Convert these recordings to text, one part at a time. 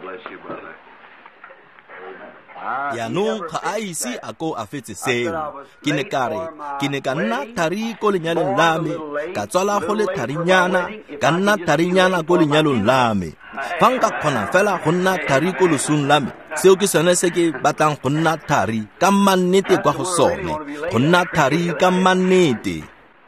Bless you, brother. Jaanong ga a ise a ko a fetse seo. Ke ne ka re, ke ne ka nna thari ko lenyalong la me, ka tswala go le tharinyana, ka nna tharinyana ko lenyalong la me. Fa nka kgona fela go nna thari ko losong la me, seo ke sone se ke batlang go nna thari ka mannete kwa go sone, go nna thari ka mannete.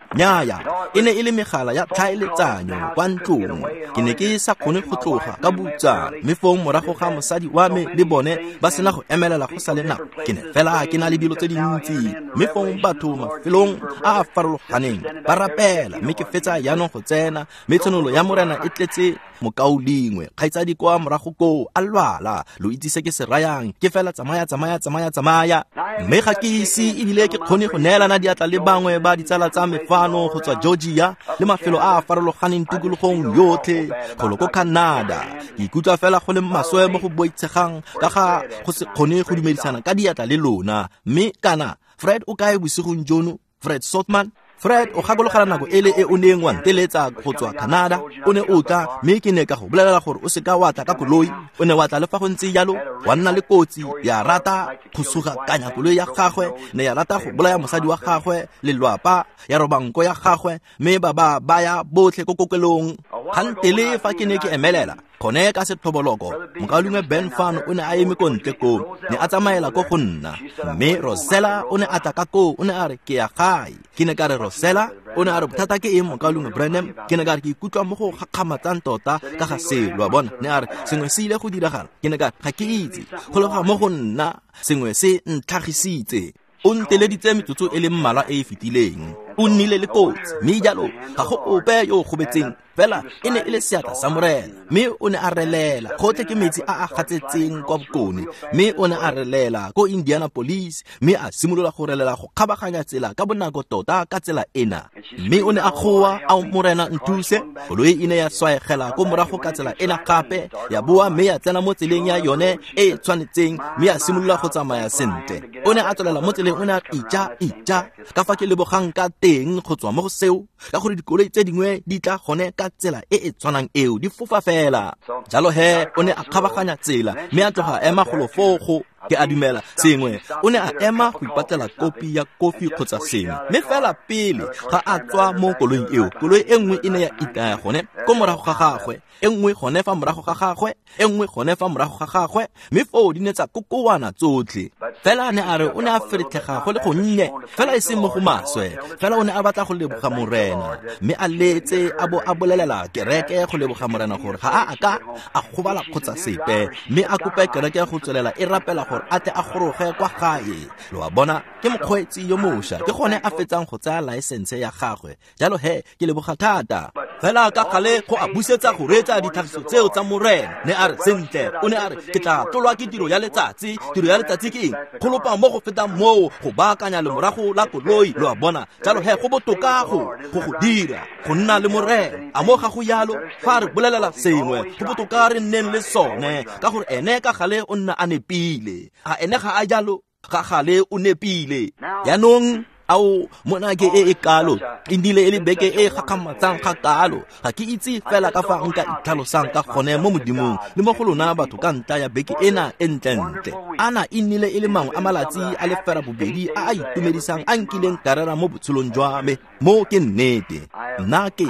Nnyaya, e ne e le megala ya tlhaeletsanyo kwa ntlong. Ke ne ke sa kgone go tloga ka butsa, mme fong morago ga mosadi wa me le bone ba sena go emelela go sa le nako, ke ne fela ke na le dilo tse dintsi. Mme fong batho mafelong a a farologaneng ba rapela, mme ke fetsa jaanong go tsena, mme tshenolo ya Morena e tletse mokaulengwe kgaitsadi kwa morago koo a lwala. Lo itse se ke se rayang, ke fela tsamaya, tsamaya, tsamaya, tsamaya. Mme ga ke ise ebile ke kgone go neelana diatla le bangwe ba ditsala tsa me fano go tswa Georgia le mafelo a a farologaneng tikologong yotlhe golo ko Canada. Ke ikutlwa fela go le maswe mo go boitshegang ka ga go se kgone go dumedisana ka diatla le lona. Mme kana Fred o kae bosigong jono? Fred Sothmann? Fred, o gakologela nako ele e o neng wa nteletsa go tswa Canada, o ne o tla, mme ke ne ka go bolelela gore o seka wa tla ka koloi. O ne wa tla le fa go ntse jalo, wa nna le kotsi, ya rata go sugakanya koloi ya gagwe, ne ya rata go bolaya mosadi wa gagwe, lelwapa, ya roba nko ya gagwe, mme ba ba baya botlhe ko kokelong. Kgantele fa ke ne ke emelela gone ka sethoboloko, mokaulengwe Ben fano o ne a eme ko ntle koo, ne a tsamaela ko go nna. Mme Rosella o ne a tla ka koo, o ne a re, ke ya gae. Ke ne ka re, Rosella, o ne a re, bothata ke eng, mokaulengwe Branham? Ke ne ka re, ke ikutlwa mo go gakgamatsang tota ka ga seo, lo a bona. Ne a re, sengwe se ile go diragala. Ke ne ka re, ga ke itse, go leboga mo go nna, sengwe se ntlhagisitse. O nteleditse metsotso e le mmalwa e e fetileng. O nnile le kotsi, mme jalo ga go ope yo o gobetseng, fela e ne e le seatla sa Morena. Mme o ne a relela gotlhe ke metsi a a gatsetseng kwa bokone, mme o ne a relela ko Indianapolis, mme a simolola go relela go kgabaganya tsela ka bonako tota ka tsela ena. Mme o ne a goa, ao Morena nthuse. Koloi e ne ya swaegela ko morago ka tsela ena gape, ya boa mme ya tsena mo tseleng ya yone e e tshwanetseng, mme ya simolola go tsamaya sentle. O ne a tswelela mo tseleng, o ne a ija ija ka fa ke lebogang ka teng go tswa mo go seo, ka gore dikoloi tse dingwe di tla gone ka tsela e e tshwanang eo, di fofa fela. Jalo he o ne a kgabaganya tsela mme a tloga a ema golo foo go, ke a dumela sengwe, o ne a ema go ipatlela kopi ya kofi kgotsa sengwe. Mme fela pele ga a tswa mo koloing eo, koloi e nngwe e ne ya itaya gone ko morago ga gagwe, e nngwe gone fa morago ga gagwe, e nngwe gone fa morago ga gagwe, mme foo di ne tsa kokoana tsotlhe. Fela ne a re o ne a feretlhega go le gonnye, fela e seng mo go maswe, fela o ne a batla go leboga Morena, mme a letse a bo a bolelela kereke go leboga Morena gore ga a ka a gobala kgotsa sepe, mme a kope kereke go tswelela e rapela gore a tle a goroge kwa gae. Lo a bona, ke mokgweetsi yo mošwa, ke gone a fetsang go tsaya laesense ya gagwe. Jalo he ke leboga thata. Fela ka gale go a busetsa go reetsa ditlhagiso tseo tsa Morena. Ne a re, sentle, o ne a re, ke tla tlolwa ke tiro ya letsatsi. Tiro ya letsatsi ke eng? Go lopa mo go fetang moo, go baakanya lemorago la koloi, lo a bona. Jalo he go botoka go go dira, go nna le Morena. A mo ga go yalo, fa re bolelela sengwe, go botoka re nneng le sone, ka gore ene ka gale o nna a nepile. A ene ga a jalo? Ga gale o nepile. Jaanong ao mona ke e e kalo, e nnile e le beke e gakgamatsang ga kalo. Ga ke itse fela ka fa nka itlhalosang ka gone mo Modimong le mo go lona batho ka ntlha ya beke ena e ntlentle. Ana e nnile e le mangwe a malatsi a le ferabobedi a a itumedisang a nkileng ka rera mo botshelong jwa me. Mo ke nnete. Nna ke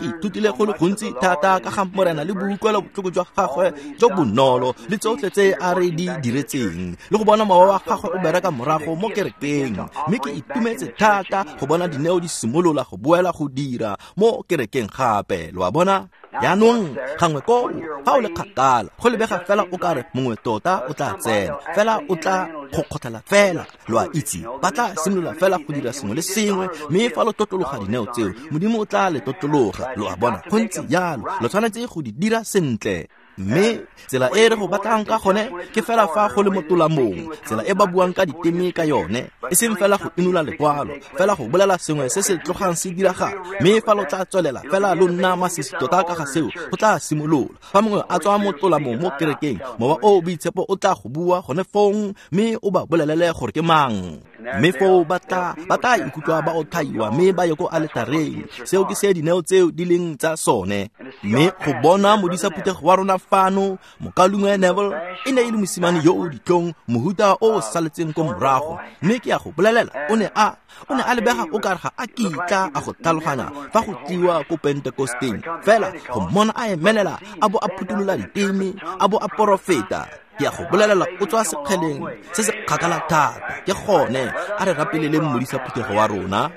ithutile go le gontsi thata ka ga Morena le boutlwelo botlhoko jwa gagwe jo bonolo le tsotlhe tse a re di diretseng, le go bona mowa wa gagwe o bereka morago mo kerekeng. Mme ke itumetse thata go bona dineo di simolola go boela go dira mo kerekeng gape, lo a bona. Jaanong gangwe koo fa o le kgakala, go lebega fela o kare mongwe tota o tla tsena, fela o tla go kgotlhela fela, lo a itse, ba tla simolola fela go dira sengwe le sengwe. Mme fa lo tlotloga dineo tseo, Modimo o tla le tlotloga, lo a bona. Go ntse jalo, lo tshwanetse go di dira sentle. Mme tsela e re go batlang ka gone ke fela fa go le mo tolamong, tsela e ba buang ka diteme ka yone, e seng fela go inola lekwalo, fela go bolela sengwe se se tlogang se diragala. Mme fa lo tla tswelela fela lo nna masisi tota ka ga seo, go tla simolola. Fa mongwe a tswa mo tolamong mo kerekeng, mowa o o boitshepo o tla go bua gone fong, mme o ba bolelele gore ke mang. Mme foo ba tla ikutlwa ba otlhaiwa mme ba ye ko aletareng. Seo ke se dineo tseo di leng tsa sone. Mme go bona modisa phuthego wa rona fano, mokaulengwe Neville, e ne e le mosimane yo o ditlhong, mohuta o o saletseng ko morago. Mme ke a go bolelela, o ne a lebega o kare ga a kitla a go tlhaloganya fa go tliwa ko Pentekosteng. Fela go mmona a emelela, a bo a phuthulola diteme, a bo a porofeta, ke a go bolelela o tswa sekgeleng se se kgakala thata. Ke gone a re rapeleleng modisa phuthego wa rona.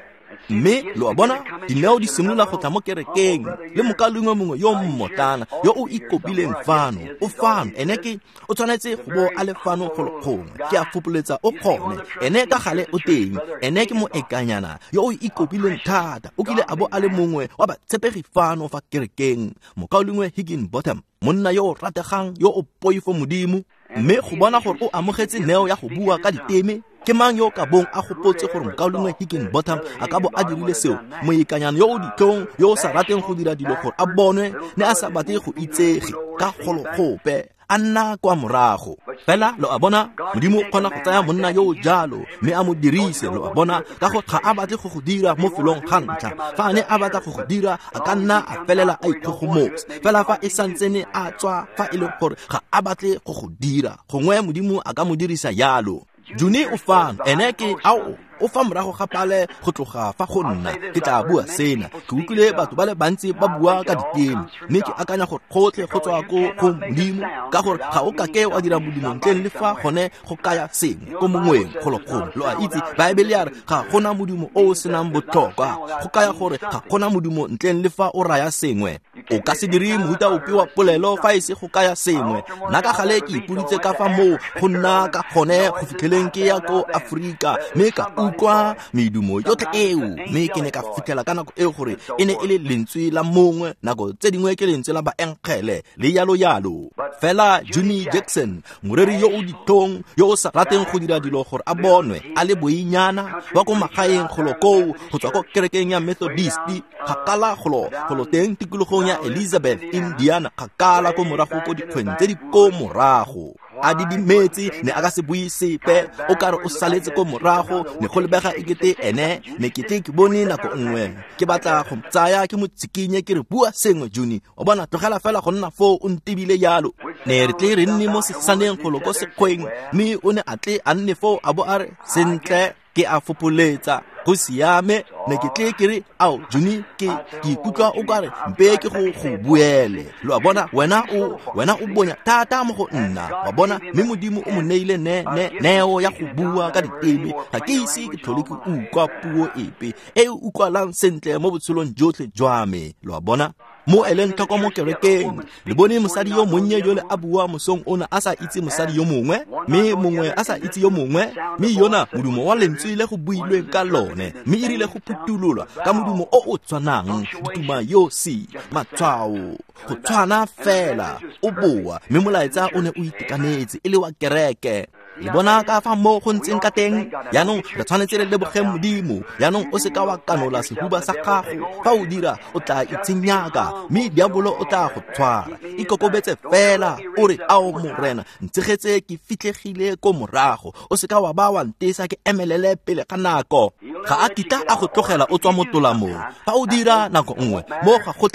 Mme lo a bona, dineo di simolola go tla mo kerekeng, le mokaulengwe mongwe yo mmotlana yo o ikopileng fano, o fano, ene ke o tshwanetse go bo a le fano go le gongwe. Ke a fopoletsa o kgone, ene ka gale o teng, ene ke moekanyana yo o ikopileng thata, o kile a bo a le mongwe wa batshepegi fano fa kerekeng, mokaulengwe Higginbotham, monna yo o rategang, yo o poifo Modimo. Mme go bona gore o amogetse neo ya go bua ka diteme, ke mang yo ka bong a gopotse gore mokaulengwe Higginbotham a ka bo a dirile seo? Moikanyana yo o ditlhong, yo o sa rateng go dira dilo gore a bonwe, ne a sa batle go itsege ka golo gope, a nna kwa morago. Fela lo a bona, Modimo o kgona go tsaya monna yo o jalo mme a mo dirise, lo a bona, ka go ga a batle go go dira mo felong ga ntlha. Fa a ne a batla go go dira, a ka nna a felela a ikgogomosa. Fela fa e santsene a tswa, fa e le gore ga a batle go go dira, gongwe Modimo a ka mo dirisa yalo. Juni o fano, ene ke ao o fa morago ga pale go tloga fa go nna. Ke tla bua sena, ke utlwile batho ba le bantsi ba bua ka diteme, mme ke akanya gore gotlhe go tswa ko go Modimo, ka gore ga o kake wa dira modumo ntleng le fa gone go kaya sengwe ko mongweng go le gongwe. Lo a itse, Baebele ya re ga gona modumo o o senang botlhokwa, go kaya gore ga gona modumo ntleng le fa o raya sengwe. O ka se dire mohuta ope wa polelo fa e se go kaya sengwe. Nna ka gale ke ipoditse ka fa moo go nna ka gone go fitlheleng ke ya ko Aforika, mme ka utlwa medumo yotlhe eo, mme ke ne ka fitlhela ka nako eo gore e ne e le lentswe la mongwe, nako tse dingwe ke lentswe la baengele le yalo yalo. Fela Jimmy Jackson, moreri yo o ditlhong, yo o sa rateng go dira dilo gore a bonwe, a le boinyana, wa ko magaeng golo koo, go tswa ko kerekeng ya Methodist, kgakala golo teng tikologong ya Elizabeth, Indiana, kgakala ko morago ko dikgweng tse di ko morago. A didimetse, ne a ka se bue sepe, o kare o saletse ko morago, ne go lebega ekete ene, ne ke tle ke bone nako nngwe ke batla go tsaya ke mo tsikinye ke re bua sengwe, Juni, o bona, tlogela fela go nna foo o ntebile yalo. Ne re tle re nne mo sesaneng golo ko sekgweng, mme o ne a tle a nne foo a bo a re, sentle, ke a fopoletsa, go siame. Ne ke tle ke re, ao Juni, ke ikutlwa o kare mpe ke go buele. Lo a bona, wena o bonya thata mo go nna, wa bona, mme Modimo o mo neile neo ya go bua ka diteme. Ga ke ise ke tlhole ke utlwa puo epe e e utlwalang sentle mo botshelong jotlhe jwa me, lo a bona. Mo eleng tlhoko mo kerekeng, le bone mosadi yo monnye jole a bua mosong ona a sa itse mosadi yo mongwe, mme mongwe a sa itse yo mongwe, mme yona modumo wa lentswe le go builweng ka lone, mme e rile go phutulolwa ka modumo o o tshwanang, dituma yosi, matshwao, go tshwana fela, o boa, mme molaetsa o ne o itekanetse e le wa kereke. Le bona ka fa mo go ntseng ka teng. Jaanong re tshwanetse re lebogeng Modimo. Jaanong o se ka wa kanola sehuba sa gago. Fa o dira, o tla itshenyaka, mme diabolo o tla go tshwara. Ikokobetse fela, o re, ao Morena, ntshegetse ke fitlhegile ko morago. O se ka wa ba wa ntesa ke emelele pele ga nako. Ga a kitla a go tlogela o tswa mo tolamong. Fa o dira nako nngwe, mo ga go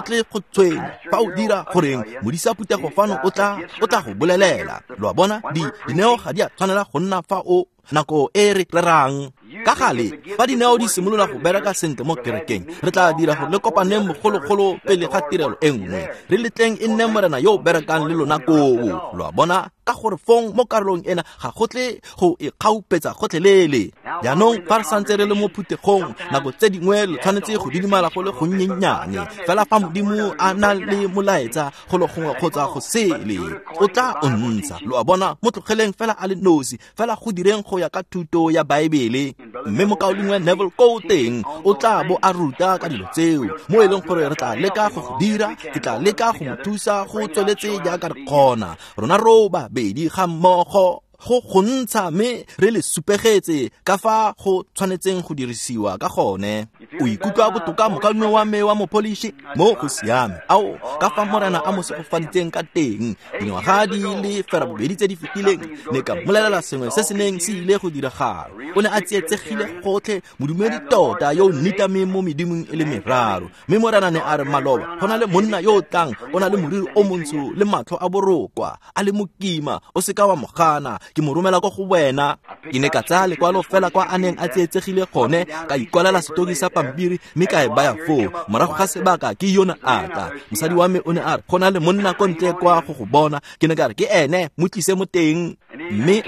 tle go tshwenya. Fa o dira goreng, modisa phuthego fano o tla go bolelela. Lo a bona, dineo ga di a tshwanela go nna fa o nako e re rerang. Ka gale, fa dineo di simolola go bereka sentle mo kerekeng, re tla dira gore le kopaneng mogologolo pele ga tirelo e nngwe. Re letleng e nne Morena yo o berekang le lona koo. Lo a bona, ka gore fong mo karolong ena ga go tle go e kgaupetsa gotlhelele. Jaanong fa re santse re le mo phuthegong, nako tse dingwe lo tshwanetse go didimala go le gonnyennyane. Fela fa Modimo a na le molaetsa go le gongwe kgotsa go sele, o tla o ntsha. Lo a bona, mo tlogeleng fela a le nosi, fela go direng go ya ka thuto ya Baebele. Mme mokaulengwe Neville ko teng o tla bo a ruta ka dilo tseo, mo e leng gore re tla leka go go dira. Ke tla leka go mo thusa go tsweletse jaaka re kgona, rona ro babedi ga mmogo. go go ntsha mme re le supegetse ka fa go tshwanetseng go dirisiwa ka gone. O ikutlwa botoka mokaulengwe wa me wa mopolishi? Mo go siame. Ao, ka fa Morena a mo segofaditseng ka teng. Dingwaga di le 80 tse di fetileng ne ka mmolelela sengwe se se neng se ile go diragala. O ne a tsietsegile gotlhe, modumedi tota yo o nitameng mo medimong e le meraro. Mme Morena ne a re maloba, go na le monna yo o tlang, o na le moriri o montsho le matlho a borokwa, a le mokima, o seka wa mo gana, ke mo romela kwa go wena. Ke ne ka tsaya lekwalo fela kwa a neng a tsietsegile gone, ka ikwalela setoki sa pampiri mme ka e baya foo. Morago ga sebaka ke yona a tla. Mosadi wa me o ne a re, go na le monna ko ntle kwa go go bona. Ke ne ka re, ke ene, mo tlise mo teng. Mme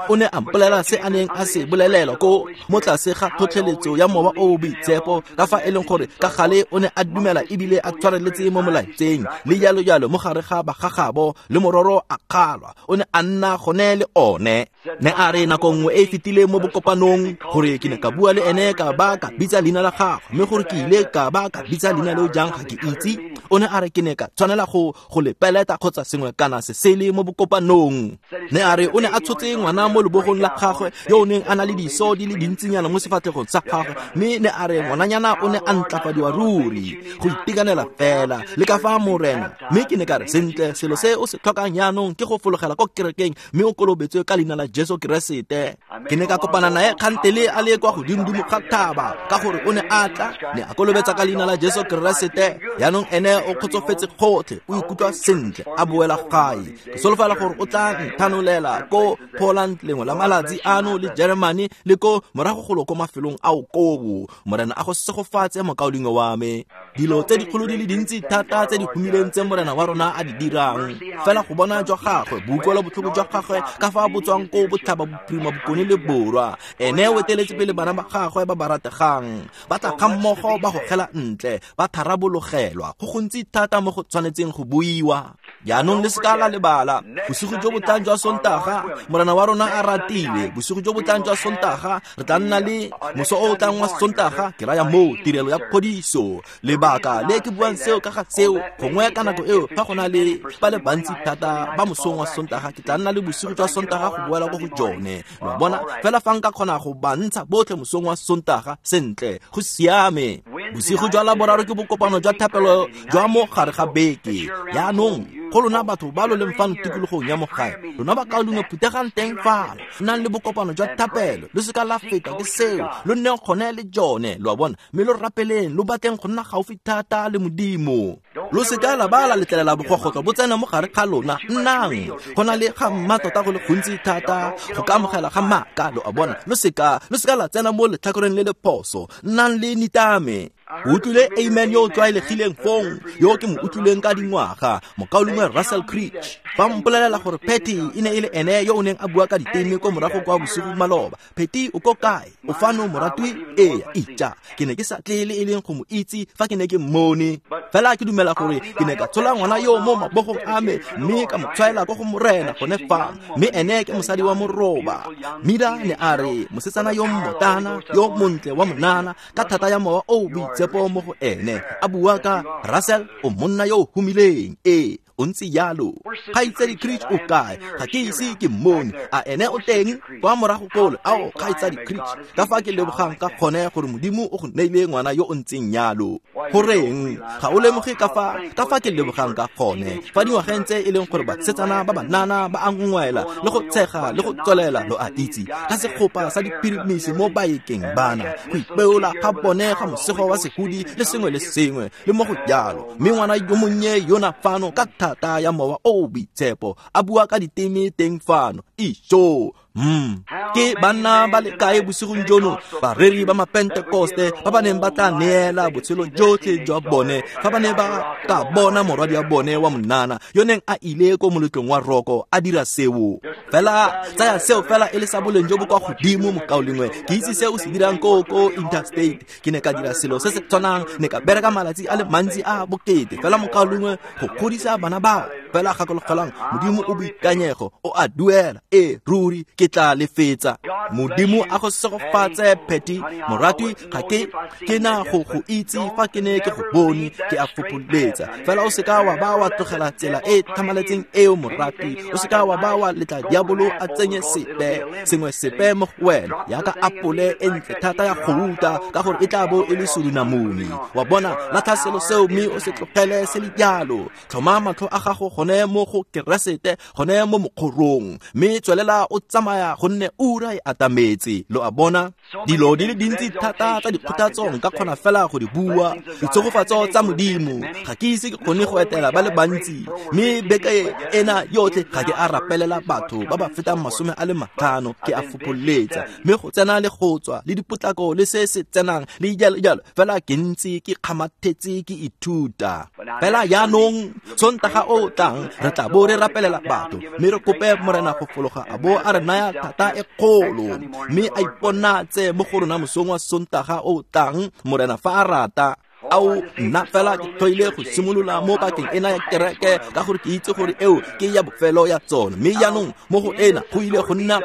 o ne a mpolelela se a neng a se bolelelwa ko mo tlase ga tlhotlheletso ya Mowa o o Boitshepo, ka fa e leng gore ka gale o ne a dumela ebile a tshwareletse mo molaetseng le jalo jalo mo gare ga bagagabo, le mororo a kgalwa, o ne a nna gone le one. Ne a re nako nngwe e e fetileng mo bokopanong gore ke ne ka bua le ene ka ba ka bitsa leina la gagwe, mme gore ke ile ka ba ka bitsa leina leo jang ga ke itse. O ne a re ke ne ka tshwanela go le peleta kgotsa sengwe kana se sele mo bokopanong. Ne a re o ne a tshotse ngwana mo lebogong la gagwe yo o neng a na le diso di le dintsinyana mo sefatlhegong sa gagwe, mme ne a re ngwananyana o ne a ntlafadiwa ruri go itekanela fela le ka fa Morena. Mme ke ne ka re, sentle, selo se o se tlhokang jaanong ke go fologela ko kerekeng mme o kolobetswe ka leina la Jesu Keresete. Ke ne ka kopana nae kgantele a le kwa godimodimo ga thaba, ka gore o ne a tla, ne a kolobetsa ka leina la Jesu Keresete. Jaanong ene o kgotsofetse gotlhe, o ikutlwa sentle, a boela gae. Ke solofela gore o tla nthanolela ko Poland lengwe la malatsi ano, le Germany, le ko morago golo ko mafelong ao kobo. Morena a go segofatse mokaulengwe wa me. Dilo tse dikgolo di le dintsi thata tse di humileng tse Morena wa rona a di dirang, fela go bona jwa gagwe, boutlwelo botlhoko jwa gagwe ka fa bo tswang ko botlhaba, bophirima, bokone le borwa. Ene o eteletse pele bana ba gagwe ba ba rategang, ba tla ga mmogo, ba gogela ntle, ba tharabologelwa. Go gontsi thata mo go tshwanetseng go buiwa. Jaanong le seka la lebala, bosigo jo bo tlang jwa Sontaga, Morena wa rona a ratile, bosigo jo bo tlang jwa Sontaga re tla nna le moso o o tlang wa Sontaga, ke raya moo, tirelo ya phodiso. Lebaka le ke buang seo ka ga seo, gongwe ka nako eo fa go na le ba le bantsi thata ba mosong wa Sontaga, ke tla nna le bosigo jwa Sontaga go boela ko go jone. Lo bona, fela fa nka kgona go ba ntsha botlhe mosong wa Sontaga, sentle, go siame. Bosigo jwa Laboraro ke bokopano jwa thapelo jwa mo gare ga beke. Jaanong go lona batho ba lo leng fano tikologong ya mo gae, lona bakaulengwe phutegang teng fano, nnang le bokopano jwa thapelo, lo seka la feta ke seo, lo nneng gone le jone, lo a bona, mme lo rapeleng, lo batleng go nna gaufi thata le Modimo. Lo seka la ba la letlelela bogogotlo bo tsena mo gare ga lona. Nnang go na le ga mmatota go le gontsi thata go ka amogela ga maaka, lo a bona. Lo seka la tsena mo letlhakoreng le le phoso. Nnang le nitame. O utlwile amen yo o tlwaelegileng fong, yo ke mo utlwileng ka dingwaga, mokaulengwe Russell Creech. Ba mpolelela gore Patty e ne e le ene yo o neng a bua ka diteme ko morago kwa bosigo maloba. Patty o ko kae? O fano moratwi? Ee, itja. Ke ne ke sa tle le e leng go mo itse fa ke ne ke mmone. Fela ke dumela gore ke ne ka tshola ngwana yo mo mabogong a me mme ka mo tshwaela ko go Morena gone fa. Mme ene ke mosadi wa moroba. Mida ne a re mosetsana yo mmotana, yo montle wa monana, ka thata ya Mowa o Boitshepo mo go ene, a bua ka Russell, o monna yo o humileng. Ee, o ntse jalo. Kgaitsadi Creech o kae? Ga ke ise ke mmone. A ene o teng kwa morago kole? Ao, Kgaitsadi Creech, ka fa ke lebogang ka gone gore Modimo o go neile ngwana yo o ntseng jalo. Goreng ga o lemoge ka fa ke lebogang ka gone fa dingwageng tse e leng gore basetsana ba banana ba a ngwela le go tshega le go tswelela, lo a itse, ka segopa sa dipirimisi mo baekeng bana, go ipeola ga bone ga mosego wa sehudi le sengwe le sengwe le mo go jalo. Mme ngwana yo monnye yona fano ka thata ya Mowa o o Boitshepo a bua ka diteme teng fano. Ijo. Ke banna ba le kae bosigong jono, bareri ba mapentekoste ba ba neng ba tla neela botshelo jotlhe jwa bone fa ba ne ba ka bona morwadi wa bone wa monana yo neng a ile ko moletlong wa roko a dira seo. Fela tsaya seo fela e le sa boleng jo bo kwa godimo, mokaulengwe. Ke itse se o se dirang ko interstate. Ke ne ka dira selo se se tshwanang, ne ka bereka malatsi a le mantsi a bokete. Fela mokaulengwe, go godisa bana bao Fela gakologelang, Modimo o boikanyego, o a duela. Ee, ruri ke tla lefetsa. Modimo a go segofatse, Patty moratwi. Ga ke na go go itse fa ke ne ke go bone, ke a fopholetsa. Fela o seka wa ba wa tlogela tsela e thamaletseng eo, moratwi. O seka wa ba wa letla diabolo a tsenye sepe sengwe sepe mo go wena, yaka apole e ntle thata ya gouta, ka gore e tla bo e le surunamune. Wa bona, latlha selo seo mme o se tlogele se le jalo. Tlhoma matlho a gago gone mo go Keresete, gone mo mokgorong, mme tswelela o tsamaya, gonne ura e atametse. Lo a bona, dilo di le dintsi thata tsa dikgothatso nka kgona fela go di bua, ditshegofatso tsa Modimo. Ga ke ise ke kgone go etela ba le bantsi, mme beke ena yotlhe ga ke a rapelela batho ba ba fetang 50, ke a fopholetsa. Mme go tsena le go tswa le dipotlako le se se tsenang le jalo jalo, fela ke ntse ke kgamathetse ke ithuta. Fela jaanong Sontaga o tlang re tla bo re rapelela batho, mme re kope Morena go fologa a bo a re naya thata e kgolo, mme a iponatse mo go rona mosong wa Sontaga o tlang, Morena fa a rata. Ao, nna fela ke tlhoile go simolola mo pakeng ena ya kereke, ka gore ke itse gore eo ke ya bofelo ya tsone. Mme jaanong mo go ena go ile go nna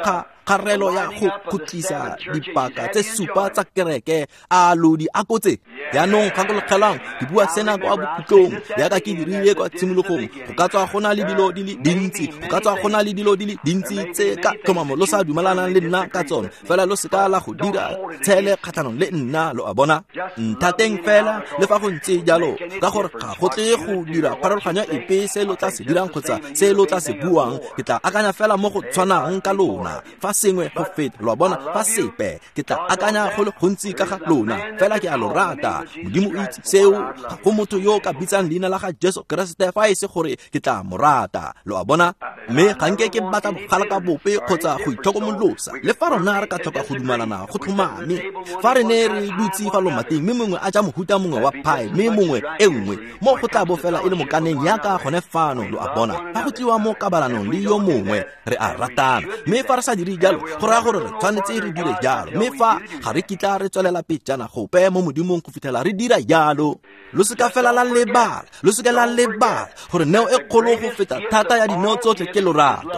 kgarelo ya go khutlisa dipaka tse supa tsa kereke. A lo di akotse? Jaanong gakologelang, ke bua sena kwa bokhutlong yaka ke dirile kwa tshimologong. Go ka tswa go na le dilo di le dintsi, go ka tswa go na le dilo di le dintsi tse ka tlhomamo lo sa dumelanang le nna ka tsone, fela lo seka la go dira tshele kgatlhanong le nna. Lo a bona, nthateng fela le fa go ntse jalo, ka gore ga go tle go dira pharologanyo epe se lo tla se dirang kgotsa se lo tla se buang. Ke tla akanya fela mo go tshwanang ka lona fa sengwe go feta. Lo a bona, fa sepe, ke tla akanya go le gontsi ka ga lona, fela ke a lo rata. Modimo o itse seo. Ga go motho yo ka bitsang leina la ga Jesu Keresete fa e se gore ke tla mo rata. Lo a bona, mme ga nke ke batla bogala ka bope kgotsa go itlhokomolosa. Le fa rona re ka tlhoka go dumalana go tlhomame, fa re ne re dutse fa lomating mme mongwe a ja mohuta mongwe wa pie mme mongwe e nngwe, mo go tla bo fela e le mokaneng yaka gone fano. Lo a bona, fa go tliwa mo kabalanong le yo mongwe, re a ratana. Mme fa re sa dire jalo, go raya gore re tshwanetse re dire jalo. Mme fa ga re kitla re tswelela pejana gope mo Modimong go fitlhela re dira jalo. Lo seka fela la lebala, lo seka la lebala gore neo e kgolo go feta thata ya dineo tsotlhe ke lorato.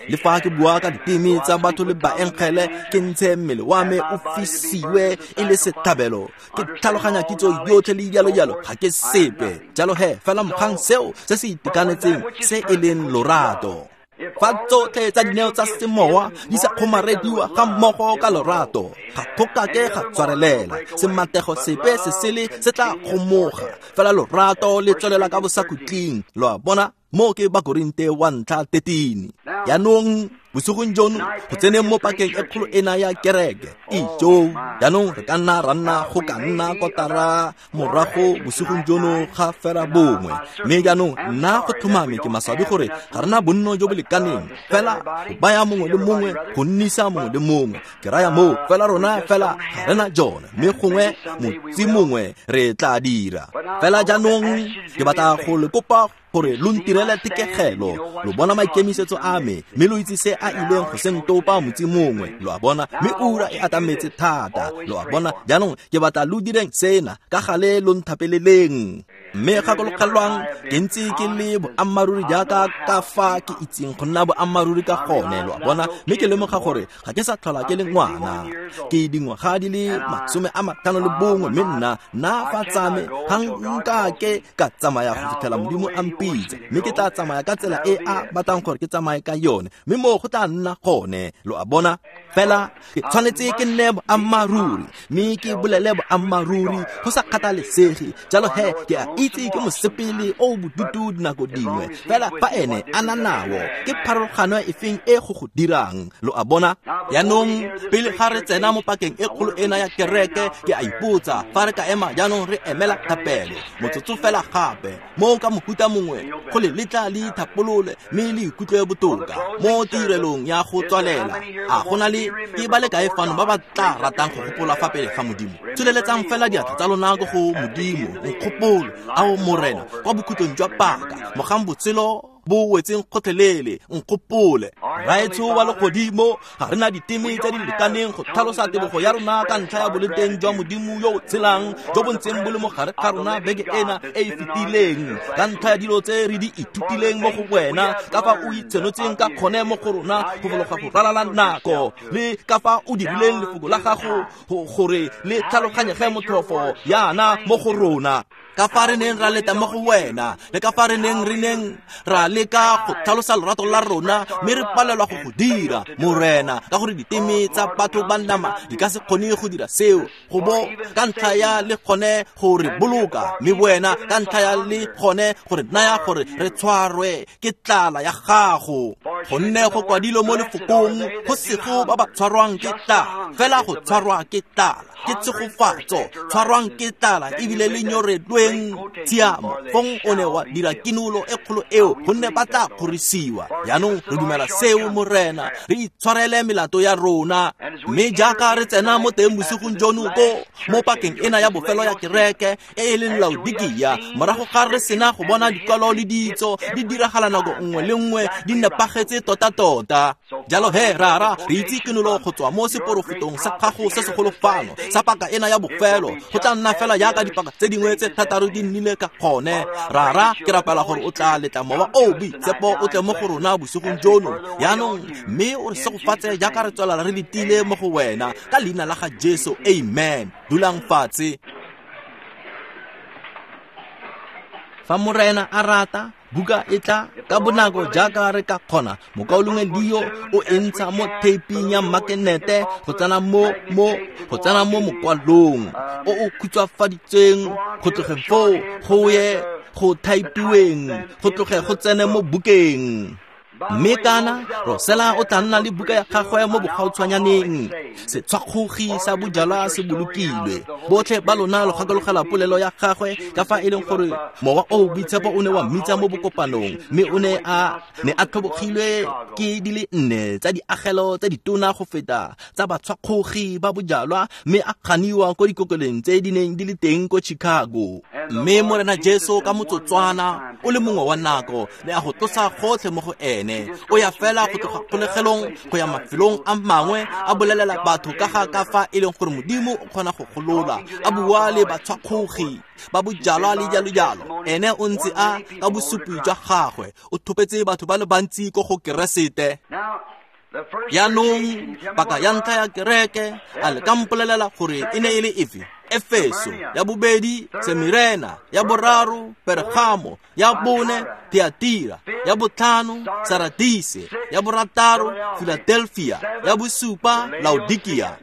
Le fa ke bua ka diteme tsa batho le baengele, ke ntshe mmele wa me o fisiwe e le setlhabelo, ke tlhaloganya kitso yotlhe le jalo jalo, ga ke sepe. Jalo he, fela mogang seo se se itekanetseng se e leng lorato. Fa tsotlhe tsa dineo tsa semowa di sa kgomarediwa ga mmogo ka lorato, ga go kake ga tshwarelela. Sematego sepe se sele se tla kgomoga, fela lorato le tswelela ka bosakhutleng. Lo a bona, mo ke Bakorinte wa ntlha 13. Jaanong bosigong jono go tseneng mo pakeng e kgolo ena ya kereke, ijo jaanong re ka nna ra nna go ka nna kotara morago bosigong jono ga fera bongwe. Mme jaanong nna go tlhomame ke maswabi gore ga rena bonno jo bo lekaneng fela go baya mongwe le mongwe, go nnisa mongwe le mongwe. Ke raya moo, fela rona fela ga rena jone, mme gongwe motsi mongwe re tla dira. Fela jaanong ke batla go le kopa gore lo ntirele tekegelo. Lo bona maikemisetso a me, mme lo itse se a ileng go se ntopa motsi mongwe. Lo a bona, mme ura e atametse thata. Lo a bona, jaanong ke batla lo direng sena ka gale, lo nthapeleleng. Mme gakologelwang, ke ntse ke le boammaaruri jaaka ka fa ke itseng go nna boammaaruri ka gone. Lo a bona, mme ke lemoga gore ga ke sa tlhola ke le ngwana, ke dingwaga di le 51, mme nna fa tsame ga nkake ka tsamaya go fitlhela Modimo a mpitsa, mme ke tla tsamaya ka tsela e a batlang gore ke tsamaye ka yone, mme moo go tla nna gone. Lo a bona, fela ke tshwanetse ke nne boammaaruri, mme ke bolele boammaaruri go sa kgathalesege. Jalo he, ke a itse ke mosepele o bodutu dinako dingwe, fela fa ene a na nao, ke pharologano efeng e go go dirang? Lo a bona, jaanong pele ga re tsena mo pakeng e kgolo ena ya kereke, ke a ipotsa fa re ka ema jaanong re emela thapelo motsotso fela gape, mo ka mohuta mongwe go le letla le ithapolole mme le ikutlwe botoka mo tirelong ya go tswalela. A go na le ke ba le kae fano ba ba tla ratang go gopola fa pele ga Modimo? Tsholeletsang fela diatla tsa lona ko go Modimo. Nkgopolo, ao Morena, kwa bokhutlong jwa paka, mogang botshelo bo wetseng gotlhelele. Nkgopole. Raetsho wa legodimo, ga re na diteme tse di lekaneng go tlhalosa tebogo ya rona ka ntlha ya boleng jwa Modimo yo o tshelang, jo bo ntseng bo le mo gare ga rona beke ena e e fetileng, ka ntlha ya dilo tse re di ithutileng mo go wena, ka fa o itshenotseng ka kgone mo go rona go fologa go ralala nako, le ka fa o dirileng lefoko la gago gore le tlhaloganyege motlhofo yana mo go rona. Ka fa re neng ra leta mo go wena, le ka fa re neng ra leka go tlhalosa lorato la rona, mme re palelwa go go dira, Morena, ka gore diteme tsa batho ba nama di ka se kgone go dira seo, go bo ka ntlha ya le gone go re boloka, mme wena ka ntlha ya le gone go re naya gore re tshwarwe ke tlala ya gago. Gonne go kwadilwe mo lefokong, go sego ba ba tshwarwang ke tlala, fela go tshwarwa ke tlala ke tshegofatso, tshwarwang ke tlala ebile le nyorelweng tshiamo. Fong o ne wa dira kinolo e kgolo eo, gonne ba tla kgorisiwa. Jaanong re dumela seo, Morena, re itshwarele melato ya rona. Mme jaaka re tsena mo teng bosigong jono ko mo pakeng ena ya bofelo ya kereke e e leng Laodikia, morago ga re sena go bona dikwalo le ditso di diragala nako nngwe le nngwe di nepagetse tota-tota. Jalo he, Rara, re itse kinolo go tswa mo seporofetong sa gago se segolo fano sa paka ena ya bofelo, go tla nna fela jaaka dipaka tse dingwe tse thataro di nnile ka gone. Rara, ke rapela gore o tla letla Mowa o Boitshepo o tle mo go rona bosigong jono jaanong, mme o re segofatse jaaka re tswelela re letile mo go wena, ka leina la ga Jesu, amen. Dulang fatshe. Fa Morena a rata, buka e tla ka bonako jaaka re ka kgona. Mokaulengwe Leo o e ntsha mo theiping ya makenete go tsena mo mokwalong o o khutswafaditsweng, go tlogeng foo go ye go thaipiweng, go tloge go tsene mo bukeng. Mme kana Rosela o tla nna le buka ya gagwe mo bogautshwanyaneng. Setshwakgogi sa bojalwa se bolokilwe. Botlhe ba lona lo gakologela polelo ya gagwe ka fa e leng gore Mowa o Boitshepo o ne wa mmitsa mo bokopanong, mme o ne a tlhobogilwe ke di le 4 tsa diagelo tse ditona go feta tsa batshwakgogi ba bojalwa, mme a ganiwa ko dikokeleng tse di neng di le teng ko Chicago. Mme Morena Jesu ka motsotswana o le mongwe wa nako ne a go tlosa gotlhe mo go ene. O ya fela go tloga kgolegelong go ya mafelong a mangwe, a bolelela batho ka ga ka fa e leng gore Modimo o kgona go golola, a bua le batshwakgogi ba bojalwa le jalo-jalo. Ene o ntse a ka bosupi jwa gagwe o thopetse batho ba le bantsi ko go Keresete. Jaanong paka ya ntlha ya kereke, a le ka mpolelela gore e ne e le efe? Efeso, ya bobedi Semirena, ya boraro Pergamo, ya bone Thiatira, ya botlhano Saradise, ya borataro Philadelphia, ya bosupa Laodikia.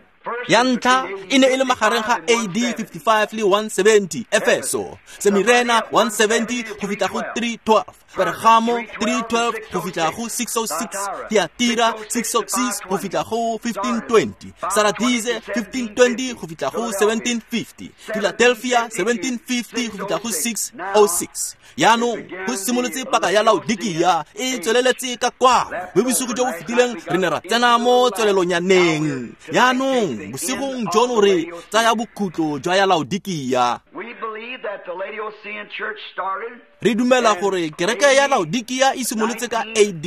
Ya ntlha e ne e le magareng ga AD 55 le 170, Efeso, Semirena 170 go fitlha go 312, Pergamo 312 go fitlha go 606, Thiatira 606 go fitlha go 1520, Saradise 1520 go fitlha go 1750, Philadelphia 1750 go fitlha go 606. Jaanong go simolotse paka ya Laodikia e tsweleletse ka kwano, mme bosigo jo bo fetileng re ne ra tsena mo tswelelonyaneng. Jaanong bosigong jono re tsaya bokhutlo jwa ya Laodikia. Re dumela gore kereke ya Laodikia e simolotse ka AD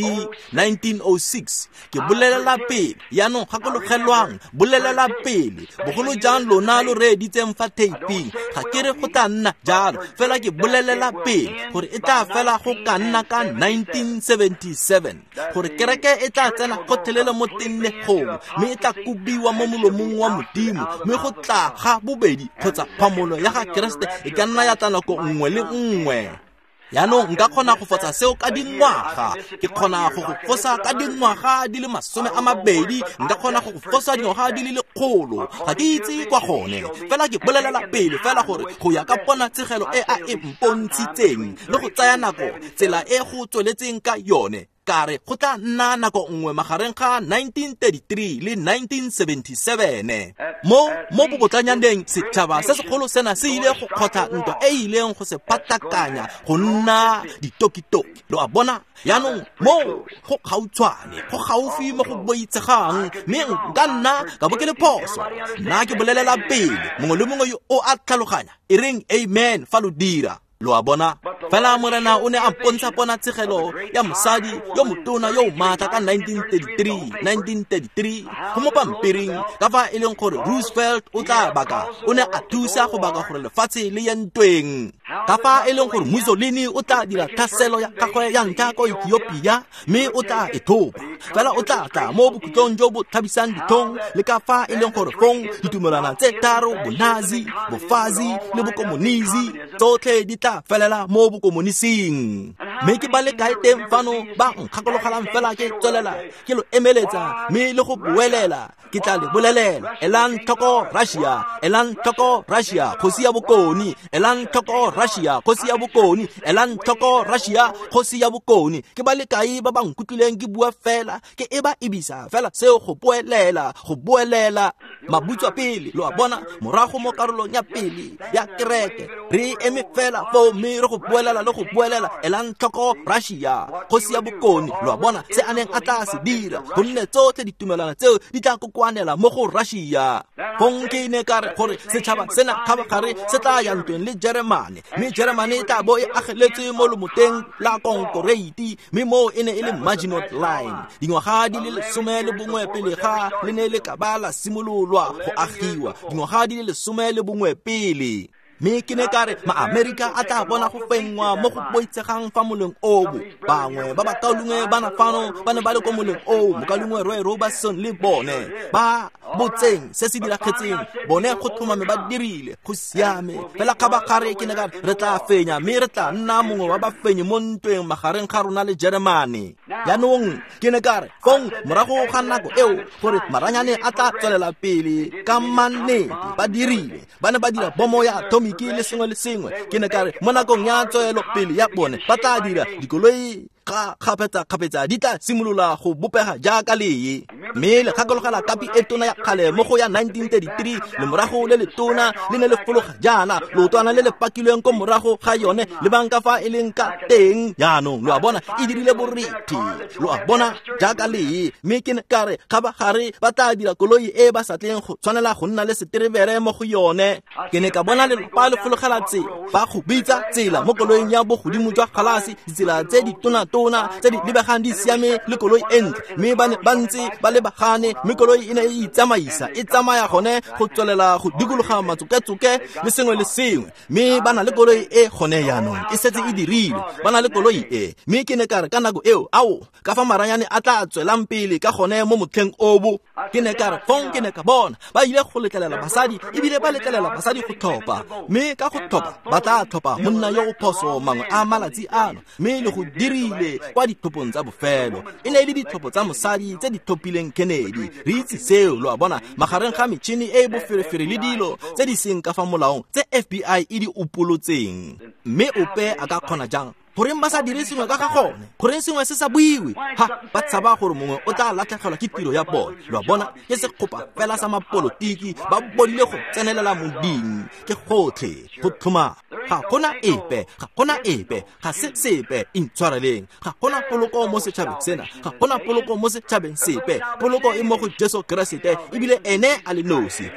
1906. Ke bolelela pele, jaanong gakologelwang, bolelela pele, bogolo jang lona lo reeditseng fa theiping. Ga ke re go tla nna jalo, fela ke bolelela pele gore e tla fela go ka nna ka 1977, gore kereke e tla tsena gotlhelele mo tennegong, mme e tla kobiwa mo molomong wa Modimo, mme go tla ga bobedi kgotsa phamolo ya ga Keresete e ka nna ya tla nako nngwe le nngwe. Jaanong nka kgona go fotsa seo ka dingwaga, ke kgona go go fosa ka dingwaga di le 20, nka kgona go go fosa dingwaga di le 100. Ga ke itse kwa gone, fela ke bolelela pele fela gore go ya ka ponatshegelo e a e mpontshitseng le go tsaya nako tsela e go tsweletseng ka yone, ka re go tla nna nako nngwe magareng ga 1933 le 1977. Mo bobotlanyaneng setšhaba se segolo sena se ile go kgotla ntwa e ileng go se phatlakanya go nna ditokitoki. Lo a bona? Jaanong mo go gautshwane, go gaufi mo go boitshegang, mme nka nna ka bo ke le phoso. Nna ke bolelela pele, mongwe le mongwe yo o a tlhaloganya, e reng amen fa lo dira. Lo a bona? Fela Morena o ne a mpontsha ponatshegelo ya mosadi yo motona yo o maatla ka 1933 go mo pampiring, ka fa e leng gore Roosevelt o tla baka, o ne a thusa go baka gore lefatshe le ye ntweng, ka fa e leng gore Mussolini o tla dira tlhaselo ya gagwe ya ntlha ko Ethiopia mme o tla e thopa, fela o tla tla mo bokhutlong jo bo tlhabisang ditlhong, le ka fa e leng gore fong ditumelwana tse tharo, bonazi, bofazi le bokomonisi, tsotlhe di tla felela mo bokomonising. Mme ke ba le kae teng fano ba nkgakologelang fela ke tswelela ke lo emeletsa mme le go boelela, ke tla le bolelela, elang tlhoko Russia, elang tlhoko Russia, kgosi ya bokone, elang tlhoko Russia, kgosi ya bokone, elang tlhoko Russia, kgosi ya bokone. Ke ba le kae ba ba nkutlwileng ke bua fela, ke e ba ebisa fela seo go boelela, go boelela mabutswa pele, lo a bona, morago mo karolong ya pele ya kereke, re eme fela foo mme re go boelela le go boelela, elang tlhoko Russia, kgosi ya bokone, lo a bona, se a neng a tla se dira, gonne tsotlhe ditumelwana tseo di tla kokoanela mo go Russia. Fong ke ne ka re gore setšhaba sena kgabagare se tla ya ntweng le Jeremane, mme Jeremane e tla bo e ageletswe mo lomoteng la konkoreiti, mme moo e ne e le Maginot Line, dingwaga di le 11 pele ga le ne le ka ba la simololwa go agiwa, dingwaga di le 11 pele. Mme ke ne ka re ma-Amerika a tla bona go fenngwa mo go boitshegang fa moleng obo. Bangwe ba bakaulengwe ba na fano ba ne ba le ko moleng oo, mokaulengwe Roy Robertson le bone ba botseng se se diragetseng, bone go tlhomame ba dirile go siame. Fela kgabagare ke ne ka re re tla fenya mme re tla nna mongwe wa bafenyi mo ntweng magareng ga rona le Jeremane. Jaanong ke ne ka re fong morago ga nako eo gore maranyane a tla tswelela pele ka mannete, ba dirile, ba ne ba dira bomo ya atomic le sengwe le sengwe. Ke ne ka re mo nakong ya tswelo pele ya bone ba tla dira dikoloi kgapetsa-kgapetsa di tla simolola go bopega jaaka lee. Mme le gakologela kapi e tona ya kgale mo go ya 1933, le morago le letona le ne le fologa jaana, leotwana le le pakilweng ko morago ga yone, le bang ka fa e leng ka teng. Jaanong lo a bona, e dirile borethe, lo a bona, jaaka lee. Mme ke ne ka re kgabagare ba tla dira koloi e ba sa tleng go tshwanela go nna le seterebere mo go yone. Ke ne ka bona lelapa le fologela tsela, ba go bitsa tsela mo koloing ya bogodimo jwa galase, ditsela tse di tona-tona tse di lebegang di siame le koloi e ntle, mme ba ne ba ntse ba lebagane, mme koloi e ne e itsamaisa, e tsamaya gone go tswelela go dikologa matsoketsoke le sengwe le sengwe. Mme ba na le koloi e gone jaanong e setse e dirile, ba na le koloi e. Mme ke ne ka re ka nako eo, ao, ka fa maranyane a tla tswelang pele ka gone mo motlheng obo. Ke ne ka re fong ke ne ka bona ba ile go letlelela basadi, ebile ba letlelela basadi go tlhopha, mme ka go tlhopha ba tla tlhopha monna yo o phoso mangwe a malatsi ano, mme le go dirile kwa ditlhophong tsa bofelo. E ne e le ditlhopho tsa mosadi tse di tlhophileng Kennedy, re itse seo, lo a bona, magareng ga metšhini e e boferefere le dilo tse di seng ka fa molaong tse FBI e di upolotseng. Mme ope a ka kgona jang? Goreng ba sa dire sengwe ka ga gone? Goreng sengwe se sa buiwe? Ha, ba tshaba gore mongwe o tla latlhegelwa ke tiro ya bone. Lo a bona, ke sekgopa fela sa mapolotiki, ba bodile go tsenelela moding, ke gotlhe go tlhoma. Ga gona epe, ga gona epe, ga se sepe, intshwareleng. Ga gona poloko mo setšhabeng sena, ga gona poloko mo setšhabeng sepe. Poloko e mo go Jesu Keresete, ebile ene a le nosi.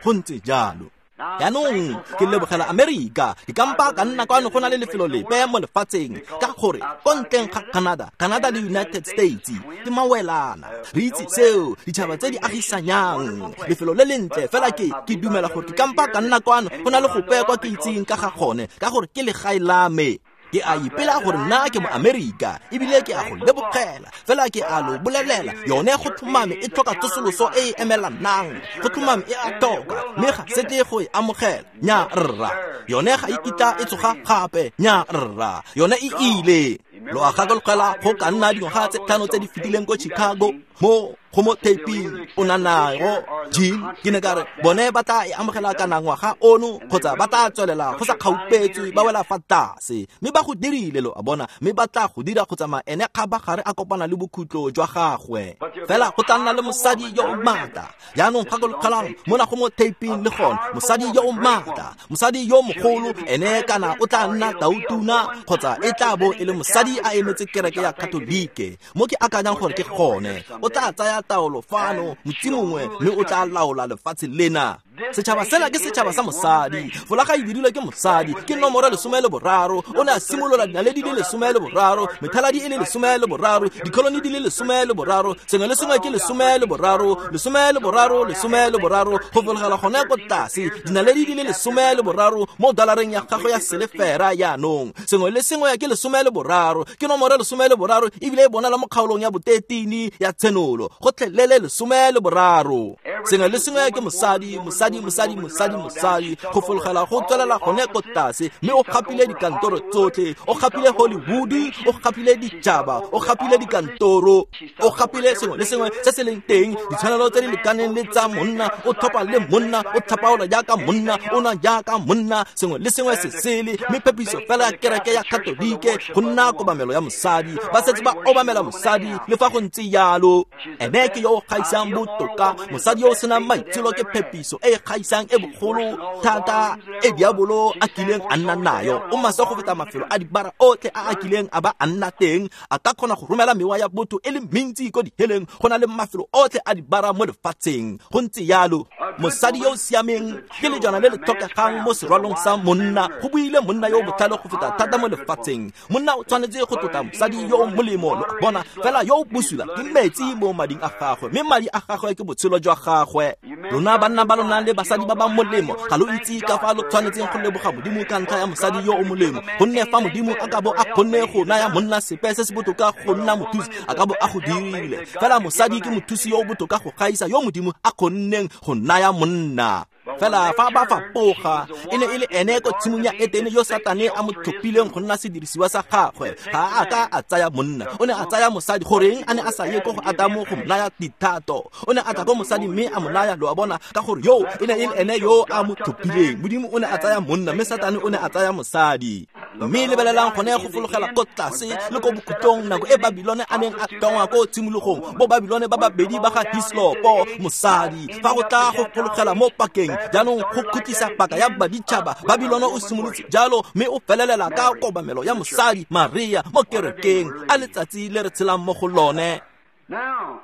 Go ntse jalo. Jaanong ke lebogela Amerika, ke kampa ka nna kwano go na le lefelo lepe mo lefatsheng, ka gore ko ntleng ga Canada, Canada le United States ke mawelana, re itse seo, ditšhaba tse di agisanyang, lefelo le lentle fela. Ke dumela gore ke kampa ka nna kwano go na le gope kwa ke itseng ka ga gone, ka gore ke legae la me. Ke a ipela gore nna ke mo Amerika, ebile ke a go lebogela, fela ke a lo bolelela, yone go tlhomame e tlhoka tsosoloso e e emelanang, go tlhomame e a tlhoka, mme ga se tle go e amogela, nya rra. Yone ga e kitla e tsoga gape, nya rra, yone e ile. Lo a gakologela go ka nna dingwaga tse 5 tse di fetileng ko Chicago, mo go mo taping o na nago Jean, ke ne ka re bone ba tla e amogela kana ngwaga ono, kgotsa ba tla tswelela go sa kgaupetswe ba wela fa tlase. Mme ba go dirile, lo a bona, mme ba tla go dira go tsamaya ene kgabagare a kopana le bokhutlo jwa gagwe. Fela go tla nna le mosadi yo o maatla. Jaanong gakologelang mona go mo taping le gone, mosadi yo o maatla, mosadi yo mogolo, ene kana o tla nna tautuna, kgotsa e tla bo e le mosadi a emetse kereke ya Katolike. Mo ke akanyang gore ke gone, o tla tsaya taolo fano motsi mongwe, mme o tla laola lefatshe lena. Setšhaba sela ke setšhaba sa mosadi. Folaga e dirilwe ke mosadi, ke nomoro 13. O ne a simolola dinaledi di le 13, methaladi e le 13, dikholoni di le 13, sengwe le sengwe ke 13, 13, 13, go fologela gone ko tlase, dinaledi di le 13 mo dolareng ya gago ya selefera jaanong. Sengwe le sengwe ke 13, ke nomoro 13, ebile e bonala mo kgaolong ya bo-13 ya Tshenolo, gotlhelele 13. Sengwe le sengwe ke mosadi, mosadi, mosadi, mosadi, mosadi, go fologela go tswelela gone ko tlase, mme o gapile dikantoro tsotlhe, o gapile Hollywood, o gapile ditšhaba, o gapile dikantoro, o gapile sengwe le sengwe se se leng teng, ditshwanelo tse di lekaneng le tsa monna, o thopa le monna, o tlhapaola jaaka monna, o nwa jaaka monna, sengwe le sengwe se sele, mme phepiso fela ya kereke ya Katolike go nna kobamelo ya mosadi. Ba setse ba obamela mosadi, le fa go ntse jalo. Ene ke yo o gaisang botoka, mosadi yo o senang maitsholo ke phepiso e e gaisang e bogolo thata e diabolo a kileng a nna nayo. O maswe go feta mafelo a dibara otlhe a a kileng a ba a nna teng. A ka kgona go romela mewa ya botho e le mentsi ko diheleng go na le mafelo otlhe a dibara mo lefatsheng. Go ntse jalo. Mosadi yo o siameng ke lejwana le le tlhokegang mo serwalong sa monna. Go buile monna yo o botlhale go feta thata mo lefatsheng. Monna o tshwanetse go tlotla mosadi yo o molemo, lo a bona, fela yo o bosula ke metsi mo mading a gagwe, mme madi a gagwe ke botshelo jwa gagwe. Lona banna ba lona le basadi ba ba molemo, ga lo itse ka fa lo tshwanetseng go leboga Modimo ka ntlha ya mosadi yo o molemo, gonne fa Modimo a ka bo a kgonne go naya monna sepe se se botoka go nna mothusi, a ka bo a go dirile. Fela mosadi ke mothusi yo o botoka go gaisa yo Modimo a kgonneng go naya monna. Fela fa ba fapoga, e ne e le ene ko tshimong ya Etene yo Satane a mo tlhophileng go nna sedirisiwa sa gagwe. Ga a ka a tsaya monna, o ne a tsaya mosadi. Goreng a ne a sa ye ko go Adamo go mo naya dithato? O ne a tla ko mosadi mme a mo naya, lo a bona, ka gore yo e ne e le ene yo a mo tlhophileng. Modimo o ne a tsaya monna, mme Satane o ne a tsaya mosadi. Mme lebelelang gone go fologela ko tlase le ko bokhutlong, nako e Babilone a neng a tlongwa ko tshimologong, bo Babilone ba babedi ba ga Hislopo, mosadi. Fa go tla go fologela mo pakeng jaanong go khutlisa paka ya baditšhaba, Babilone o simolotse jalo, mme o felelela ka kobamelo ya mosadi Maria mo kerekeng. A letsatsi le re tshelang mo go lone. Now,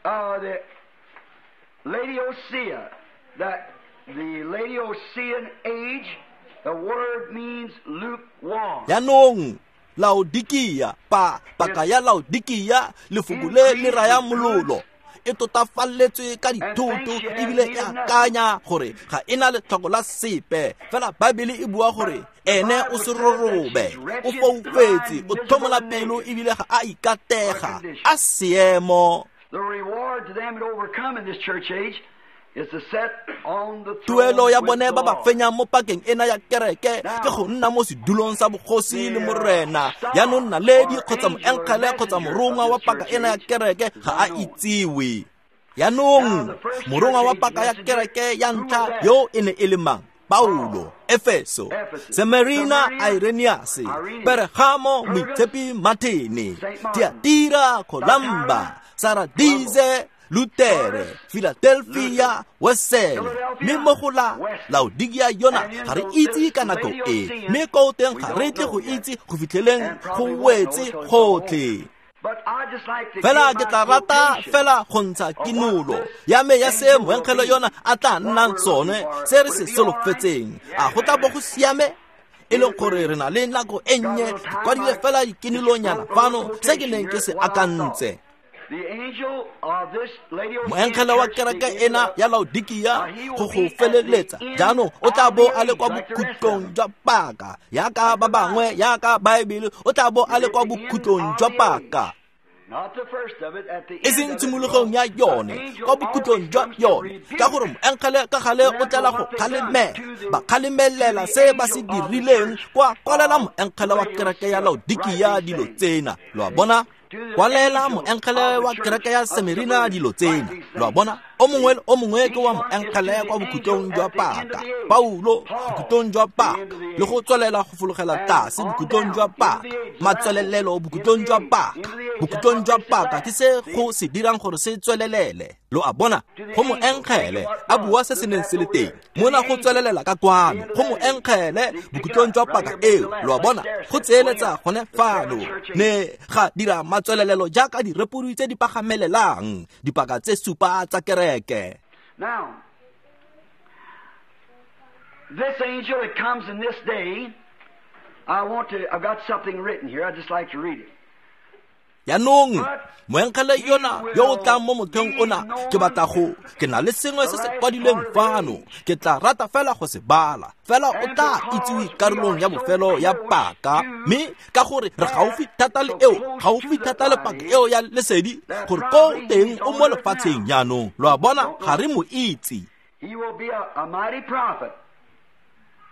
the Laodicea, that the Laodicean age, the word means lukewarm. Jaanong Laodikia, pa paka ya Laodikia, lefoko le le raya mololo. E totafalletswe ka dithoto, ebile e akanya gore ga e na letlhoko la sepe. Fela Baebele e bua gore ene o serorobe, o foufetse, o tlhomola pelo, ebile ga a ikatega. A seemo. The reward to them that overcome in this church age is to set on the throne Tuelo ya with bone the ba ba Lord. fenyang mo pakeng ena ya kereke ke go nna mo sedulong sa bogosi le Morena. Jaanong naledi kgotsa moengele kgotsa morongwa wa paka ena ya kereke ga a itsiwe. Jaanong morongwa wa paka ya kereke ya ntlha yo e ne e le mang? Paulo, Efeso, Semerina, Irenaeus, Pergamo, Moitshepi Martini, Tiatira, Columba, Saradise, Lutere, Philadelphia, Wesele, mme mo go la Laodikia yona ga re itse ka nako e, mme ko teng ga re tle go itse go fitlheleng go wetse gotlhe. But I just like to Fela give ke tla my rata quotation fela go ntsha kinolo ya me ya se moengele yona a tla nnang sone, se re se solofetseng. A go tla bo go siame? E leng gore re na le nako e nnye, ke kwadile fela dikinolonyana fano se ke neng ke se akantse. The angel of this Laodicean Moengele wa church, kereke the ena angel ya Laodikia go go feleletsa jaanong o tla bo a le kwa bokhutlong jwa paka, yaka ba bangwe, yaka Baebele, o tla bo a le kwa bokhutlong jwa paka. Not the first of it, at the E end seng of it, tshimologong ya yone, kwa bokhutlong jwa yone, ka gore moengele ka gale o tlela go kgalemela, ba kgalemelela se ba se dirileng, kwa kwalela moengele wa kereke ya Laodikia dilo tsena, lo a bona? Kwalela moengele wa kereke ya Semerina dilo tsena, lo a bona? O mongwe le o mongwe ke wa moengele kwa bokhutlong jwa paka. Paulo, bokhutlong jwa paka, le go tswelela go fologela tlase bokhutlong jwa paka, matswelelelo bokhutlong jwa paka. Bokhutlong jwa paka ke se go se dirang gore se tswelelele, lo a bona? Go moengele a bua se se neng se le teng mona go tswelelela ka kwano, go moengele bokhutlong jwa paka eo, lo a bona? Go tseeletsa gone fano ne ga dira matswelelelo jaaka direpodi tse di pagamelelang dipaka tse supa tsa kereke. Now, this angel that comes in this day, I've got something written here. I'd just like to read it. Yanong moengele yona yo o tlang mo mothong ona ke batla go ke na le sengwe se se kwadilweng fano ke tla rata fela go se bala fela o tla itsiwe karolong ya bofelo ya paka mme ka gore re gaufi thata le eo gaufi thata le paka eo ya lesedi gore ko teng o mo lefatsheng jaanong lo a bona ga re mo itse. He will be a mighty prophet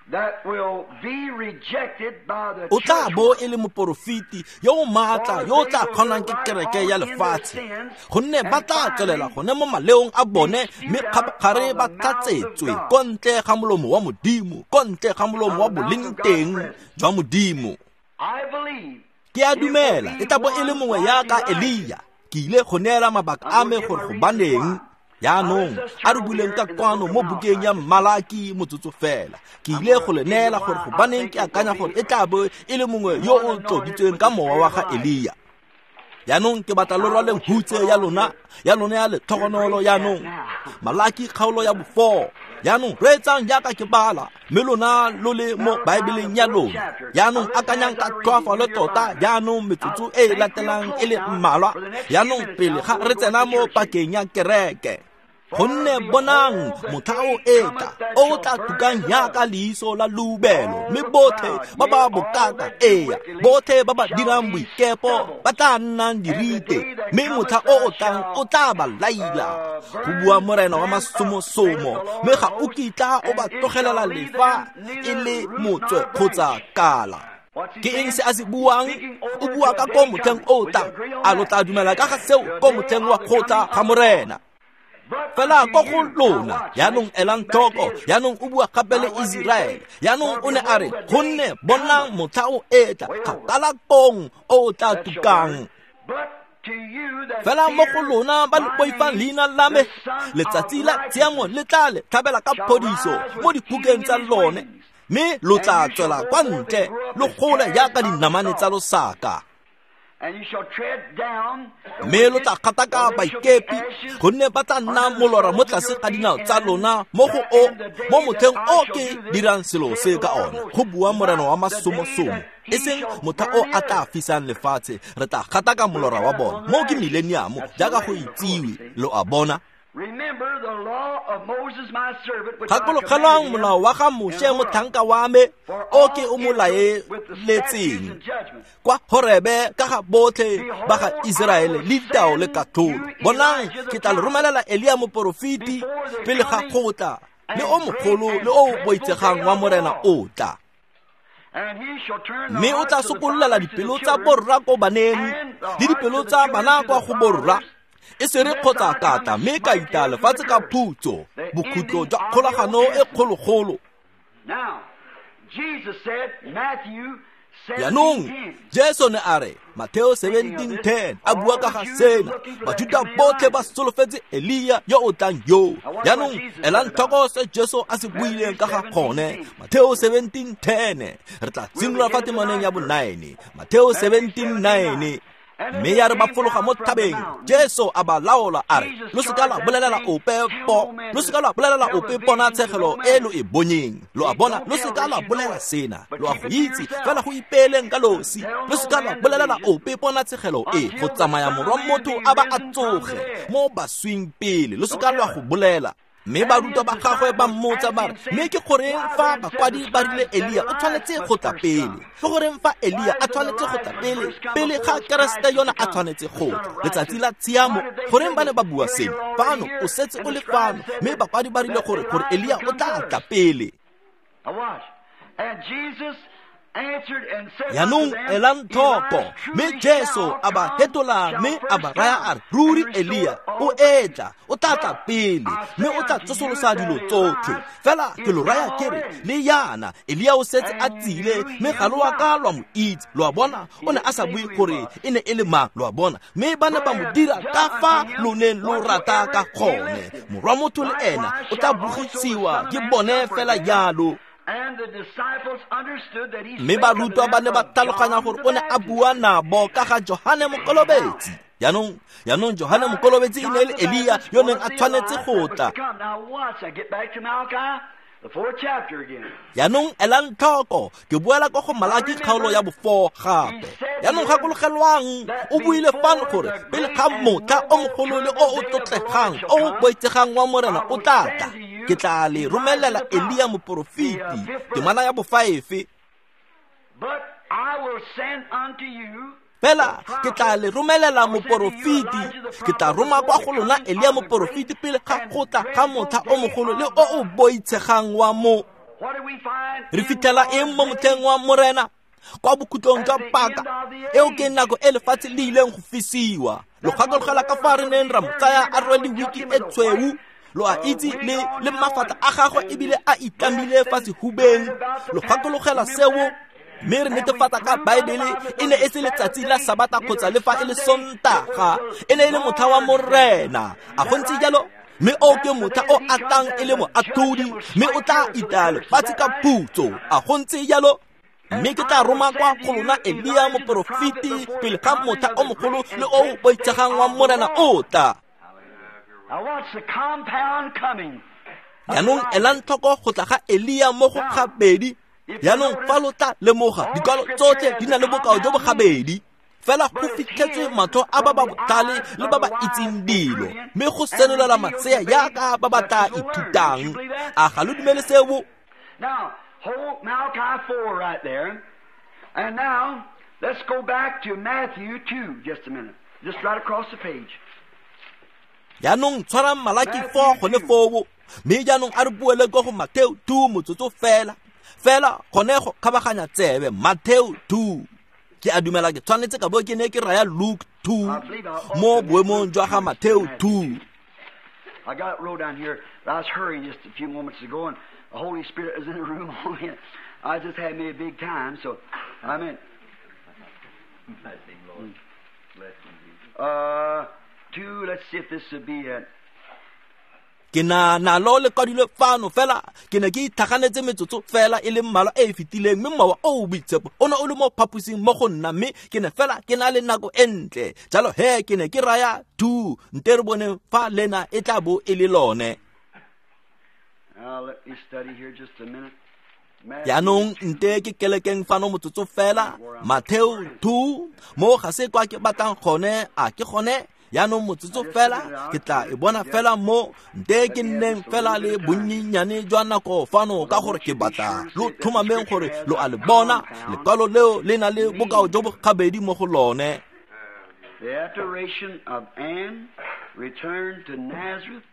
that will be rejected by the O tla bo e le moporofeti yo o maatla yo o tla kgonang ke kereke ya lefatshe gonne ba tla tswelela gone mo maleong a bone mme kgabagare ba tlatsetswe ko ntle ga molomo wa Modimo, ko ntle ga molomo wa boleng teng jwa Modimo. Ke a dumela e tla bo e le mongwe yaka Elia. Ke ile go neela mabaka a me gore gobaneng. Jaanong a re buleng ka kwano mo bukeng ya Malaki motsotso fela. Ke ile go le neela gore gobaneng ke akanya gore e tla bo e le mongwe yo o tloditsweng ka mowa wa ga Elia. Jaanong ke batla lo rwaleng hutse ya lona ya letlhogonolo jaanong. Malaki kgaolo ya bo-4. Jaanong reetsang jaaka ke bala mme lona lo le mo Baebeleng ya lona. Jaanong akanyang ka tlhoafalo tota jaanong metsotso e e latelang e le mmalwa. Jaanong pele ga re tsena mo pakeng ya kereke. Gonne bonang motlha o etla o tla tukang yaka leiso la leubelo mme botlhe ba ba bokaka ea botlhe ba ba dirang boikepo ba tla nnang dirite mme motlha o o tlang o tla ba laila go bua Morena wa masomosomo mme ga o kitla o ba tlogelela lefa e le motswe kgotsa kala. Ke eng se a se buang? O bua ka ko motlheng o tlang. A lo tla dumela ka ga seo ko motlheng wa kgotla ga Morena? Fela ko go lona jaanong elang tlhoko jaanong o bua gape le Iseraele. Jaanong o ne a re gonne bonang motlha o etla kgakala kong o o tla tukang. Fela mo go lona ba le boifang leina la me letsatsi la tshiamo le tla le tlhabela ka phodiso mo dibukeng tsa lone mme lo tla tswela kwa ntle lo gole jaaka dinamane tsa losaka. Mme lo tla kgataka baikepi gonne ba tla nna molora mo tlase ga dinao tsa lona mo go o mo motlheng o ke dirang selo se ka ona go bua Morena wa masomosomo e seng motlha o a tla fisang lefatshe re tla kgataka molora wa bona mo ke millennium jaaka go itsiwe lo a bona. Gakologelwang molao wa ga Moshe motlhanka wa me o ke o mo laeletseng kwa Horebe ka ga botlhe ba ga Iseraele le ditao le katlholo. Bonang ke tla le romelela Elia moporofeti pele ga kgotla le o mogolo le o boitsegang wa Morena o tla. Mme o tla sokololela dipelo tsa borra ko baneng le dipelo tsa bana kwa go borra e se re kgotsa kata mme ka ita lefatshe ka phutso bokhutlo jwa kgolagano e kgologolo. Jaanong Jesu ne a re Mateo 17:10 a bua ka ga sena Bajuda botlhe ba solofetse Elia yo o tlang yo. Jaanong elang tlhoko se Jesu a se buileng ka ga gone. Mateo 17:10 re tla simolola fa temaneng ya bo-9. Mateo 17:9. Mme ya re ba fologa mo thabeng Jesu a ba laola a re lo seka lwa bolelela ope po lo seka lwa bolelela ope ponatshegelo e lo e bonyeng. Lo a bona lo seka lwa bolela sena lo a go itse fela go ipeeleng ka losi lo seka lwa bolelela ope ponatshegelo e go tsamaya morwa motho a ba a tsoge mo baswing pele lo seka lwa go bolela. Mme barutwa ba gagwe ba mmotsa ba re mme ke goreng fa bakwadi ba rile Elia o tshwanetse go tla pele? Ke goreng fa Elia a tshwanetse go tla pele pele ga Keresete yona a tshwanetse go tla letsatsi la tshiamo? Goreng ba ne ba bua seno? Fano o setse o le fano mme bakwadi ba rile gore Elia o tla tla pele. Jaanong elang tlhoko mme Jesu a ba hetola mme a ba raya a re ruri Elia o etla o tla tla pele mme o tla tsosolosa dilo tsotlhe. Fela ke lo raya ke re le yana Elia o setse a tsile mme ga lo a ka lwa mo itse. Lo a bona o ne a sa bue gore e ne e le mang lo a bona mme ba ne ba mo dira ka fa lo neng lo rata ka gone. Morwa motho le ena o tla bogisiwa ke bone fela jalo. Mme barutwa ba ne ba tlhaloganya gore o ne a bua nabo ka ga Johane Mokolobetsi. Jaanong Johane Mokolobetsi e ne e le Elia yo neng a tshwanetse go tla. Jaanong elang tlhoko, ke boela kwa go Malaki kgaolo ya bo-4 gape. Jaanong gakologelwang, o buile fano gore pele ga motlha o mogolo le o o tlotlegang o o boitshegang wa Morena o tla tla, ke tla le romelela Elia moporofeti. Temana ya bo-5. Fela ke tla le romelela moporofeti, ke tla roma kwa go lona Elia moporofeti pele ga go tla ga motlha o mogolo le o o boitshegang wa mo. Re fitlhela eng mo motlheng wa Morena? Kwa bokhutlong jwa paka eo ke nako e lefatshe le ileng go fisiwa. Lo gakologela ka fa re neng ra mo tsaya a rwele wiki e tshweu, lo a itse, le mafatla a gagwe ebile a itlamile fa sehubeng. Lo gakologela seo? Mme re netefatsa ka Baebele e ne e se letsatsi la Sabata kgotsa le fa e le Sontaga, e ne e le motlha wa Morena. A go ntse jalo? Mme o ke motlha o a tlang e le moatlhodi, mme o tla itaya lefatshe ka phutso. A go ntse jalo? Mme ke tla roma kwa go lona Elia moporofeti pele ga motlha o mogolo le o o boitshegang wa Morena o tla. Jaanong elang tlhoko go tla ga Elia mo go gabedi. Jaanong fa lo tla lemoga, dikwalo tsotlhe di na le bokao jo bo gabedi. Fela go fitlhetswe matlho a ba ba botlhale le ba ba itseng dilo, mme go senolela masea jaaka ba ba tla ithutang. A ga lo dumele seo? Now, hold Malachi 4 right there. And now, let's go back to Matthew 2 just a minute. Just right across the page. Jaanong tshwarang Malaki 4 gone foo, mme jaanong a re boele kwa go Mateo 2 motsotso fela. Fela gone go kgabaganya tsebe Mateo 2. Ke a dumela ke tshwanetse ka bo ke ne ke raya Luke 2 mo boemong jwa ga Mateo 2. I got it wrote down here. I was hurrying just a few moments ago, and the Holy Spirit was in the room. I just had me a big time, so I mean, bless him, Lord. Bless him, Jesus. 2, let's see if this would be it. Ke na nalo le kwadilwe fano fela, ke ne ke itlhaganetse metsotso fela e le mmalwa e e fetileng, mme mowa o o boitshepo o ne o le mo phaposing mo go nna, mme ke ne fela ke na le nako e ntle. Jalo he ke ne ke raya 2, nte re boneng fa lena e tla bo e le lone. Jaanong nte ke kelekeng fano motsotso fela, Mateo 2, mo ga se kwa ke batlang gone, a ke gone? Jaanong motsotso fela, ke tla e bona fela mo, nte ke nneng fela le bonnyenyane jwa nako fano ka gore ke batla lo tlhomameng gore lo a le bona. Lekwalo leo le na le bokao jo bo gabedi mo go lone. The adoration of Anne returned to Nazareth.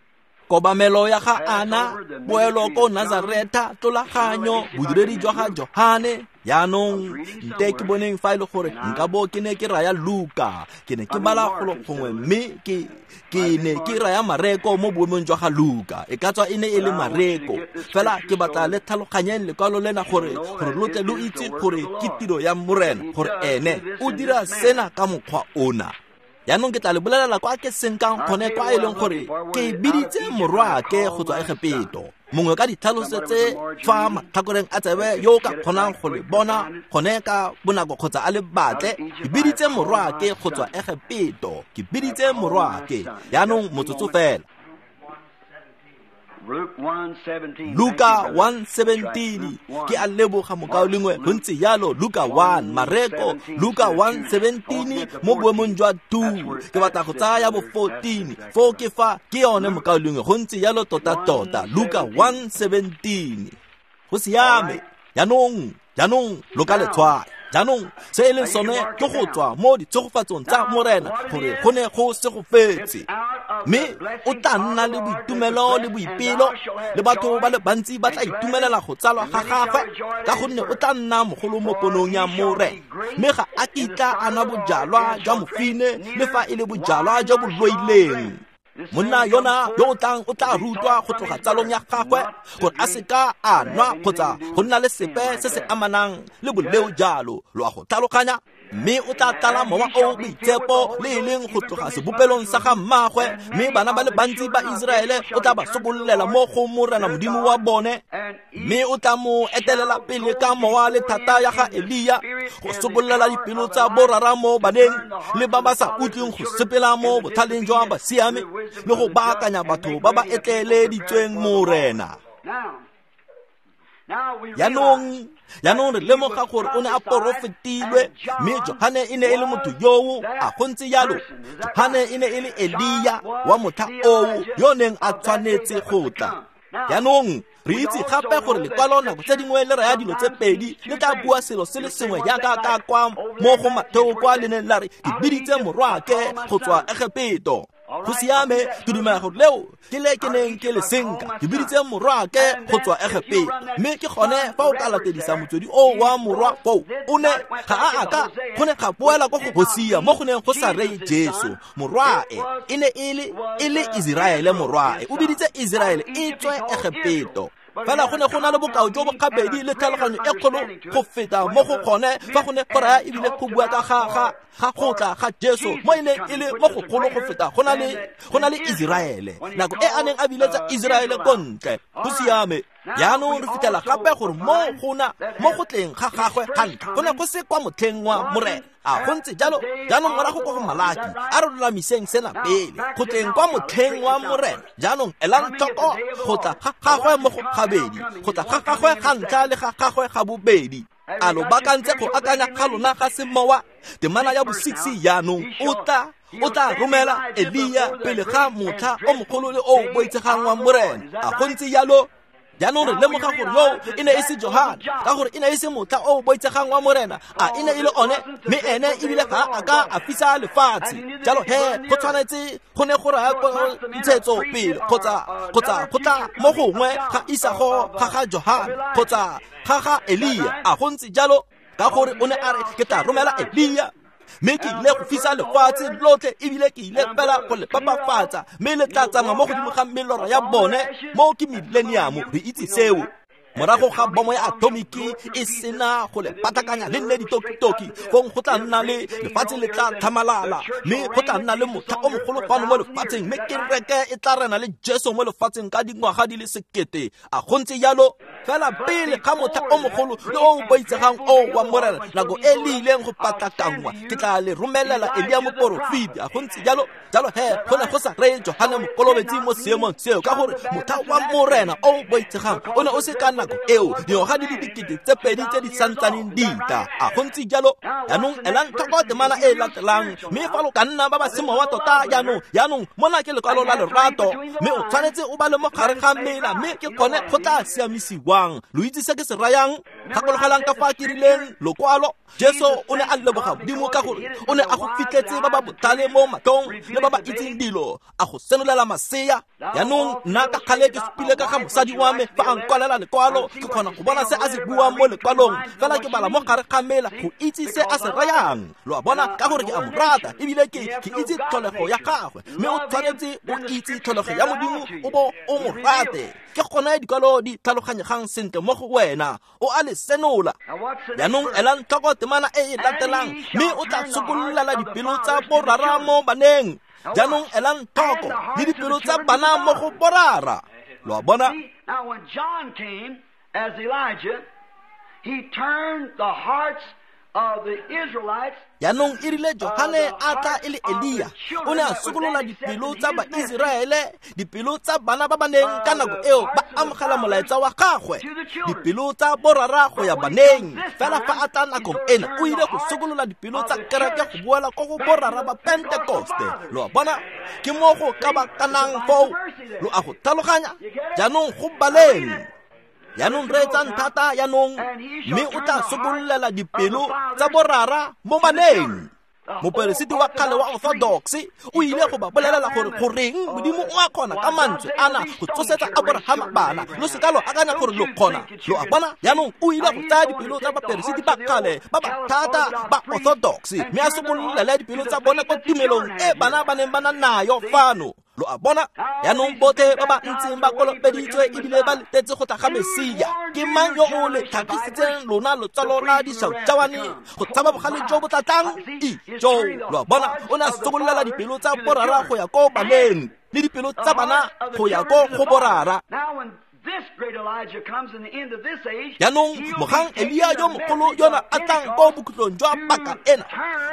Kobamelo ya ga Ana, boelo ko Nazareta, tlolaganyo, bodiredi jwa ga Johane. Jaanong nte ke boneng fa e le gore nka bo ke ne ke raya Luka, ke ne ke bala golo gongwe, mme ke ne ke raya Mareko mo boemong jwa ga Luka. E ka tswa e ne e le Mareko. Fela ke batla le tlhaloganyeng lekwalo lena gore lo tle lo itse gore ke tiro ya Morena, gore ene o dira sena ka mokgwa ona. Jaanong ke tla le bolelela kwa ke senkang gone kwa e leng gore ke biditse morwaake go tswa Egepeto. Mongwe ka ditlhaloso tse fa matlhakoreng a tsebe yo o ka kgonang go le bona gone ka bonako kgotsa a le batle. Ke biditse morwaake go tswa Egepeto. Ke biditse morwaake. Jaanong motsotso fela. Luka 1:17. Ke a leboga mokaulengwe, go ntse jalo. Luka 1, Mareko, Luka 1:17 mo boemong jwa 2. Ke batla go tsaya bo 14. Foo ke fa ke yone mokaulengwe, go ntse jalo tota-tota. Luka 1:17. Go siame. Jaanong lo ka le tshwaya. Jaanong se e leng sone ke go tswa mo ditshegofatsong tsa Morena gore go ne go segofetse. Mme o tla nna le boitumelo le boipelo, le batho ba le bantsi ba tla itumelela go tsalwa ga gagwe, ka gonne o tla nna mogolo mo ponong ya Morena. Mme ga a kitla a nwa bojalwa jwa mofine le fa e le bojalwa jo bo loileng. Monna yona yo o tlang o tla rutwa go tloga tsalong ya gagwe gore a seka a nwa kgotsa go nna le sepe se se amanang le boleo jalo. Lo a go tlhaloganya? Mme o tla tlala mowa o boitshepo le e leng go tloga sebopelong sa ga mmaagwe, mme bana ba le bantsi ba Iseraele o tla ba sokololela mo go Morena Modimo wa bone, mme o tla mo etelela pele ka mowa le thata ya ga Elia go sokololela dipelo tsa borara mo baneng le ba ba sa utlweng go sepela mo botlhaleng jwa basiame le go baakanya batho ba ba etleeleditsweng Morena. Jaanong re lemoga gore o ne a porofetilwe, mme Johane e ne e le motho yoo, a go ntse jalo. Johane e ne e le Elia wa motlha oo yo neng a tshwanetse go tla. Jaanong re itse gape gore lekwalo nako tse dingwe le raya dilo tse pedi, le tla bua selo se le sengwe jaaka ka kwa mo go Matheo kwa le neng la re ke biditse morwaake go tswa Egepeto. Go siame, ke dumela gore leo ke le ke neng ke le senka, ke biditse morwaake go tswa Egepeto. Mme ke gone fa o ka latedisa motswedi o wa morwa foo, o ne ga a aka go ne ga boela kwa go Hosea mo go neng go sa reye Jesu. Morwae e ne e le Iseraele morwae, o biditse Iseraele e tswe Egepeto. Fela go ne go na le bokao jo bo gabedi le tlhaloganyo e kgolo go feta mo go gone fa go ne go raya ebile go bua ka ga go tla ga Jesu mo e neng e le mo go golo go feta go na le Iseraele nako e a neng a biletsa Iseraele ko ntle. Go siame. Jaanong re fitlhela gape gore mo go tleng ga gagwe ga ntlha go ne go se kwa motlheng wa Morena. A go ntse jalo? Jaanong morago kwa go Malaki, a re lolamiseng sena pele. Go tleng kwa motlheng wa Morena. Jaanong elang tlhoko go tla ga gagwe mo go gabedi, go tla ga gagwe ga ntlha le ga gagwe ga bobedi. A lo baakantse go akanya ga lona ga semowa? Temana ya bo-6 jaanong o tla romela Elia pele ga motlha o mogolo le o boitshegang wa Morena. A go ntse jalo? Jaanong re lemoga gore yoo e ne e se Johane, ka gore e ne e se motlha o boitshegang wa Morena, a e ne e le one, mme ene ebile ga a ka a fisa lefatshe. Jalo he go tshwanetse go ne go raya ntshetso pele kgotsa go tla mo gongwe ga isago ga ga Johane kgotsa ga ga Elia. A go ntse jalo? Ka gore o ne a re ke tla romela Elia, mme ke ile go fisa lefatshe lotlhe ebile ke ile fela go le papafatsa, mme le tla tsamaya mo godimo ga melora ya bone. Mo ke millennium, re itse seo. Morago ga bomo ya atomiki e sena go le patakanya le nne ditokitoki, fong go tla nna le lefatshe le tla tlhamalala, mme go tla nna le motlha o mogolo fano mo lefatsheng, mme kereke e tla rena le Jesu mo lefatsheng ka dingwaga di le 1000. A go ntse jalo? Fela pele ga motlha o mogolo le o boitsegang o wa Morena, nako e le ileng go patlakanngwa, ke tla le romelela Elia moporofeti. A go ntse jalo? Jalo he go ne go sa reye Johane Mokolobetsi mo seemong seo, ka gore motlha wa Morena o boitsegang o ne o se ka nako eo, dingwaga di le 2000 tse di santsaneng di tla. A go ntse jalo? Jaanong elang tlhoko temana e latelang, mme fa lo ka nna ba ba semowa tota jaanong mona ke lekwalo la lerato, mme o tshwanetse o ba le mo gare ga mela, mme ke gone go tla siamisiwang. Lo itse se ke se rayang? Gakologelang ka fa ke rileng lokwalo. Jesu o ne a leboga Modimo ka gore o ne a go fitlhetse ba ba botlhale mo matlhong le ba ba itseng dilo, a go senolela masea. Jaanong nna ka kgale ke supile ka ga mosadi wa me fa a nkwalela lekwalo, ke kgona go bona se a se buang mo lekwalong, fela ke bala mo gare ga mela go itse se a se rayang. Lo a bona? Ka gore ke a mo rata ebile ke itse tlholego ya gagwe, mme o tshwanetse o itse tlholego ya Modimo o bo o mo rate. Ke gone dikwalo di tlhaloganyegang sentle mo go wena, o a le senola. Jaanong elang tlhoko temana e e latelang, mme o tla sokololela dipelo tsa borara mo baneng. Jaanong elang tlhoko le dipelo tsa bana mo go borara. Lo a bona? Now when John came as Elijah, he turned the hearts of the Israelites. Jaanong e rile Johane a tla e le Elia, o ne a sokolola dipelo tsa Baiseraele, dipelo tsa bana ba ba neng ka nako eo ba amogela molaetsa wa gagwe, dipelo tsa borara go ya baneng. Fela fa a tla nakong ena, o ile go sokolola dipelo tsa kereke go boela ko go borara ba Pentekoste. Lo a bona? Ke mo go kabakanang foo. Lo a go tlhaloganya? Jaanong go baleng. Jaanong reetsang thata jaanong, mme o tla sokololela dipelo tsa borara mo baneng. Moperesiti wa kgale wa Orthodox o ile go ba bolelela gore goreng Modimo o a kgona ka mantswe ana go tsosetsa Abrahama bana. Lo seka lo akanya gore lo kgona. Lo a bona? Jaanong o ile go tsaya dipelo tsa baperesiti ba kgale ba ba thata ba Orthodox, mme a sokololele dipelo tsa bone kwa tumelong e bana ba neng ba na nayo fano. Lo a bona? Jaanong botlhe ba ba ntseng ba kolobeditswe ebile ba letetse go tla ga Mesia. Ke mang yo o le tlhagisitseng lona lotsalo la dišautšawane go tshaba bogale jo bo tla tlang? Ijo! Lo a bona? O ne a sokololela dipelo tsa borara go ya ko baneng le dipelo tsa bana go ya ko go borara. Jaanong mogang Elia yo mogolo yona a tlang ko bokhutlong jwa paka ena,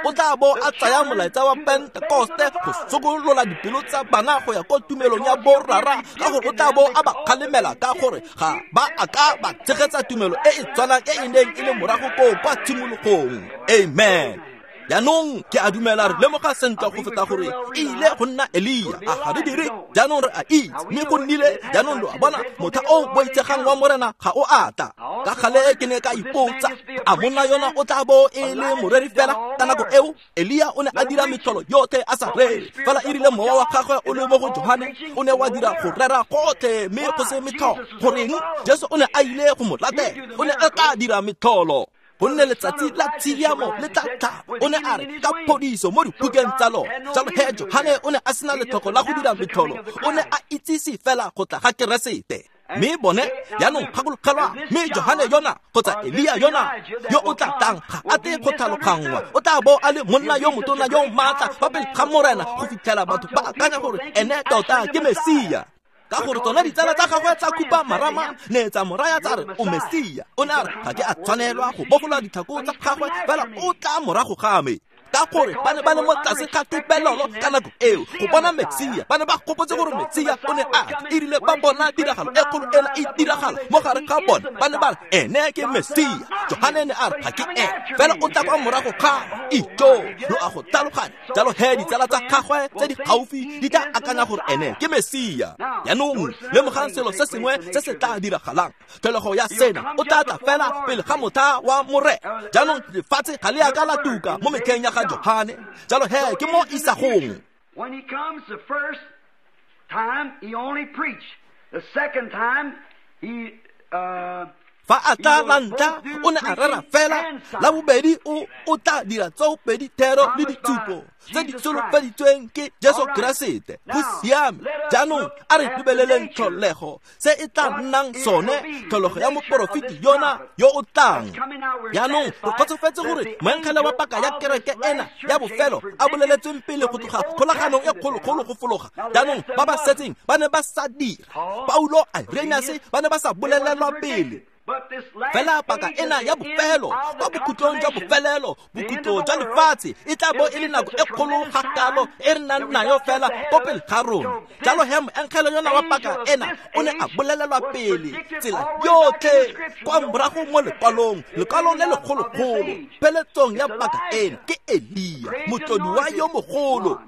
o tla bo a tsaya molaetsa wa Pentekoste go sokolola dipelo tsa bana go ya ko tumelong ya borara, ka gore o tla bo a ba kgalemela ka gore ga ba a ka ba tshegetsa tumelo e e tshwanang e e neng e le morago koo kwa tshimologong. Amen. Jaanong ke a dumela re lemoga sentle go feta gore e ile go nna Elia, a ga re dire? Jaanong re a itse, mme go nnile. Jaanong lo a bona, motlha o boitshegang wa Morena ga o a tla. Ka gale ke ne ka ipotsa, a monna yona o tla bo e le moreri fela? Ka nako eo Elia o ne a dira metlholo yotlhe a sa rere, fela e rile mowa wa gagwe o le mo go Johane o ne wa dira go rera gotlhe mme go se metlholo. Goreng? Jesu o ne a ile go mo latela, o ne a tla dira metlholo. Gonne letsatsi la tshiamo le tla tlhaba, o ne a re ka phodiso mo dibukeng tsa lona. Jalo he Johane o ne a sena letlhoko la go dira metlholo, o ne a itsise fela go tla ga Keresete. Mme bone jaanong gakologelwa, mme Johane yona kgotsa Elia yona yo o tla tlang ga a tle go tlhaloganngwa, o tla bo a le monna yo motona yo maatla fa pele ga Morena go fitlhela batho ba akanya gore ene tota ke Mesia. Ka gore tsona ditsala tsa gagwe tsa khupa marama ne tsa mo raya tsa re o Mesia. O ne a re ga ke a tshwanelwa go bofola ditlhako tsa gagwe, fela o tla morago ga me. Ka gore ba ne ba le mo tlase ga tebelelo ka nako eo go bona Mesia, ba ne ba gopotse gore Mesia o ne a tla. E rile ba bona tiragalo e kgolo ena e diragala mo gare ga bone, ba ne ba re ene ke Mesia. Johane ne a re ga ke ene, fela o tla kwa morago ga me. Ijo, lo a go tlhaloganya. Jalo he ditsala tsa gagwe tse di gaufi di tla akanya gore ene ke Mesia. Jaanong lemogang selo se sengwe se se tla diragalang. Tlholego ya sena, o tla tla fela pele ga motlha wa Morena. Jaanong lefatshe ga le a ka la tuka mo metlheng ya ga Johane. Jalo he ke mo isagong. When he comes the first time, he only preached. The second time, he Fa a tla la ntlha, o ne a rera fela. La bobedi o tla dira tsoopedi thero le ditshupo tse di solofeditsweng ke Jesu Keresete. Go siame. Jaanong a re lebeleleng tlholego se e tla nnang sone, tlholego ya moporofeti yona yo o tlang. Jaanong re kgotsofetse gore moengele wa paka ya kereke ena ya bofelo a boleletsweng pele go tloga kgolaganong e kgologolo go fologa. Jaanong ba ba setseng ba ne ba sa dira. Paulo, Irenaeus ba ne ba sa bolelelwa pele. Fela paka ena ya bofelo, kwa bokhutlong jwa bofelelo, bokhutlo jwa lefatshe e tla bo e le nako e kgolo ga kalo e re nang nayo fela ko pele ga rona. Jalo he moengele yona wa paka ena o ne a bolelelwa pele tsela yotlhe kwa morago mo lekwalong, lekwalo le legologolo. Pheletsong ya paka ena ke Elia, motlodiwa yo mogolo.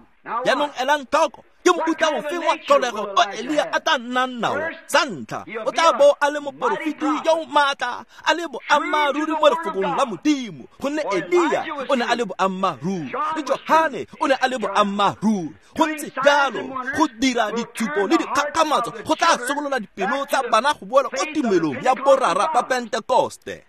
Jaanong elang tlhoko, ke mofuta ofe wa tlholego o Elia a tla nnang nao? Sa ntlha, o tla bo a le moporofeti yo o maatla, a le boammaaruri mo lefokong la Modimo, gonne Elia o ne a le boammaaruri, le Johane o ne a le boammaaruri. Go ntse jalo, go dira ditshupo le dikgakgamatso go tla sokolola dipelo tsa bana go boela ko tumelong ya borara ba Pentekoste.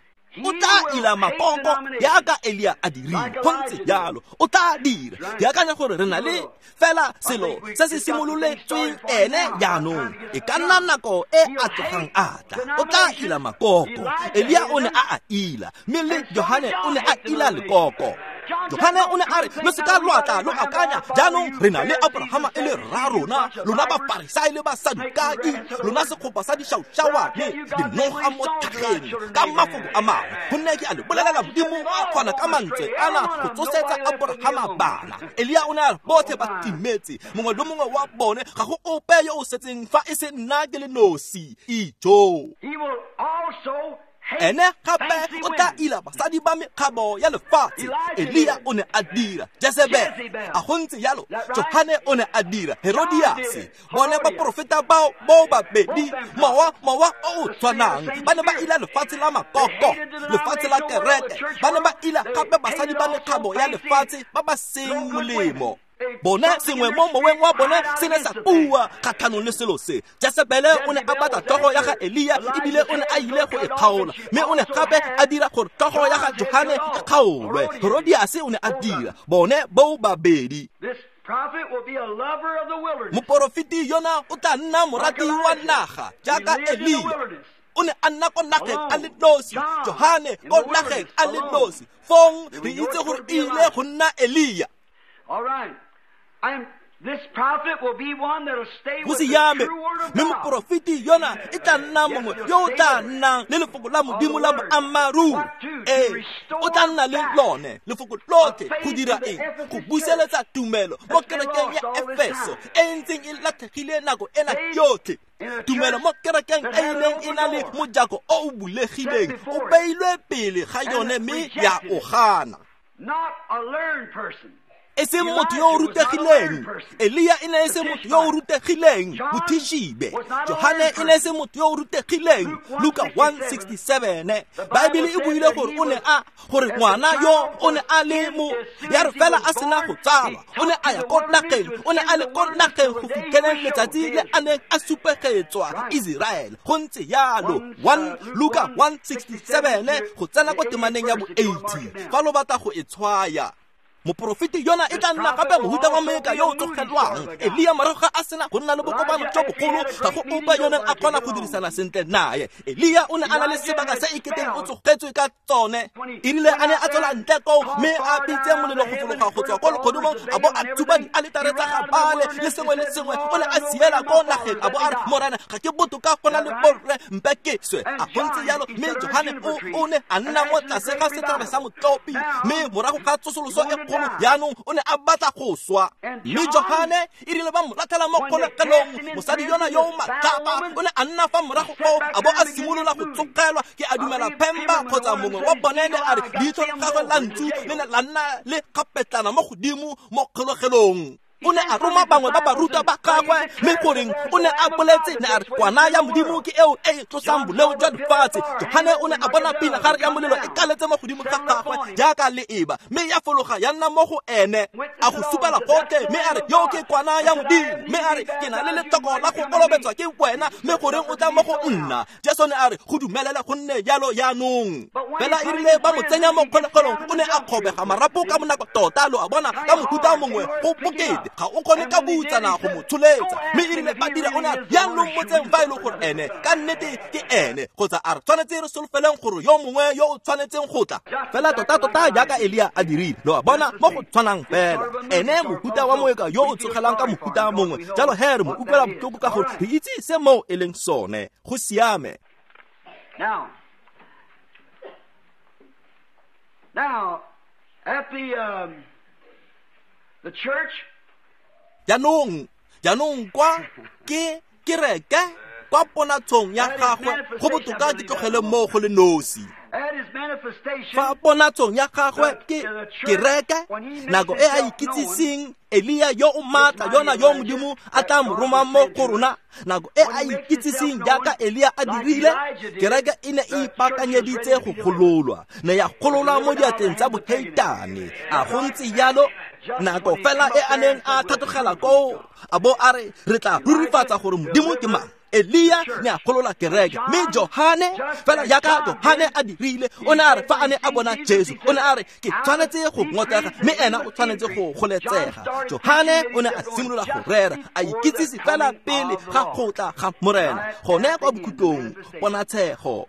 O tla ila makoko jaaka Elia a dirile. Go ntse jalo, o tla dira. Ke akanya gore re na le fela selo se se simololetsweng ene jaanong. E ka nna nako e a tlogang a tla. O tla ila makoko. Elia o ne a a ila, mme le Johane o ne a ila lekoko. Johane o ne a re, lo seka lwa tla lo akanya jaanong re na le Abrahama e le rra rona, lona Bafarisai le Basadukai, lona segopa sa dišaušawane, dinoga mo tlhageng. Ka mafoko a mangwe, gonne ke a le bolelela, Modimo a kgona ka mantswe ana go tsosetsa Abrahama bana. Elia o ne a re botlhe ba timetse, mongwe le mongwe wa bone, ga go ope yo o setseng fa e se nna ke le nosi. Ijo. He will also Ene gape o tla ila basadi ba mekgabo ya lefatshe. Elia o ne a dira, Jezebel a go ntse jalo, Johane o ne a dira, Herodias. Bone baporofeta bao bo babedi, mowa o o tshwanang, ba ne ba ila lefatshe la makoko, lefatshe la kereke, ba ne ba ila gape basadi ba mekgabo ya lefatshe ba ba seng molemo. Bone sengwe mo moweng wa bone se ne sa bua kgatlhanong le selo se. Jezebele o ne a batla tlhogo ya ga Elia, ebile o ne a ile go e kgaola, mme o ne gape a dira gore tlhogo ya ga Johane e kgaolwe. Herodias o ne a dira, bone bo babedi. Moporofeti yona o tla nna morati wa naga jaaka Elia. O ne a nna ko nageng a le nosi, Johane ko nageng a le nosi. Fong re itse gore e ile go nna Elia. Go siame, mme moporofeti yona e tla nna mongwe yo o tla nnang le lefoko la Modimo la boammaaruri. Ee, o tla nna le lone lefoko lotlhe go dira eng? Go buseletsa tumelo mo kerekeng ya Efeso e ntseng e latlhegile nako ena yotlhe. Tumelo mo kerekeng e ileng e na le mojako o o bulegileng o beilwe pele ga yone mme ya o gana. E seng motho yo o rutegileng. Elia e ne e se motho yo o rutegileng, Mothishibe. Johane e ne e se motho yo o rutegileng, Luka 1:67. Baebele e buile gore o ne a gore ngwana yo o ne a le mo ya re fela a sena go tsalwa, o ne a ya ko nageng, o ne a le ko nageng go fitlheleng letsatsi le a neng a supegetswa Israel. Go ntse yalo 1 Luka 1:67 go tsena ko temaneng ya bo 80 fa lo batla go e tshwaya. Moporofeti yona e tla nna gape mohuta wa moeka yo o tlogelwang. Elia morago ga a sena go nna le bokopano jo bogolo, ga go ope yo neng a kgona go dirisana sentle naye. Elia o ne a na le sebaka se e keteng o tsogetswe ka tsone. E rile a ne a tswela ntle koo mme a bitse molelo go fologa go tswa ko legodimong, a bo a thuba dialetare tsa ga Baale le sengwe le sengwe. O ne a siela ko nageng a bo a re, Morena, ga ke botoka go na le borre, mpe ke swe. A go ntse jalo, mme Johane o ne a nna mo tlase ga setlhare sa motlopi, mme morago ga tsosoloso e kgolo jaanong o ne a batla go swa. Mme Johane e rile ba mo latlhela mo kgolegelong, mosadi yona yo o matlapa o ne a nna fa morago koo a bo a simolola go tsogelwa. Ke a dumela Phemba kgotsa mongwe wa bone ne a re leitlho la gagwe la ntsu le ne la nna le kgapetlana mo godimo mo kgolegelong. O ne a roma bangwe ba barutwa ba gagwe, mme goreng o ne a boletse ne a re kwana ya Modimo ke eo e tlosang boleo jwa lefatshe. Johane o ne a bona pinagare ya molelo e kaletse mo godimo ga gagwe jaaka leeba, mme ya fologa ya nna mo go ene. A go supela gotlhe mme a re, yo ke kwana ya Modimo. Mme a re, ke na le letlhoko la go kolobetswa ke wena, mme goreng o tla mo go nna? Jesu ne a re, go dumelele go nne jalo jaanong. Fela e rile ba mo tsenya mo kgolegelong, o ne a kgobega marapo ka bonako tota, lo a bona, ka mohuta mongwe go bokete. Ga o kgone ka butsana go mo tsholetsa. Mme e rile ba dira, o ne a re, jaanong motseng fa e le gore ene ka nnete ke ene, kgotsa a re tshwanetse re solofeleng gore yo mongwe yo o tshwanetseng go tla. Fela tota-tota jaaka Elia a dirile, lo a bona, mo go tshwanang fela. Ene mohuta wa moeka yo o tsogelang ka mohuta mongwe. Jalo he re mo utlwela botlhoko ka gore re itse se moo e leng sone. Go siame. Now, at the church. Jaanong kwa ke kereke kwa ponatshong ya gagwe, go botoka ke tlogele mo go le nosi. Fa ponatshong ya gagwe ke kereke, nako e a ikitsiseng Elia yo o maatla yona yo Modimo a tla mo romang mo go rona, nako e a ikitsiseng jaaka Elia a dirile, kereke e ne e ipaakanyeditse go gololwa, ne ya gololwa mo diatleng tsa boheitane. A go ntse jalo? Nako fela e a neng a tlhatlogela koo, a bo a re, re tla rurifatsa gore Modimo ke mang. Elia ne a golola kereke, mme Johane fela jaaka Johane a dirile, o ne a re fa a ne a bona Jesu, o ne a re ke tshwanetse go ngotlega, mme ena o tshwanetse go goletsega. Johane o ne a simolola go rera, a ikitsise fela pele ga go tla ga Morena, gone kwa bokhutlong, ponatshego.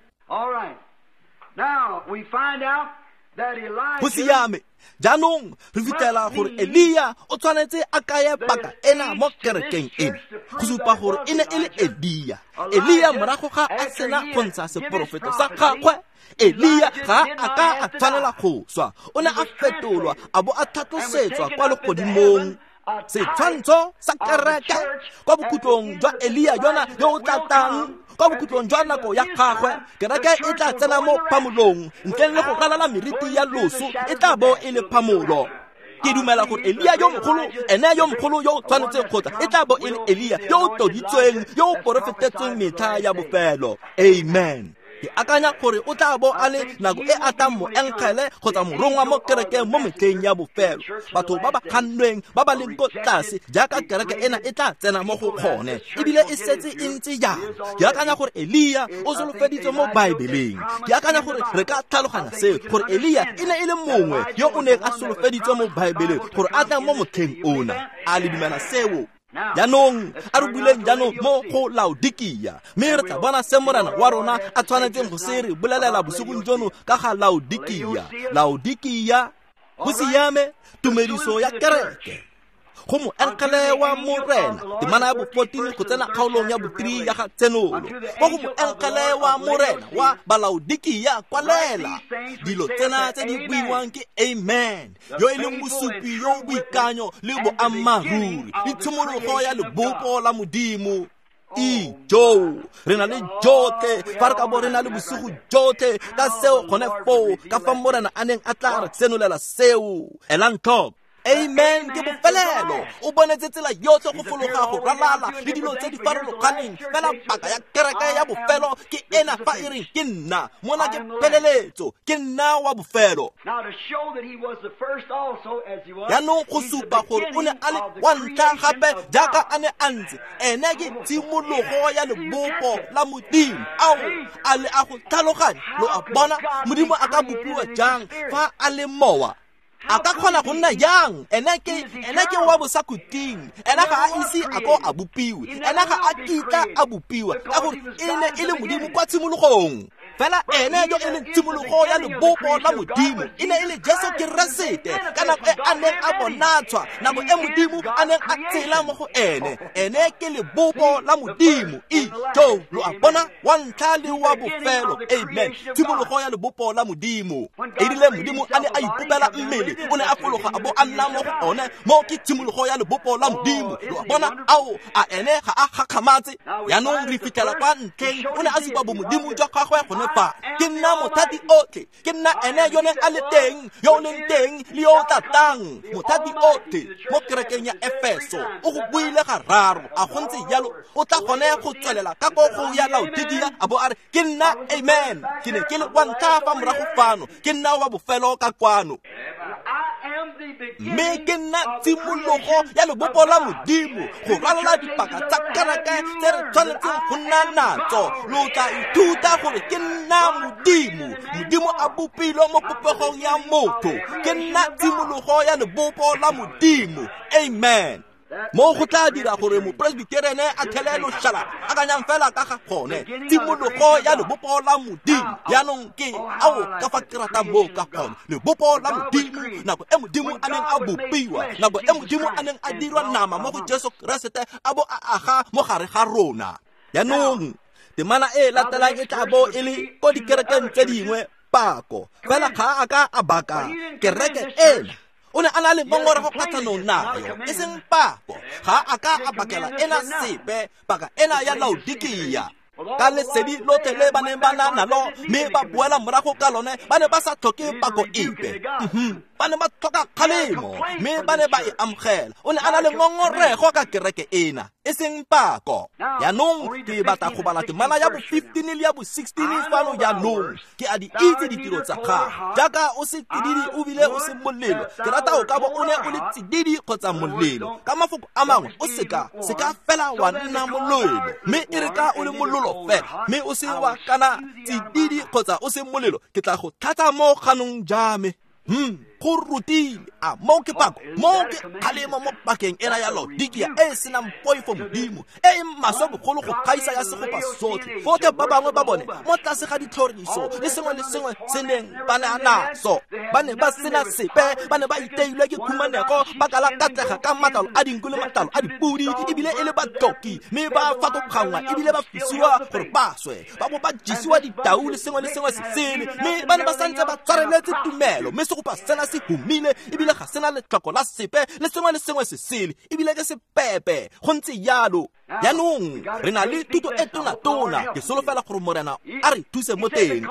Go siame. Jaanong re fitlhela gore Elia o tshwanetse a kaye paka ena mo kerekeng ena, go supa gore e ne e le Elia. Elia morago ga a sena go ntsha seporofeto sa gagwe, Elia ga a ka a tshwanela go swa, o ne a fetolwa a bo a tlhatlosetswa kwa legodimong. Setshwantsho sa kereke kwa bokhutlong jwa Elia yona yo o tla tlang, kwa bokhutlong jwa nako ya gagwe, kereke e tla tsena mo phamolong, ntleng le go ralala meriti ya loso, e tla bo e le phamolo. Ke dumela gore Elia yo mogolo, ene yo mogolo yo o tshwanetseng go tla, e tla bo e le Elia yo o tloditsweng, yo o porofetetsweng metlha ya bofelo. Amen. Ke akanya gore o tla bo a le nako e a tlang moengele kgotsa morongwa mo kerekeng mo metlheng ya bofelo. Batho ba ba kgannweng ba ba leng ko tlase jaaka kereke ena e tla tsena mo go kgone, ebile e setse e ntse jang. Ke akanya gore Elia o solofeditswe mo Baebeleng. Ke akanya gore re ka tlhaloganya seo, gore Elia e ne e le mongwe yo o neng a solofeditswe mo Baebeleng gore a tla mo motlheng ona. A le dumela seo? Jaanong a re buleng jaanong mo go Laodikia, mme re tla bona se Morena wa rona a tshwanetseng go se re bolelela bosigong jono ka ga Laodikia. Laodikia, go siame, tumediso ya kereke go moengele wa Morena, temana ya bo-14 go tsena kgaolong ya bo-3 ya ga Tsenolo. Ko go moengele wa Morena wa Balaodikia kwalela dilo tsena tse di buiwang ke Amen, yo e leng mosupi yo o boikanyo le boammaaruri le tshimologo ya lebopo la Modimo. Ijo, re na le jotlhe fa re ka bo re na le bosigo jotlhe ka seo gone foo, ka fa Morena a neng a tla re senolela seo. Elang tlhoko. Amen ke bofelelo. O bonetse tsela yotlhe go fologa go ralala le dilo tse di farologaneng, fela paka ya kereke ya bofelo ke ena fa e reng ke nna. Mona ke pheleletso, ke nna wa bofelo. Jaanong go supa gore o ne a le wa ntlha gape jaaka a ne a ntse, ene ke tshimologo ya lebopo la Modimo. Ao, a le a go tlhaloganya? Lo a bona, Modimo a ka bopiwa jang fa a le mowa? A ka kgona go nna jang? Ene ke wa bosakhutleng. Ene ga a ise a ko a bopiwe, ene ga a kitla a bopiwa, ka gore e ne e le Modimo kwa tshimologong. Fela ene yo e leng tshimologo ya lebopo la Modimo e ne e le Jesu Keresete ka nako e a neng a bonatshwa, nako e Modimo a neng a tsela mo go ene. Ene ke lebopo la Modimo. Ijo, lo a bona, wa ntlha le wa bofelo. Amen. Tshimologo ya lebopo la Modimo. E rile Modimo a ne a ipopela mmele, o ne a fologa a bo a nna mo go one. Mo ke tshimologo ya lebopo la Modimo. Lo a bona, ao, a ene ga a gakgamatse. Jaanong re fitlhela kwa ntlheng o ne a supa bomodimo jwa gagwe gone fa. Ke nna mothati otlhe, ke nna ene yo neng a le teng, yo o leng teng le yo o tla tlang. Mothati otlhe mo kerekeng ya Efeso o go buile gararo. A go ntse jalo, o tla gone go tswelela ka ko go ya Laodikia a bo a re ke nna Amen, ke ne ke le wa ntlha fa morago fano, ke nna wa bofelo ka kwano. Mme ke nna tshimologo ya lebopo la Modimo go ralala dipaka tsa kereke tse re tshwanetseng go nna natso. Lo tla ithuta gore ke nna Modimo, Modimo a bopilwe mo popegong ya motho. Ke nna tshimologo ya lebopo la Modimo. Amen. Mo go tla dira gore mopresbiterene a thele loshalaba, akanyang fela ka ga gone. Tshimologo ya lebopo la Modimo. Jaanong ke ao ka fa ke ratang moo ka gone. Lebopo la Modimo, nako e Modimo a neng a bopiwa, nako e Modimo a neng a dirwa nama mo go Jesu Keresete a bo a aga mo gare ga rona. Jaanong temana e latelang e tla bo e le ko dikerekeng tse dingwe pako, fela ga a ka a baka kereke ena. O ne a na le ngongorego kgatlhanong nayo, e seng pako. Ga a ka a bakela ena sepe, paka ena ya Laodikia. Ka lesedi lotlhe le ba neng ba na nalo, mme ba boela morago ka lone, ba ne ba sa tlhoke pako epe. Ba ne ba tlhoka kgalemo, mme ba ne ba e amogela. O ne a na le ngongorego ka kereke ena, e seng pako. Jaanong ke batla go bala temana ya bo-15 le ya bo-16 fano jaanong. Ke a di itse ditiro tsa gago, jaaka o se tsididi o bile o se molelo. Ke rata o ka bo o ne o le tsididi kgotsa molelo. Ka mafoko a mangwe, o seka fela wa nna molelo, mme e re ka o le mololo fela, mme o se wa kana tsididi kgotsa o se molelo, ke tla go tlhatsa mo ganong ja me. Go rutile. A mo ke pako, mo ke kgalemo mo pakeng ena ya Laodikia e e senang poifo Modimo, e e maswe bogolo go gaisa ya segopa sotlhe. Botlhe ba bangwe ba bone mo tlase ga ditlhoriso le sengwe le sengwe se neng ba ne naso, ba ne ba sena sepe, ba ne ba iteilwe ke khumanego, ba kala katlega ka matlalo a dinku le matlalo a dipudi, ebile e le batloki, mme ba fatogangwa ebile ba fisiwa gore ba swe, ba bo ba jesiwa ditau le sengwe le sengwe se sele, mme ba ne ba santse ba tshwareletse tumelo. Mme segopa sena se humile ebile ga sena letlhoko la sepe le sengwe le sengwe se sele, ebile ke sepepe. Go ntse jalo. Jaanong re na le thuto e tona-tona. Ke solofela gore Morena a re thuse mo teng.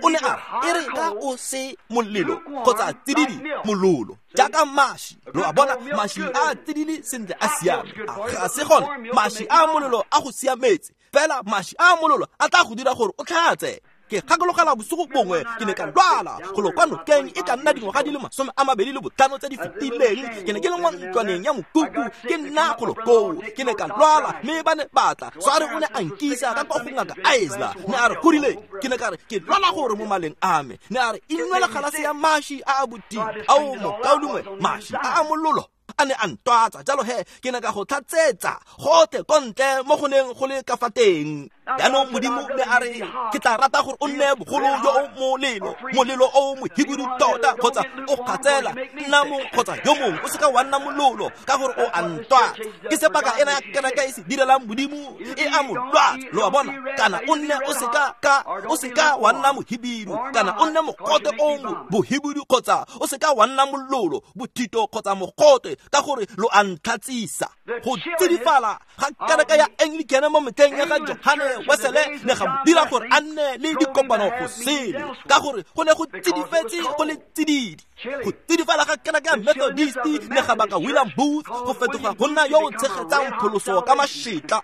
O ne a re e re ka o se molelo kgotsa tsididi mololo jaaka mashi. Lo a bona, mashi a tsididi sentle a siame, ga se gone mashi a molelo a go siametse, fela mashi a mololo a tla go dira gore o tlhatse. Ke gakologela bosigo bongwe ke ne ka lwala go lo kwa nokeng e ka nna dingwaga di le 25 tse di fetileng. Ke ne ke le mo ntlwaneng ya mokuku ke nna go lo koo, ke ne ka lwala mme ba ne batla sware o ne a nkisa ka kwa go ngaka Isla. Ne a re gorile, ke ne ka re ke lwala gore mo maleng a me. Ne a re inwela galase ya mashi a a botile ao mokaulengwe, mashi a a mololo a ne a ntwatsa. Jalo he ke ne ka go tlhatsetsa gotlhe ko ntle mo go neng go le ka fa teng. Jaanong Modimo ne a re ke tla rata gore o nne bogolo yo o molelo, molelo o mohibidu tota, kgotsa o kgatsela nna mong kgotsa yo mongwe, o seka wa nna mololo ka gore o a ntwatsa. Ke se paka ena ya kereke e se direlang Modimo e a mo lwatsa, lo a bona. Kana o nne o seka ka o seka wa nna mohibidu, kana o nne mogote o bohibidu, kgotsa o seka wa nna mololo, bothito kgotsa mogote, ka gore lo a ntlhatsisa. Go tsidifala ga kereke ya Anglican mo metlheng ya ga Johane Wesele ne ga mo dira gore a nne le dikopano go sele, ka gore go ne go tsidifetse go le tsididi. Go tsidifala ga kereke ya Methodist ne ga baka William Booth go fetoga go nna yo o tshegetsang pholoso ka mašetla.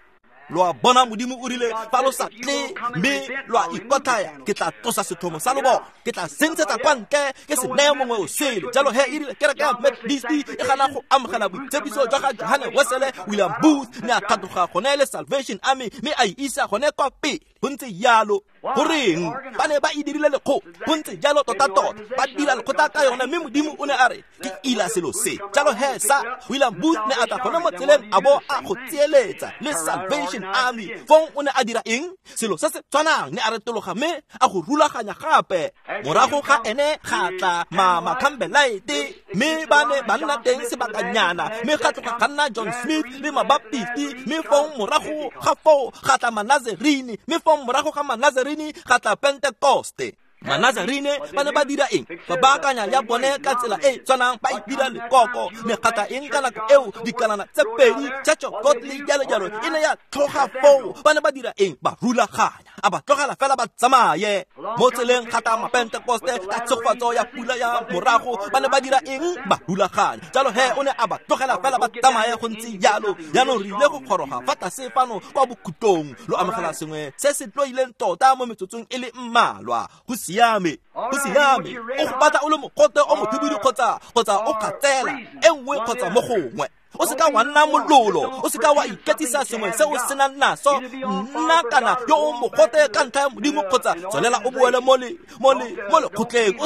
Lo a bona, Modimo o rile fa lo sa tle mme lo a ikotlhaya, ke tla tlosa sethomo sa lobona, ke tla sentshetsa kwa ntle ke se neye mongwe o sele. Jalo he e rile kereke ya Methodist e gana go amogela boitshepiso jwa ga Johane Wesele, William Booth ne a tlhatloga gone le Salvation Army mme a e isa gone kwa pele. Go ntse jalo. Goreng ba ne ba e dirile lekgotla? Go ntse jalo tota-tota, ba dira lekgotla ka yone, mme Modimo o ne a re ke ila selo se. Jalo he sa William Booth ne a tla gone mo tseleng a bo a go tsietsa le Salvation Army. Fong o ne a dira eng? Selo se se tshwanang, ne a retologa mme a go rulaganya gape. Morago ga ene ga tla Mama Campbellite, mme ba ne ba nna teng sebakanyana, mme ga tloga ga nna John Smith le Mabaptisti, mme fong morago ga foo ga tla Manazarini, mme fong morago ga Manazarini ga tla Pentecoste. Manazarine ba ne ba dira eng? Ba baakanya ya bone ka tsela e tshwanang, ba e dira lekoko. Mekgatla eng ka nako eo? Dikalana tse pedi, Church of Godly, jalo jalo, e ne ya tlhoga foo. Ba ne ba dira eng? Ba rulaganya, a ba tlogela fela ba tsamaye mo tseleng. Ga tla Mapentekoste ka tshegofatso ya pula ya morago. Ba ne ba dira eng? Ba rulaganya. Jalo he o ne a ba tlogela fela ba tsamaye. Go ntse jalo. Jaanong re ile go goroga fa tlase fano kwa bokhutlong. Lo amogela sengwe se se tloileng tota mo metsotsong e le mmalwa. Go siame, go siame. O go batla o le mogote o mohibidu kgotsa o kgatsela e nngwe kgotsa mo gongwe. O seka wa nna mololo, o seka wa iketsisa sengwe se o senang naso. Nna kana yo o mogote ka ntlha ya Modimo, kgotsa tswelela o boele mo lekgotleng.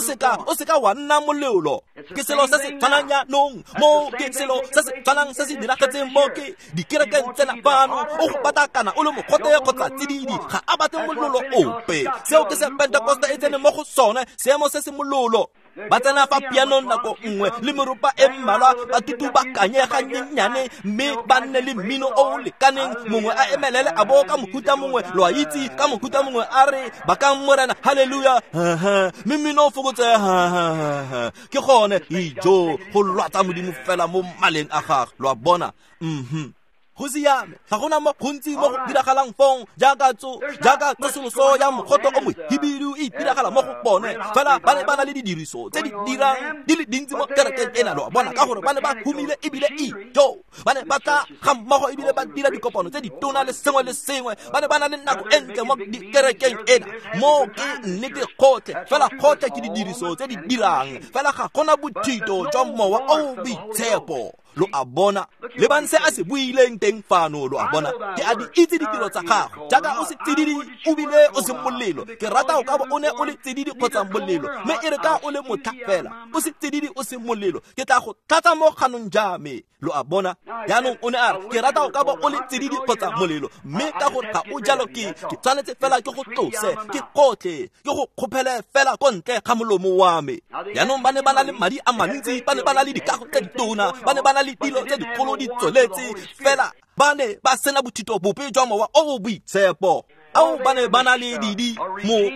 O seka wa nna mololo. Ke selo se se tshwanang jaanong mo, ke selo se se tshwanang se se diragetseng mo ke dikerekeng tsena fano. O go batla kana o le mogote kgotsa tsididi, ga a batle mololo ope. Seo ke se Pentecoste e tsene mo go sone, seemo se se mololo. Ba tsena fa pianong nako nngwe le meropa e mmalwa, ba tutubakanye ganyenyane, mme ba nne le mmino o o lekaneng. Mongwe a emelele a bo ka mohuta mongwe, lo a itse, ka mohuta mongwe a re bakang Morena, halleluja, mme mmino o fokotse. Ke gone ijo go lwatsa Modimo fela mo maleng a gagwe, lo a bona. Go siame, ga gona mo gontsi mo go diragalang fong jaaka tsosoloso ya mogote o mohibidu e itiragala mo go bone. Fela ba ne ba na le didiriso tse di dirang di le dintsi mo kerekeng ena, lo a bona, ka gore ba ne ba humile ebile ijo. Ba ne ba tla ga mmogo ebile ba dira dikopano tse ditona le sengwe le sengwe. Ba ne ba na le nako e ntle mo dikerekeng ena. Mo ke nnete gotlhe, fela gotlhe ke didiriso tse di dirang, fela ga gona bothito jwa mowa o boitshepo, lo a bona. Le bang se a se buileng teng fano, lo a bona. Ke a di itse ditiro tsa gago, jaaka o se tsididi o bile o se molelo. Ke rata o ka bo o ne o le tsididi kgotsa molelo, mme e re ka o le motlha fela o se tsididi o se molelo, ke tla go tlatsa mo kganong ja me, lo a bona. Jaanong o ne a re ke rata o ka bo o le tsididi kgotsa molelo, mme ka gore ga o jalo ke tshwanetse fela ke go tlose, ke gotlhe, ke go kgophele fela ko ntle ga molomo wa me. Jaanong ba ne ba na le madi a mantsi, ba ne ba na le dikago tse ditona, ba ne ba na le dilo tse dikgolo di tsweletse, fela ba ne ba sena bothito bope jwa mowa o o boitshepo. Ao ba ne ba na le didi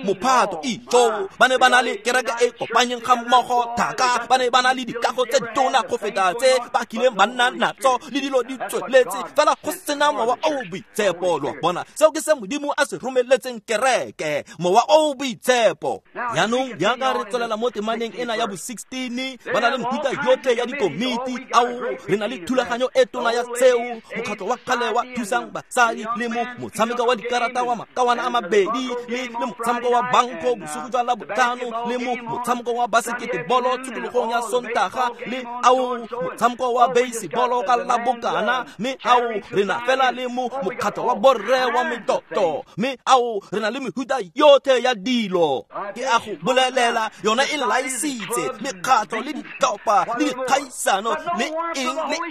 mophato ijo, ba ne ba na le kereke e kopanyeng ga mmogo thaka, ba ne ba na le dikago tse ditona go feta tse ba kileng ba nna natso, le dilo di tsweletse, fela go sena mowa o o boitshepo, lo a bona. Seo ke se Modimo a se romeletseng kereke, mowa o o boitshepo. Jaanong jaaka re tswelela mo temaneng ena ya bo 16, ba na le mehuta yotlhe ya dikomiti. Ao re na le thulaganyo e tona ya seo, mokgatlho wa kgale wa thusang basadi le mo motshameko wa dikarata wa makawana a mabedi le motshameko wa banko bosigo jwa Labotlhano le motshameko wa baseketebolo tshokologong ya Sontaga le ao motshameko wa basebolo ka Labokana mme ao re na fela le mokgatlho wa borre wa metoto mme ao re na le mehuta yotlhe ya dilo. Ke a go bolelela yona e laisitse mekgatlho le ditlhopha le dikgaisano le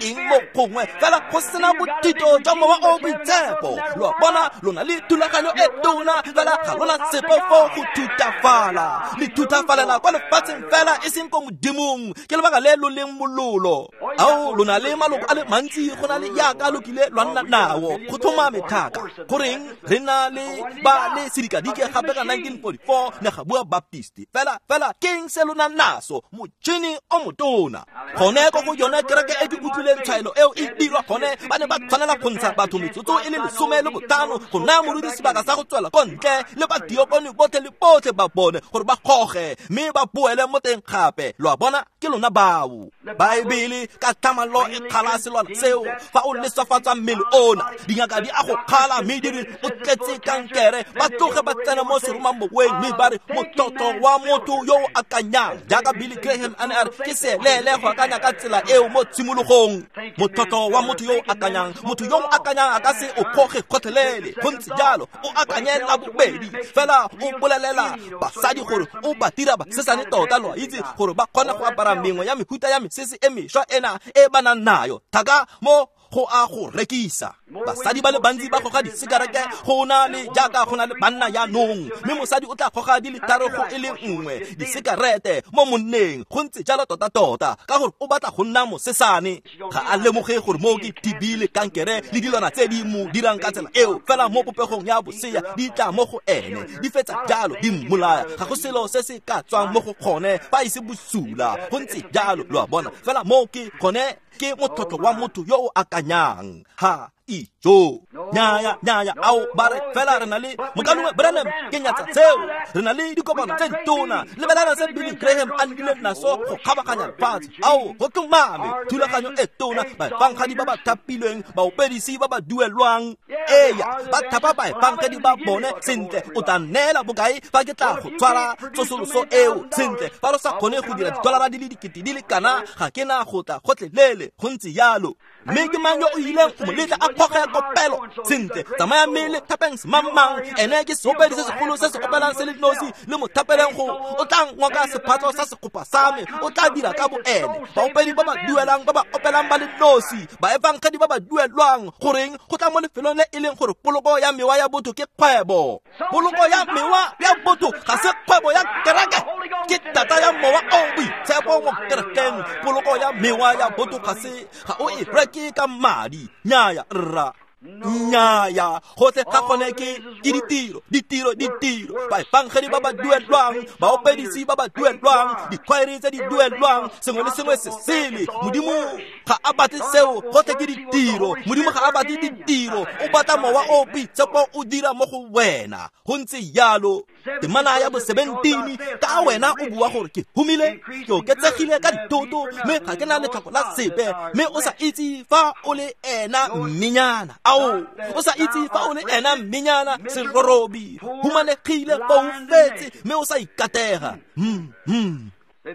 eng mo gongwe fela go sena bothito jwa Mowa o Boitshepo. Lo a bona lona le thulaganyo e tona fela ga lona sepe fo go thutafala. Le thutafalela kwa lefatsheng fela e seng ko Modimong. Ke lebaka le lo leng mololo. Ao lona le maloko a le mantsi go na le yaka lo kile lwa nna nao go tlhomame thaka. Goreng re na le ba le sedikadike gape ka 1944 ne ga bua Baptist. Fela keng se lona naso motšhini o motona. Gone ko go yone kereke e ke utlwileng tshwaelo eo e dirwa gone ba ne ba tshwanela go ntsha batho metsotso e le 15 go naya moruti sebaka sa go tswela ko ntle le badiokone botlhe le botlhe ba bone gore ba goge mme ba boele mo teng gape. Lo a bona ke lona bao. Baebele ka tlhamallo e kgala selwana seo fa o leswafatsa mmele ona. Dingaka di a go kgala mme di re o tletse kankere. Ba tloge ba tsena mo seromamoweng mme ba re motlotlo wa motho yo o akanyang jaaka Billy Graham a ne a re ke seeleele go akanya ka tsela eo mo tshimologong. Motlotlo wa motho yo o akanyang, motho yo o akanyang a ka se o kgoge gotlhelele. Go ntse jalo o akanye la bobedi fela o bolelela basadi gore o ba dira basesane tota lo a itse gore ba kgona go apara mengwe ya mehuta ya mesese e mešwa ena e ba nang nayo thaka mo go a go rekisa. Basadi ba le bantsi ba goga disekerete go na le jaaka go na le banna jaanong mme mosadi o tla goga di le tharo go e le nngwe disekerete mo monneng. Go ntse jalo tota-tota ka gore o batla go nna mosesane. Ga a lemoge gore mo ke TB le kankere le dilwana tse di mo dirang ka tsela eo fela mo popegong ya bosea di tla mo go ene di fetsa jalo di mmolaya. Ga go selo se se ka tswang mo go gone fa e se bosula. Go ntse jalo lo a bona fela mo ke gone ke motlotlo wa motho yo o akanyang. Ha ijo nyaya ao ba re fela re na le mokalongwe Branham ke nyatsa tseo. Re na le dikopano tse ditona lebelana se Billy Graham a nnileng naso go kgabaganya lefatshe. Ao go tlhomame thulaganyo e tona, baefangedi ba ba thapilweng, baopedisi ba ba duelwang. Eya ba thapa baefangedi ba bone sentle. O tla nneela bokae fa ke tla go tshwara tsosoloso eo sentle? Fa lo sa kgone go dira didolara di le dikete di le kana ga ke na go tla gotlhelele. Go ntse jalo. Mme ke mang yo o ileng go mo letla a kgoge ya kopelo sentle? Tsamaya mme le thapeng semangmang ene ke seopedi se segolo se se opelang se le nosi le mo thapeleng go o tla ngoka sephatlo sa sekopa sa me o tla dira ka boene. Baopedi ba ba duelang ba ba opelang ba le nosi, baefangedi ba ba duelwang. Goreng go tla mo lefelong le e leng gore poloko ya mewa ya botho ke kgwebo. Poloko ya mewa ya botho ga se kgwebo ya kereke, ke tata ya Mowa o Boitshepo mo kerekeng. Poloko ya mewa ya botho ga se ga o e reke ka madi. Nyaya rra, nyaya gotlhe ga gone ke ditiro ditiro ditiro. Baefangedi ba ba duelwang, baopedisi ba ba duelwang, dikhwaere tse di duelwang, sengwe le sengwe se sele. Modimo ga a batle seo, gotlhe ke ditiro. Modimo ga a batle ditiro, o batla Mowa o Boitshepo o dira mo go wena. Go ntse jalo. Temana ya bo 17 ka wena o bua gore ke humile, ke oketsegile ka dithoto mme ga ke na letlhoko la sepe, mme o sa itse fa o le ena mmenyana. Ao o sa itse fa o le ena mmenyana serorobi, humanegile, foufetse mme o sa ikatega.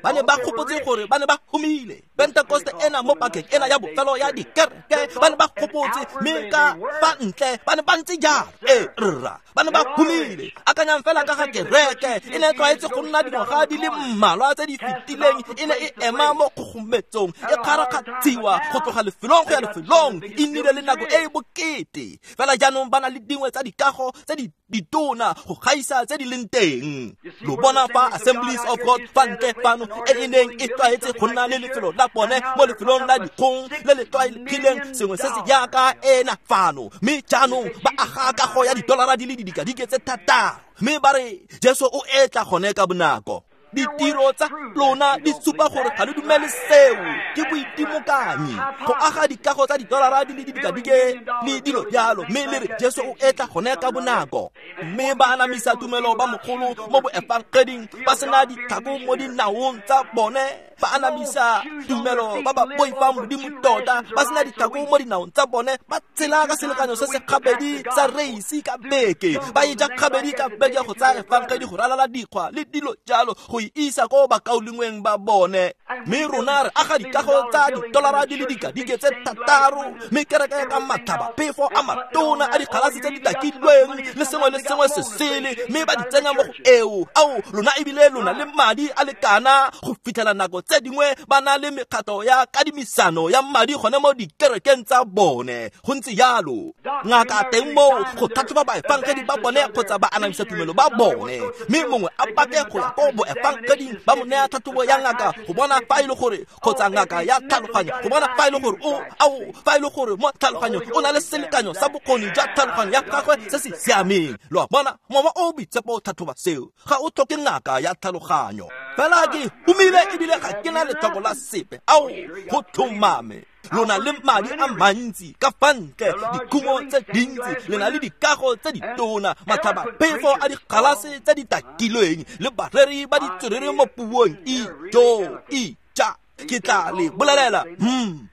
Ba ne ba gopotse gore ba ne ba humile. Pentecost ena mo pakeng ena ya bofelo ya dikereke ba ne ba gopotse mme ka fa ntle ba ne ba ntse jalo. E rra ba ne ba humile. Akanyang fela ka ga kereke e ne e tlwaetse go nna dingwaga di le mmalwa tse di fetileng e ne e ema mo kgogometsong e kgarakgatshiwa go tloga lefelong go ya lefelong. E nnile le nako e e bokete fela jaanong ba na le dingwe tsa dikago tse di ditona go gaisa tse di leng teng. Lo bona fa Assemblies of God fa ntle fano e e neng e tlwaetse go nna le lefelo la bone mo lefelong la dikgong le le tlwaelegileng sengwe se se jaaka ena fano, mme jaanong ba aga kago ya didolara di le didikadike tse 6 mme ba re Jesu o etla gone ka bonako. Ditiro tsa lona di supa gore ga le dumele seo. Ke boitimokanyi go aga dikago tsa didolara di le didikadike le dilo jalo mme le re Jesu o etla gone ka bonako. Mme ba anamisa tumelo ba mogolo mo boefangeding ba sena ditlhako mo dinaong tsa bone. Ba anamisa tumelo ba ba boifang Modimo tota, ba sena ditlhako mo dinaong tsa bone, ba tshela ka selekanyo se se gabedi sa reisi ka beke, ba e ja gabedi ka beke go tsaya efangedi go ralala dikgwa le dilo jalo go e isa ko bakaulengweng ba bone. Mme rona re aga dikago tsa ditolara di le dikadike tse 6, mme kereke ka matlhaba phefo a matona a dikgalase tse di takilweng le sengwe le sengwe se sele, mme ba di tsenya mo go eo. Ao, lona ebile lona le madi a lekana go fitlhela nako tse dingwe ba na le mekgato ya kadimisano ya madi gone mo dikerekeng tsa bone. Go ntse jalo ngaka teng moo go tlhatlhoba baefangedi ba bone kgotsa ba anamisa tumelo ba bone, mme mongwe a pake go ya ko boefangeding ba mo nea tlhatlhobo ya ngaka go bona fa e le gore, kgotsa ngaka ya tlhaloganyo go bona fa e le gore fa e le gore mo tlhaloganyo o na le selekanyo sa bokgoni jwa tlhaloganyo ya gagwe se se siameng. Lo a bona, mowa o boitshepo o tlhatlhoba seo, ga o tlhoke ngaka ya tlhaloganyo. Fela ke humile ebile ga ke na letlhoko la sepe. Ao, go tlhomame lona le madi a mantsi ka fa ntle, dikhumo tse dintsi, le na le dikago tse ditona, matlhaba phefo a dikgalase tse di takilweng le bareri ba ditswerere mo puong. Ijo ija, ke tla le bolelela,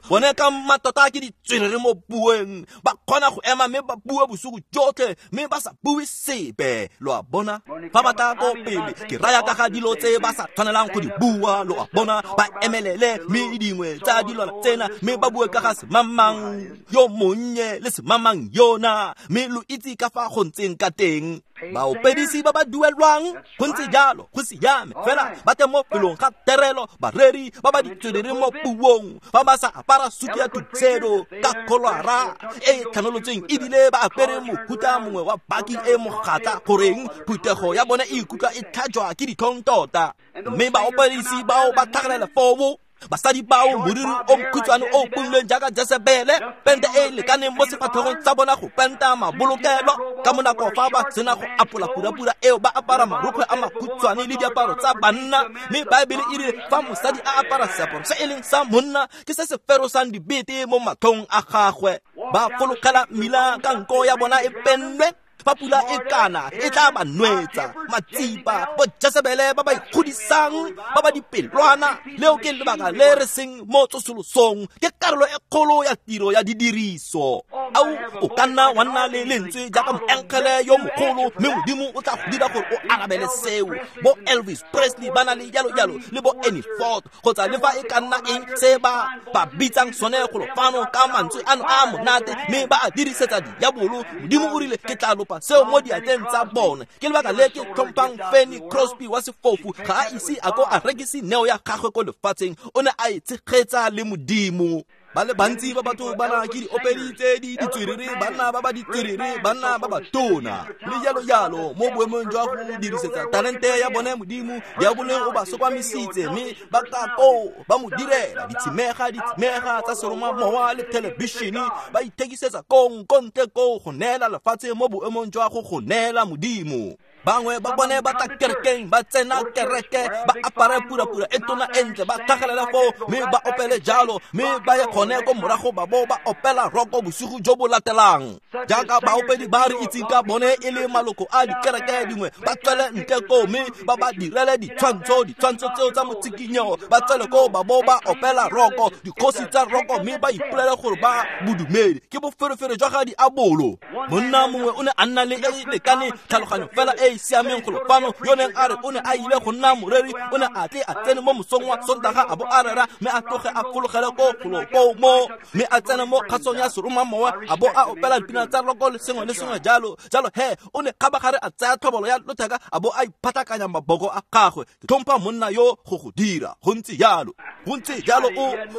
bone ka mmatota ke ditswerere mo puong, ba kgona go ema mme ba bue bosigo jotlhe mme ba sa bue sepe. Lo a bona, fa ba tla ko pele ke raya ka ga dilo tse ba sa tshwanelang go di bua. Lo a bona, ba emelele mme dingwe tsa dilwana tsena mme ba bue ka ga semamang yo monnye le semamang yona, mme lo itse ka fa go ntseng ka teng. Baopedisi ba ba duelwang, go ntse jalo, go siame fela ba teng mo felong ga terelo, bareri ba ba ditswerere mo puong, fa ba sa apara sutu ya tuxedo ka kholwara e tlhanolotsweng ebile ba apere mohuta mongwe wa baki e mogatla, goreng phuthego ya bone e ikutlwa e tlhajwa ke ditlhong tota. Mme baopedisi bao ba tlhagelela foo, basadi bao moriri o mokhutshwane o pulweng jaaka Jesebele, pente e lekaneng mo sefatlhegong tsa bona go penta mabolokelo. Ka monako fa ba sena go apola purapura eo, ba apara marokgwe a makhutshwane le diaparo tsa banna. Mme Baebele e rile fa mosadi a apara seaparo se e leng sa monna, ke se se ferosang dibete mo matlhong a gagwe. Ba fologela mmila ka nko ya bona e pennwe, fa pula e kana e tla ba nwetsa. Matsipa bo Jesebele ba ba ikgodisang, ba ba dipelwana. Leo ke lebaka le re seng mo tsosolosong, ke karolo e kgolo ya tiro ya didiriso. Ao, o ka nna wa nna le lentswe jaaka moengele yo mogolo, mme Modimo o tla go dira gore o arabele seo. Bo Elvis Presley ba na le jalo jalo, le bo Annie Ford, kgotsa le fa e ka nna eng se ba ba bitsang sone golo fano ka mantswe ano a monate, mme ba a dirisetsa diabolo. Modimo o rile ke tla lopa seo mo diatleng tsa bone. Ke lebaka le ke tlhompang Fanny Crosby wa sefofu, ga a ise a ko a rekise neo ya gagwe ko lefatsheng, o ne a e tshegetsa le Modimo. Ba le bantsi ba batho ba na ke diopedi tse di ditswerere, banna ba ba ditswerere, banna ba ba tona le jalo jalo. Mo boemong jwa go dirisetsa talente ya bone Modimo, diabolo o ba sokwamisitse, mme ba ka koo ba mo direla ditshimega tsa seromamowa le thelebišene, ba ithekisetsa kong ko ntle koo go neela lefatshe mo boemong jwa go neela Modimo. Bangwe ba bone ba tla kerekeng, ba tsena kereke, ba apare purapura e tona e ntle, ba tlhagelela foo mme ba opele jalo, mme ba ye gone ko morago ba bo ba opela roko bosigo jo bo latelang. Jaaka baopedi ba re itseng ka bone e le maloko a dikereke dingwe, ba tswele ntle koo mme ba ba direle ditshwantsho tseo tsa motsikinyego, ba tswele koo ba bo ba opela roko, dikgosi tsa roko, mme ba ipolele gore ba bodumedi. Ke boferefere jwa ga diabolo. Monna mongwe o ne a nna le e lekane tlhaloganyo fela e siameng golo fano, yo neng a re o ne a ile go nna moreri, o ne a tle a tsene mo mosong wa Sontaga a bo a rera, mme a tloge a fologele ko golo koo mo, mme a tsene mo kgasong ya seromamowa a bo a opela dipina tsa roko le sengwe le sengwe jalo jalo. He, o ne kgabagare a tsaya tlhobolo ya lotheka a bo a iphatlakanya maboko a gagwe. Ke tlhompha monna yo go go dira. Go ntse jalo, go ntse jalo.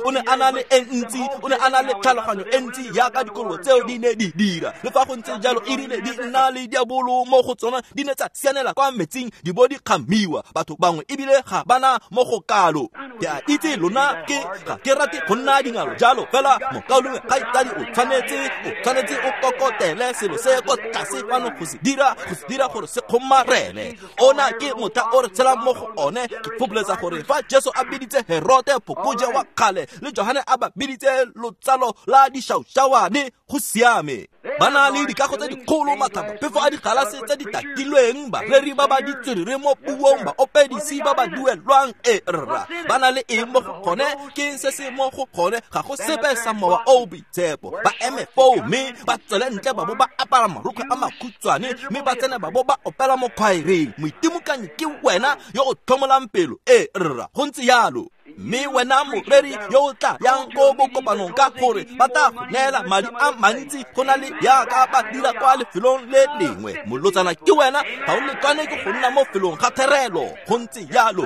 O ne a na le e ntsi, o ne a na le tlhaloganyo e ntsi jaaka dikolobo tseo di ne di dira. Le fa go ntse jalo, e rile di nna le diabolo mo go tsona, di ne tsa sianela kwa metsing di bo di kgamiwa. Batho bangwe ebile ga bana mo go kalo. Ke a itse lona ke ga ke rate go nna dingalo jalo, fela mokaulengwe kgaitsadi o tshwanetse o kokotele selo se ko tlase fano go se dira gore se kgomarele. Ona ke motha o re tshelang mo go one. Ke fopholetsa gore fa Jesu a biditse Herote phokoje wa kgale le Johane a ba biditse lotsalo la dišaušawane, go siame. Ba na le dikago tse dikgolo, matlhabaphefo a digalase tse di tatilweng, bareri ba ba ditswerere mo puong, baopedisi ba ba duelwang. E rra, ba na le eng mo go gone? Ke se se mo go gone? Ga go sepe sa Mowa o o Boitshepo. Ba eme foo mme ba tswele ntle ba bo ba apara marokgwe a makhutshwane mme ba tsene ba bo ba opela mo khwaereng. Moitimokanyi ke wena yo o tlhomolang pelo. E rra, go ntse jalo. Mme wena moreri yo o tla yang ko bokopanong ka gore ba tla go neela madi a mantsi go na le jaaka ba dira kwa lefelong le lengwe. Molotsana ke wena, ga o letlwane ke go nna mo felong ga therelo. Go ntse jalo.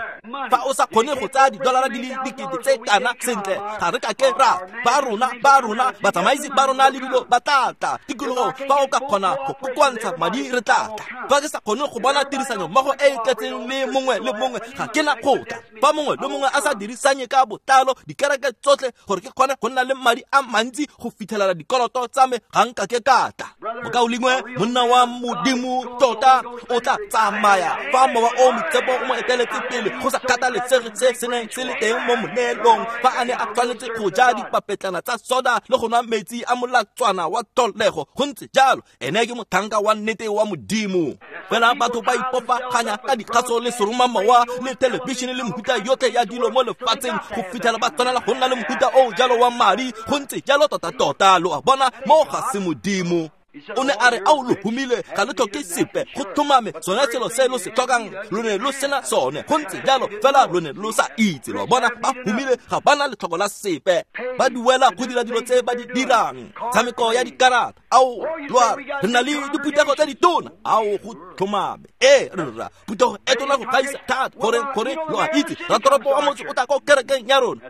Fa o sa kgone go tsaya didolara di le dikete tse kana, sentle, ga re ka ke ra ba rona batsamaisi ba rona le dilo ba tla tla tikologong. Fa o ka kgona go kokoantsha madi, re tla tla. Fa ke sa kgone go bona tirisanyo mmogo e e tletseng le mongwe le mongwe, ga ke na go tla. Fa mongwe le mongwe a sa dirisanye ka botlalo dikereke tsotlhe gore ke kgone go nna le madi a mantsi go fitlhelela dikoloto tsa me, ga nka ke ka tla. Mokaulengwe, monna wa Modimo tota o tla tsamaya fa Mowa o Boitshepo o mo eteletse pele, go sa kgathalesege se se neng se le teng mo moneelong. Fa a ne a tshwanetse go ja dipapetlana tsa soda le go nwa metsi a molatswana wa tlholego, go ntse jalo. Ene ke motlhanka wa nnete wa Modimo. Fela batho ba ipopaganya ka dikgaso le seromamowa le thelebišene le mehuta yotlhe ya dilo mo lefatsheng go fitlhela ba tshwanela go nna le mohuta o jalo wa madi. Go ntse jalo tota-tota. Lo a bona, mo ga se Modimo. O ne a re, ao, lo humile, ga lo tlhoke sepe. Go tlhomame, sone selo se lo se tlhokang lo ne lo sena sone. Go ntse jalo, fela lo ne lo sa itse. Lo a bona, ba humile, ga ba na letlhoko la sepe. Ba duela go dira dilo tse ba di dirang, tshameko ya dikarata. Ao, lo a re na le diphuthego tse ditona. Ao, go tlhomame. E rra, phuthego e tona go gaisa thata. Gore lo a itse, ratoropo wa motse o tla ko kerekeng ya rona.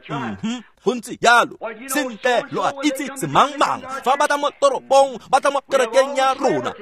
Go ntse jalo. Sentle, lo a itse semangmang fa ba tla mo toropong, ba tla mo kerekeng ya rona.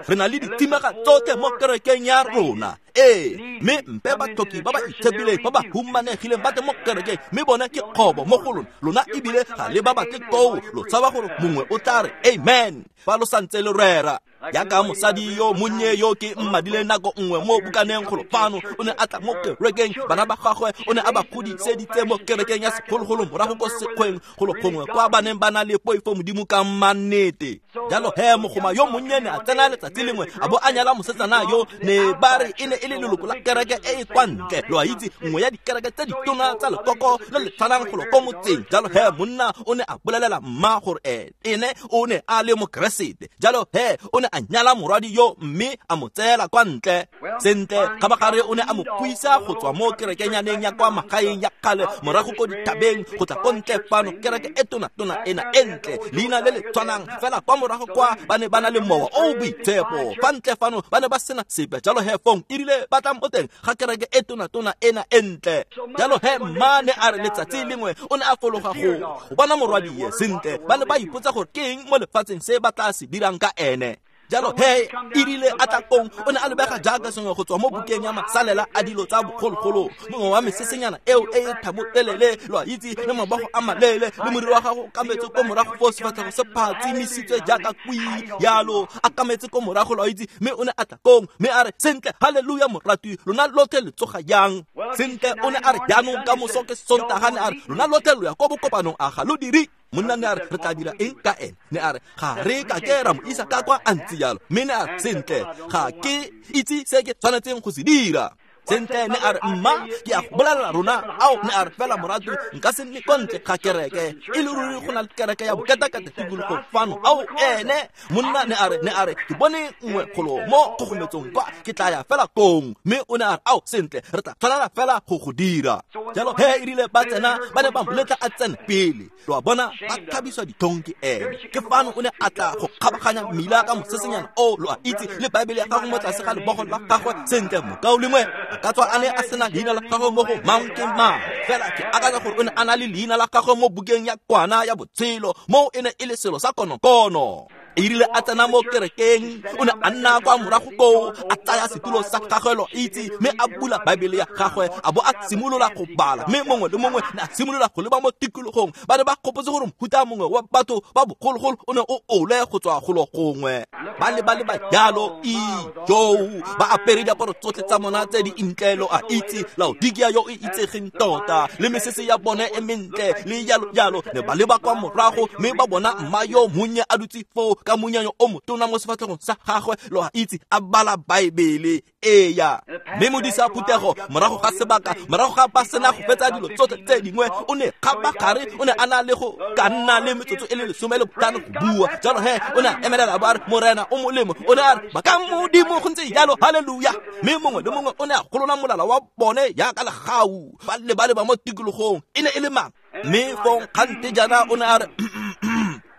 Re na le ditshimega tsotlhe mo kerekeng ya rona. Ee, mme mpe batlhoki ba ba itshepileng ba ba humanegileng ba tle mo kerekeng, mme bone ke kgobo mo go lona. Lona ebile ga le ba batle koo, lo tshaba gore mongwe o tla re amen fa lo santse le rera. Jaaka mosadi yo monnye yo ke mmadile nako nngwe mo bukaneng golo fano, o ne a tla mo kerekeng, bana ba gagwe o ne a ba godiseditse mo kerekeng ya segologolo morago ko sekgweng golo gongwe kwa ba neng ba na le poifo Modimo ka mannete. Jalo he mogoma yo monnye ne a tsena letsatsi lengwe a bo a nyala mosetsana yo ne ba re e ne e le leloko la kereke e e kwa ntle, lo a itse, nngwe ya dikereke tse ditona tsa lekoko le le tshwanang golo ko motseng. Jalo he monna o ne a bolelela mma gore ene o ne a le mokeresete. Jalo he o ne a nyala morwadi yo mme a mo tseela kwa ntle. Sentle, kgabagare o ne a mo puisa go tswa mo kerekenyaneng ya kwa magaeng ya kgale morago ko dithabeng go tla ko ntle fano, kereke e tona-tona ena e ntle, leina le le tshwanang fela kwa morago kwa ba ne ba na le Mowa o o Boitshepo. Fa ntle fano ba ne ba sena sepe. Jalo he fong erile ba tla mo teng ga kereke e tona-tona ena e ntle. Jalo he mma ne a re letsatsi lengwe o ne a fologa go bona morwadie. Sentle, ba ne ba ipotsa gore ke eng mo lefatsheng se ba tla se dirang ka ene. Jalo he erile a tla kong, o ne a lebega jaaka sengwe go tswa mo bukeng ya masalela a dilo tsa bogologolo, mongwe wa mesesenyana eo e e thabotelele, lo a itse, le mabogo a maleele, le moriri wa gago o kametse ko morago foo, sefatlhego se phatsimisitswe jaaka kwii jalo, a kametse ko morago, lo a itse. Mme o ne a tla kong mme a re, sentle, halleluja moratwi, lona lotlhe le tsoga jang? Sentle, o ne a re, jaanong ka moso ke Sontaga, ne a re, lona lotlhe lo ya ko bokopanong, a ga lo dire? Monna ne a re, re tla dira eng ka ene? Ne a re, ga re ka ke ra mo isa ka kwa a ntse jalo. Mme ne a re, sentle, ga ke itse se ke tshwanetseng go se dira. Sentle, ne a re, mma, ke a go bolelela rona, ao, ne a re, fela moratwi, nka se nne kwa ntle ga kereke. E le ruri go na le kereke ya boketakete tikologo fano. Ao, ene monna ne a re, ke bone nngwe golo mo kgogometsong kwa, ke tla ya fela kong. Mme o ne a re, ao, sentle, re tla tshwanela fela go go dira. Jalo he erile ba tsena, ba ne ba moletla a tsene pele. Lo a bona, ba tlhabiswa ditlhong ke ene. Ke fano o ne a tla go kgabaganya mmila ka mosesenyana o, lo a itse, le Baebele ya gagwe mo tlase ga lebogo la gagwe. Sentle, mokaulengwe, a ka tswa a ne a sena leina la gagwe mo go mang ke mang, fela ke akanya gore o ne a na le leina la gagwe mo bukeng ya kwana ya botshelo, moo e ne e le selo sa konokono. Erile a tsena mo kerekeng, o ne a nna kwa morago koo, a tsaya setulo sa gagwe, lo itse, mme a bula Baebele ya gagwe, a bo a simolola go bala. Mme mongwe le mongwe ne a simolola go leba mo tikologong. Ba ne ba gopotse gore mohuta mongwe wa batho ba bogologolo o ne o ole go tswa golo gongwe. Ba le ba jalo, ijoo, ba apere diaparo tsotlhe tsa bona tse di ntle, lo a itse, Laodikia yo e itsegeng tota, le mesese ya bone e mentle, le jalo jalo. Ne ba leba kwa morago mme ba bona mma yo monnye a dutse foo ka monyanyo o motona mo sefatlhegong sa gagwe, lo a itse, a bala Baebele. Eya. Mme modisa phuthego morago ga sebaka, morago ga ba sena go fetsa dilo tsotlhe tse dingwe, o ne kgabagare o ne a na le go ka nna le metsotso e le 15 go bua. Jalo he o ne a emelela ba re, Morena o molemo. O ne a re, bakang Modimo, go ntse jalo, haleluya. Mme mongwe le mongwe o ne a golola molala wa bone jaaka legau, ba leba mo tikologong. E ne e le mang? Mme fong kgante jaana o ne a re,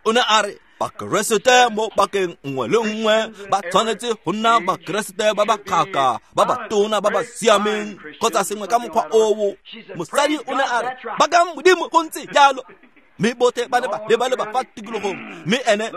o ne a re, Bakeresete mo bakeng nngwe le nngwe ba tshwanetse go nna Bakeresete ba ba kgaka, ba ba tona, ba ba siameng, kgotsa sengwe ka mokgwa oo. Mosadi o ne a re, bakang Modimo, go ntse jalo. Mme botlhe ba ne ba leba fa tikologong. Mme ene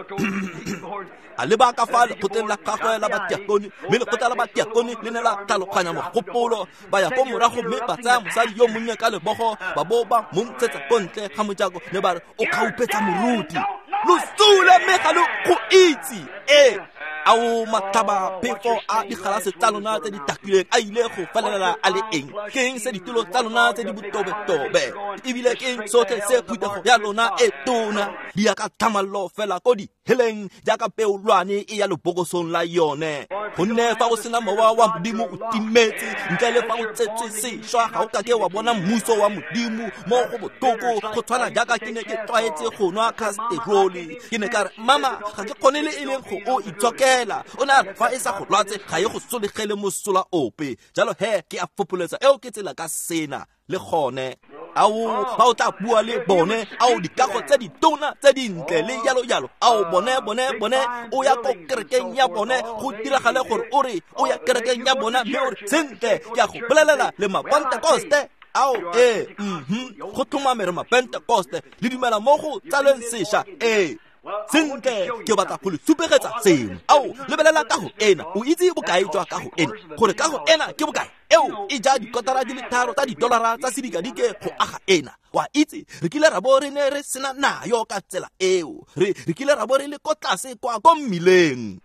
a leba ka fa lekgotleng la gagwe la batiakone, mme lekgotla la batiakone le ne la tlhaloganya mogopolo. Ba ya ko morago mme ba tsaya mosadi yo monnye ka lebogo, ba bo ba mo ntshetsa ko ntle ga mojako, ne ba re, o kgaupetsa moruti. Lo sule mme ga lo go itse. Ee, ao matlhaba phefo a digalase tsa lona tse di takileng a ile go felelela a le eng? Ke eng se ditulo tsa lona tse di botobetobe? Ebile ke eng sotlhe se phuthego ya lona e tona? Di ya ka tlhamallo fela ko diheleng jaaka peolwane e ya lebokosong la yone. Gonne fa o sena mowa wa Modimo o timetse, ntle le fa o tsetswe sešwa ga o kake wa bona mmuso wa Modimo. Mo go botlhoko go tshwana jaaka ke ne ke tlwaetse go nwa kasterole. Ke ne ka re, mama, ga ke kgone le e leng go o itshokela. O ne a re, fa e sa go lwatse ga e go solegele mosola ope. Jalo he ke a fopoletsa eo ke tsela ka sena le gone. Ao ba o tla bua le bone, ao dikago tse ditona tse dintle le jalo jalo, ao bone o ya ko kerekeng ya bone, go diragale gore o re o ya kerekeng ya bona, mme o re, sentle, ke a go bolelela le Mapentekoste. Ao ee, go tlhomame re Mapentekoste, le dumela mo go tsalweng sešwa. Ee, sentle, ke batla go le supegetsa sengwe. Ao, lebelela kago ena, o itse bokae jwa kago ena, gore kago ena ke bokae? Eo e ja dikotara di le 3 tsa didolara tsa sedikadike go aga ena. Wa itse, re kile ra bo re ne re sena nayo ka tsela eo. Re kile ra bo re le ko tlase kwa ko mmileng.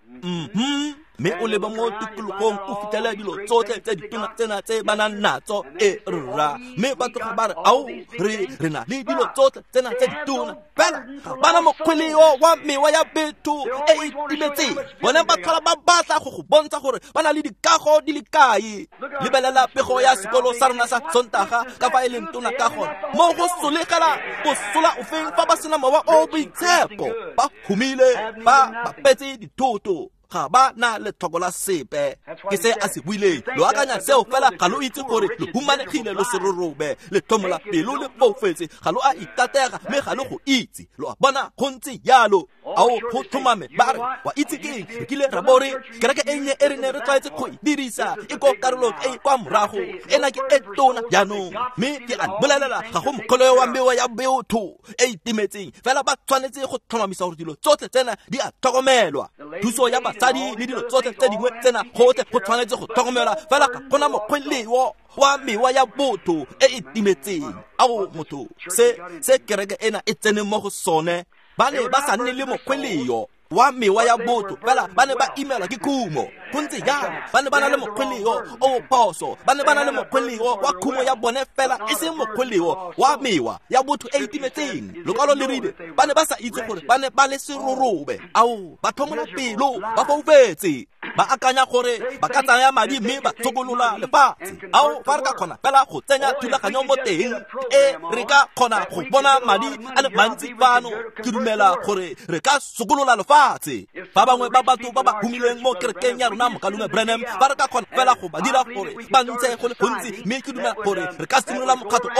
Mme o leba mo tikologong o fitlhele dilo tsotlhe tse ditona tsena tse ba nang natso, e rra. Mme ba tloga ba re, ao, re na le dilo tsotlhe tsena tse ditona, fela ga bana mokgweleo wa mewa ya betho e e timetseng. Bone ba tlhola ba batla go go bontsha gore ba na le dikago di le kae. Lebelela pego ya sekolo sa rona sa Sontaga ka fa e leng tona ka gone. Mo go solegela bosola ofeng fa ba sena mowa o boitshepo, ba humile, ba bapetse dithoto, ga ba na letlhoko la sepe. Ke se a se buileng. Lo akanya seo fela ga lo itse gore lo humanegile, lo serorobe, le tlhomola pelo, le foufetse, ga lo a ikatega mme ga lo go itse. Lo a bona go ntse jalo. Ao go tlhomame ba re, wa itse ke eng? Re kile ra bo re kereke e nnye e re ne re tlwaetse go e dirisa e ko karolong e kwa morago, ena ke e tona jaanong. Mme ke a bolelela, ga go mokgoleo wa mewa ya botho e e timetseng, fela ba tshwanetse go tlhomamisa gore dilo tsotlhe tsena di a tlhokomelwa. Thuso ya basadi le dilo tsotlhe tse dingwe tsena gotlhe go tshwanetse go tlhokomelwa, fela ga gona mokgweleo wa mewa ya botho e e timetseng. Ao motho, se kereke ena e tseneng mo go sone, ba ne ba sa nne le mokgweleo wa mewa ya botho, fela ba ne ba imelwa ke khumo. Go ntse jalo, ba ne ba na le mokgweleo o phoso, ba ne ba na le mokgweleo wa khumo ya bone fela, e seng mokgweleo wa mewa ya botho e e timetseng. Lokwalo le rile ba ne ba sa itse gore ba ne ba le serorobe. Ao, ba tlhomola pelo, ba foufetse, ba akanya gore ba ka tsaya madi mme ba tshokolola lefatshe. Ao, fa re ka kgona fela go tsenya thulaganyo mo teng, e re ka kgona go bona madi a le mantsi fano, ke dumela gore re ka sokolola lefatshe. Ba bangwe ba batho ba ba humileng mo kerekeng ya rona, Mokalume Branham, ba re ka kgona fela go ba dira gore ba ntshe go le gontsi, mme ke dumela gore re ka simolola mokgatlho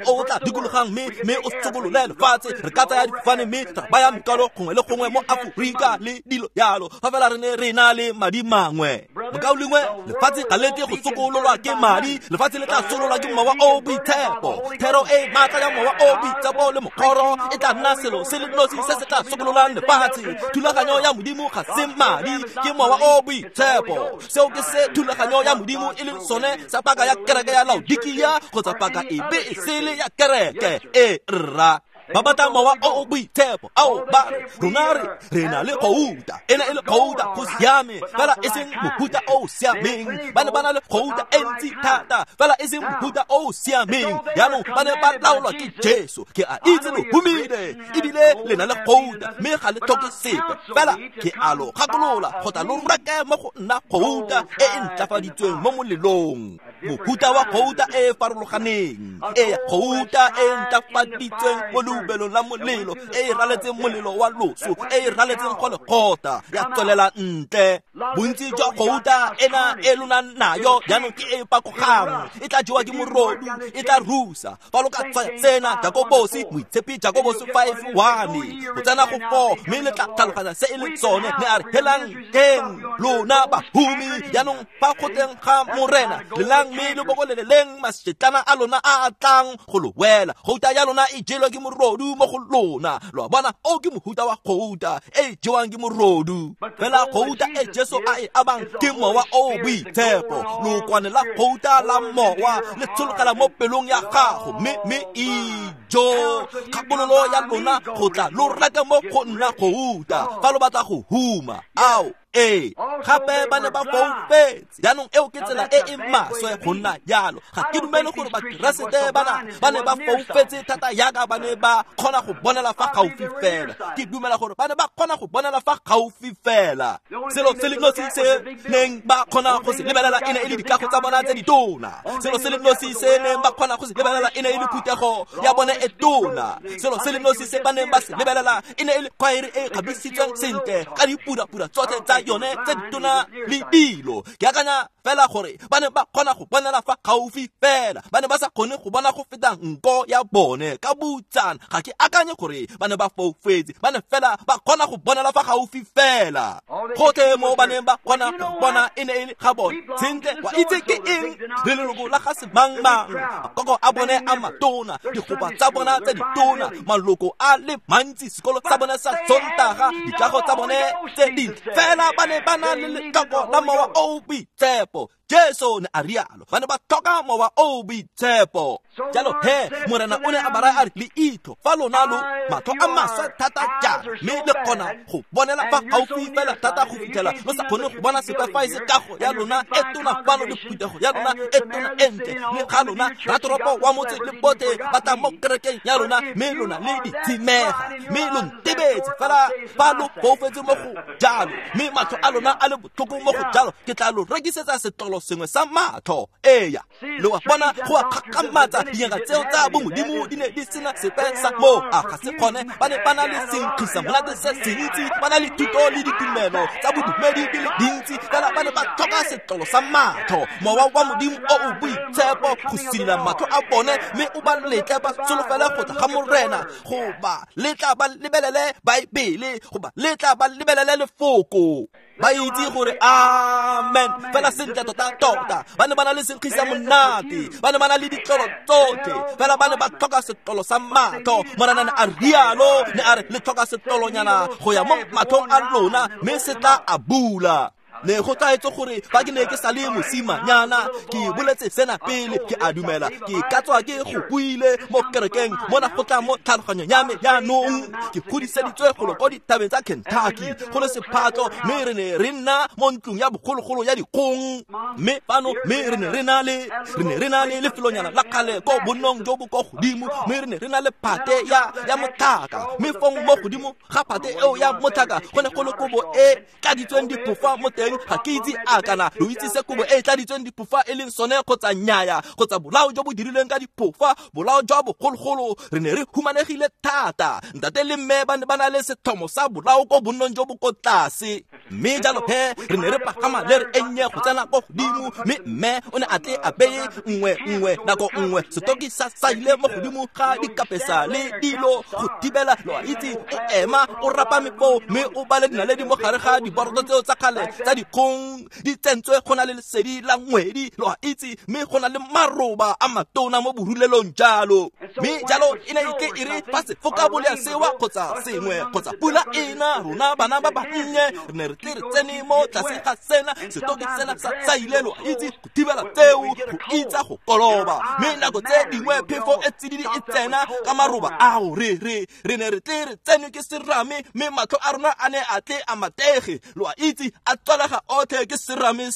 o o tla dikologang mme o sokolole lefatshe. Re ka tsaya difofane mme ra baya mekwalo gongwe le gongwe mo Aforika le dilo jalo, fa fela re ne re na le madi mangwe. Mokaulengwe, lefatshe ga le tle go sokololwa ke madi, lefatshe le tla sokololwa ke mowa o boitshepo. Thero e maatla ya mowa o boitshepo le mokgoro e tla nna selo se le nosi se se tla sokololang lefatshe. Thulaganyo ya Modimo ga se madi, ke mowa o boitshepo. Seo ke se thulaganyo ya Modimo e leng sone sa paka ya kereke ya Laodikia kgotsa paka epe e sele ya kereke. E rra. Ba batla mowa o o boitshepo. Ao, ba re, rona re na le gouta. Ena e le gouta go siame, fela e seng mohuta o o siameng. Ba ne ba na le gouta e ntsi thata, fela e seng mohuta o o siameng. Jaanong ba ne ba laolwa ke Jesu. Ke a itse lo humile, ebile le na le gouta, mme ga le tlhoke sepe. Fela ke a lo gakolola go tla lo reke mo go nna gouta e e ntlafaditsweng mo molelong. Mohuta wa gouta e e farologaneng, e gouta e ntlafaditsweng mo leubelong la molelo, e e raletseng molelo wa loso, e e raletseng go lekgotla, ya tswelela ntle. Bontsi jwa gouta ena e lona nayo jaanong ke e e pakogang, e tla jewa ke morodu, e tla rusa. Fa lo ka tsaya tsena Jakobosi, moitshepi Jakobosi 5:1 go tsena go 4, mme le tla tlhaloganya se e leng sone. Ne a re, helang teng lona bahumi, jaanong fa go teng ga Morena, lelang mme le bokoleleleng masetlana a lona a a tlang go lo wela. Gouta ya lona e jelwa ke morodu mo go lona. Lo a bona, o ke mohuta wa gouta e jewang ke morodu. Fela gouta e Jesu a e abang ke mowa o boitshepo. Lookwane la gouta la mowa le tshologela mo pelong ya gago, mme ijo kgakololo ya lona go tla lo reka mo go nna gouta fa lo batla go huma. Ao, ee, gape ba ne ba foufetse. Jaanong eo ke tsela e e maswe go nna jalo. Ga ke dumele gore Bakeresete bana ba ne ba foufetse thata yaka ba ne ba kgona go bonela fa gaufi fela. Ke dumela gore ba ne ba kgona go bonela fa gaufi fela. Selo se le nosi se neng ba kgona go se lebelela e ne e le dikago tsa bona tse ditona. Selo se le nosi se neng ba kgona go se lebelela e ne e le phuthego ya bone e tona. Selo se le nosi se ba neng ba se lebelela e ne e le khwaere e kgabisitsweng sentle ka dipurapura tsotlhe tsa yone tse ditona le dilo. Ke akanya fela gore ba ne ba kgona go bonela fa gaufi fela, ba ne ba sa kgone go bona go feta nko ya bone ka botsana. Ga ke akanye gore ba ne ba foufetse, ba ne fela ba kgona go bonela fa gaufi fela. Gotlhe mo ba neng ba kgona go bona e ne e le ga bone. Sentle, wa itse ke eng? Re leloko la ga semangmang, makoko a bone a matona, digopa tsa bona tse ditona, maloko a le mantsi, sekolo sa bone sa Sontaga, dikago tsa bone tse dintle. Fela ba ne ba na le letlhoko la mowa o boitshepo. Jesu ne a rialo, ba ne ba tlhoka mowa o boitshepo. Jalo he, Morena o ne a ba raya a re, leitho fa lona lo matlho a maswe thata jang, mme le kgona go bonela fa gaufi fela thata go fitlhela lo sa kgone go bona sepe fa e se kago ya lona e tona fano le phuthego ya lona e tona e ntle, le ga lona ratoropo wa motse le botlhe ba tla mo kerekeng ya lona, mme lona le ditshimega, mme lo ntebetse fela fa lo foufetse mo go jalo, mme matlho a lona a le botlhoko mo go jalo, ke tla lo rekisetsa setlolo sengwe sa matlho. Eya, lo a bona, go a kgakgamatsa. Dingaka tseo tsa bomodimo di ne di sena sepe sa moo. A ga se kgone, ba ne ba na le senkgisa monate se sentsi, ba na le thuto le ditumelo tsa bodumedi di le dintsi, fela ba ne ba tlhoka setlolo sa matlho, mowa wa Modimo o o boitshepo go silila matlho a bone, mme o ba letle ba solofele go tla ga Morena, go ba letla ba lebelele Baebele, go ba letla ba lebelele lefoko. Ba itse gore amen fela sentle tota tota. Ba ne ba na le senkgisa monate, ba ne ba na le ditlolo tsotlhe, fela ba ne ba tlhoka setlolo sa matlho. Morena ne a rialo, ne a re le tlhoka setlolonyana go ya mo matlhong a lona, mme se tla a bula. Ne go tlaetse gore fa ke ne ke sa le mosimanyana, ke boletse sena pele, ke a dumela ke ka tswa ke go buile mo kerekeng mona go tla mo tlhaloganyong ya me jaanong. Ke godiseditswe golo ko dithabeng tsa Kentucky, go le sephatlo, mme re ne re nna mo ntlong ya bogologolo ya dikgong. Mme fano, mme re ne re na le lefelonyana la kgale ko bonnong jo bo ko godimo, mme re ne re na le phate ya motlhaka, mme fong mo godimo ga phate eo ya motlhaka go ne go le kobo e tladitsweng diphofa mo teng. Ga ke itse a kana lo itse se kobo e tladitsweng diphofa e leng sone kgotsa nnyaya, kgotsa bolao jo bo dirilweng ka diphofa, bolao jwa bogologolo. Re ne re humanegile thata. Ntate le mme ba ne ba na le setlhomo sa bolao ko bonnong jo bo ko tlase, mme jalo he re ne re pagama le re e nnye go tsena ko godimo, mme mme o ne a tle a beye nngwe nako nngwe setoki sa saile mo godimo ga dikapesa le dilo go thibela, lo a itse, o ema o rapame foo mme o bale dinaledi mo gare ga diboroto tseo tsa kgale tsa dikgong di tsentswe go na le lesedi la ngwedi, lo a itse, mme go na le maroba a matona mo borulelong jalo. Mme jalo e ne e tle e re fa sefoka bolea sewa kgotsa sengwe kgotsa pula ena, rona bana ba bannye re ne re tle re tsene mo tlase ga sena setoki sena sa saile, lo a itse, go thibela tseo go itsa go koloba. Mme nako tse dingwe phefo e tsididi e tsena ka maroba ao, re ne re tle re tsenwe ke serame, mme matlho a rona a ne a tle a matege, lo a itse, a tswalega otlhe ke serame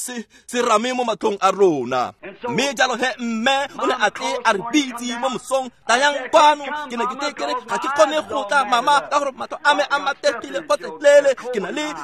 serame mo matlhong a rona. Mme jalo he mme o ne a tle a re bitse mo mosong, tayang kwano. Ke ne ke tle ke re ga ke kgone go tla mama ka gore matlho a me a mategile gotlhelele, ke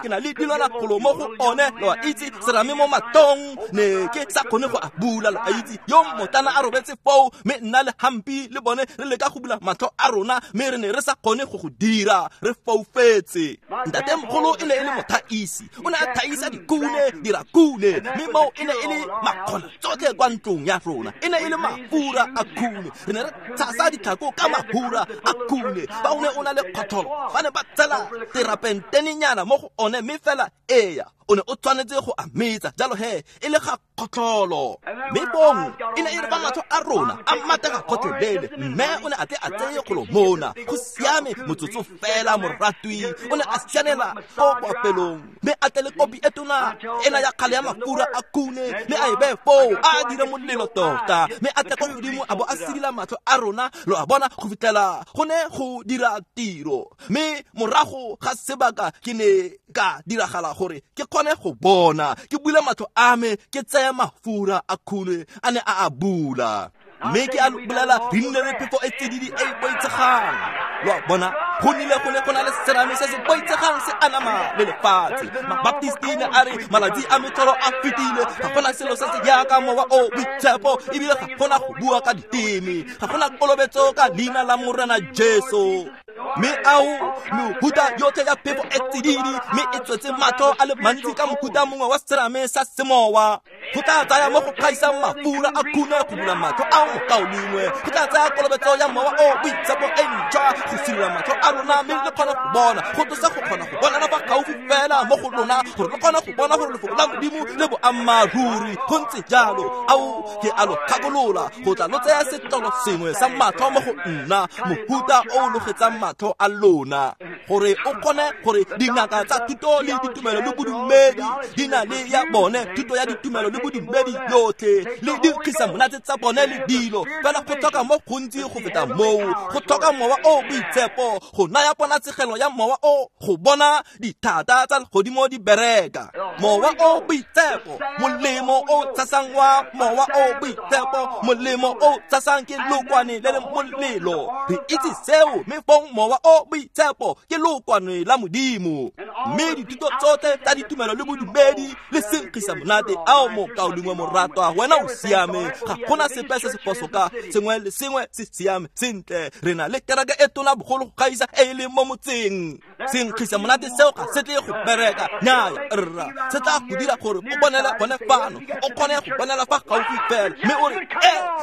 na le dilwana golo mo go one, lo a itse, serame mo matlhong, ne ke sa kgone go a bula, lo a itse. Yo motana a robetse foo, mme nna le Hampi le bone re leka go bula matlho a rona, mme re ne re sa kgone go go dira, re foufetse. Ntatemogolo e ne e le mothaisi, o ne a thaisa dikune, dirakune, mme moo e ne e le makgona tsotlhe kwa ntlong ya rona, e ne e le mafura a khune. Re ne re tshasa ditlhako ka mafura a khune. Ba o ne o na le kgotlholo, ba ne ba tsela terapentenenyana mo go one, mme fela eya o ne o tshwanetse go a metsa jalo he e le ga kgotlholo. Mme bong e ne e re ba matlho a rona a matega gotlhelele, mme o ne a tle a tseye kgolo mona, go siame motsotso fela moratwi. O ne a sianela ko boapelong, mme a tle le kopi e tona ena ya kgale ya mafura a khune, mme a e beye foo a dire molelo tota, mme a tle ko godimo a bo a sidila matlho a rona, lo a bona, go fitlhela go ne go dira tiro. Mme morago ga sebaka ke ne ka diragala gore ke kgone go bona, ke bula matlho a me, ke tseye mafura a khune a ne a a bula. Mme ke a lo bolela, re nnile le phefo e tsididi e e boitshegang, lo a bona, go nnile go ne go na le serame se se boitshegang se anama le lefatshe. Mabaptisti ne a re malatsi a metlholo a fetile, ga gona selo se se jaaka mowa o boitshepo, ebile ga gona go bua ka diteme, ga gona kolobetso ka leina la Morena Jesu. Mme ao mehuta yotlhe ya phefo e tsididi, mme e tswetse matlho a le mantsi ka mohuta mongwe wa serame sa semowa. Go tla tsaya mo go kgaisang mafura a khune go bula matlho a mokaulengwe, go tla tsaya kolobetso ya mowa o boitshepo e ntšhwa go sirola matlho a rona, mme le kgone go bona, go tlosa go kgona go bonana fa gaufi fela mo go lona, gore le kgone go bona gore lefoko la Modimo le boammaaruri. Go ntse jalo. Ao ke a lo kgakolola go tla lo tsaya setlolo sengwe sa matlho mo go nna, mohuta o logetsang matlho a lona, gore o kgone gore dingaka tsa thuto le ditumelo le bodumedi di na le ya bone thuto ya ditumelo le bodumedi yotlhe le dinkgisa monate tsa bone le dilo, fela go tlhoka mo gontsi go feta moo, go tlhoka mowa o boitshepo go naya ponatshegelo ya mowa o go bona dithata tsa legodimo di bereka. Mowa o boitshepo, molemo o tshasang wa mowa o boitshepo, molemo o tshasang ke lokwane le le molelo. Re itse seo, mme fong mowa o boitshepo ke lokwane la Modimo. Mme dithuto tsotlhe tsa ditumelo le bodumedi le senkgisa monate ao mokaulengwe moratwa, wena o siame, ga gona sepe se se phoso ka sengwe le sengwe se siame sentle. Re na le kereke e tona bogolo go gaisa e e leng mo motseng. Senkgisa monate seo ga se tle go bereka, nnyaya rra, se tla go dira gore o bonele gone fano, o kgone go bonela fa gaufi fela, mme o re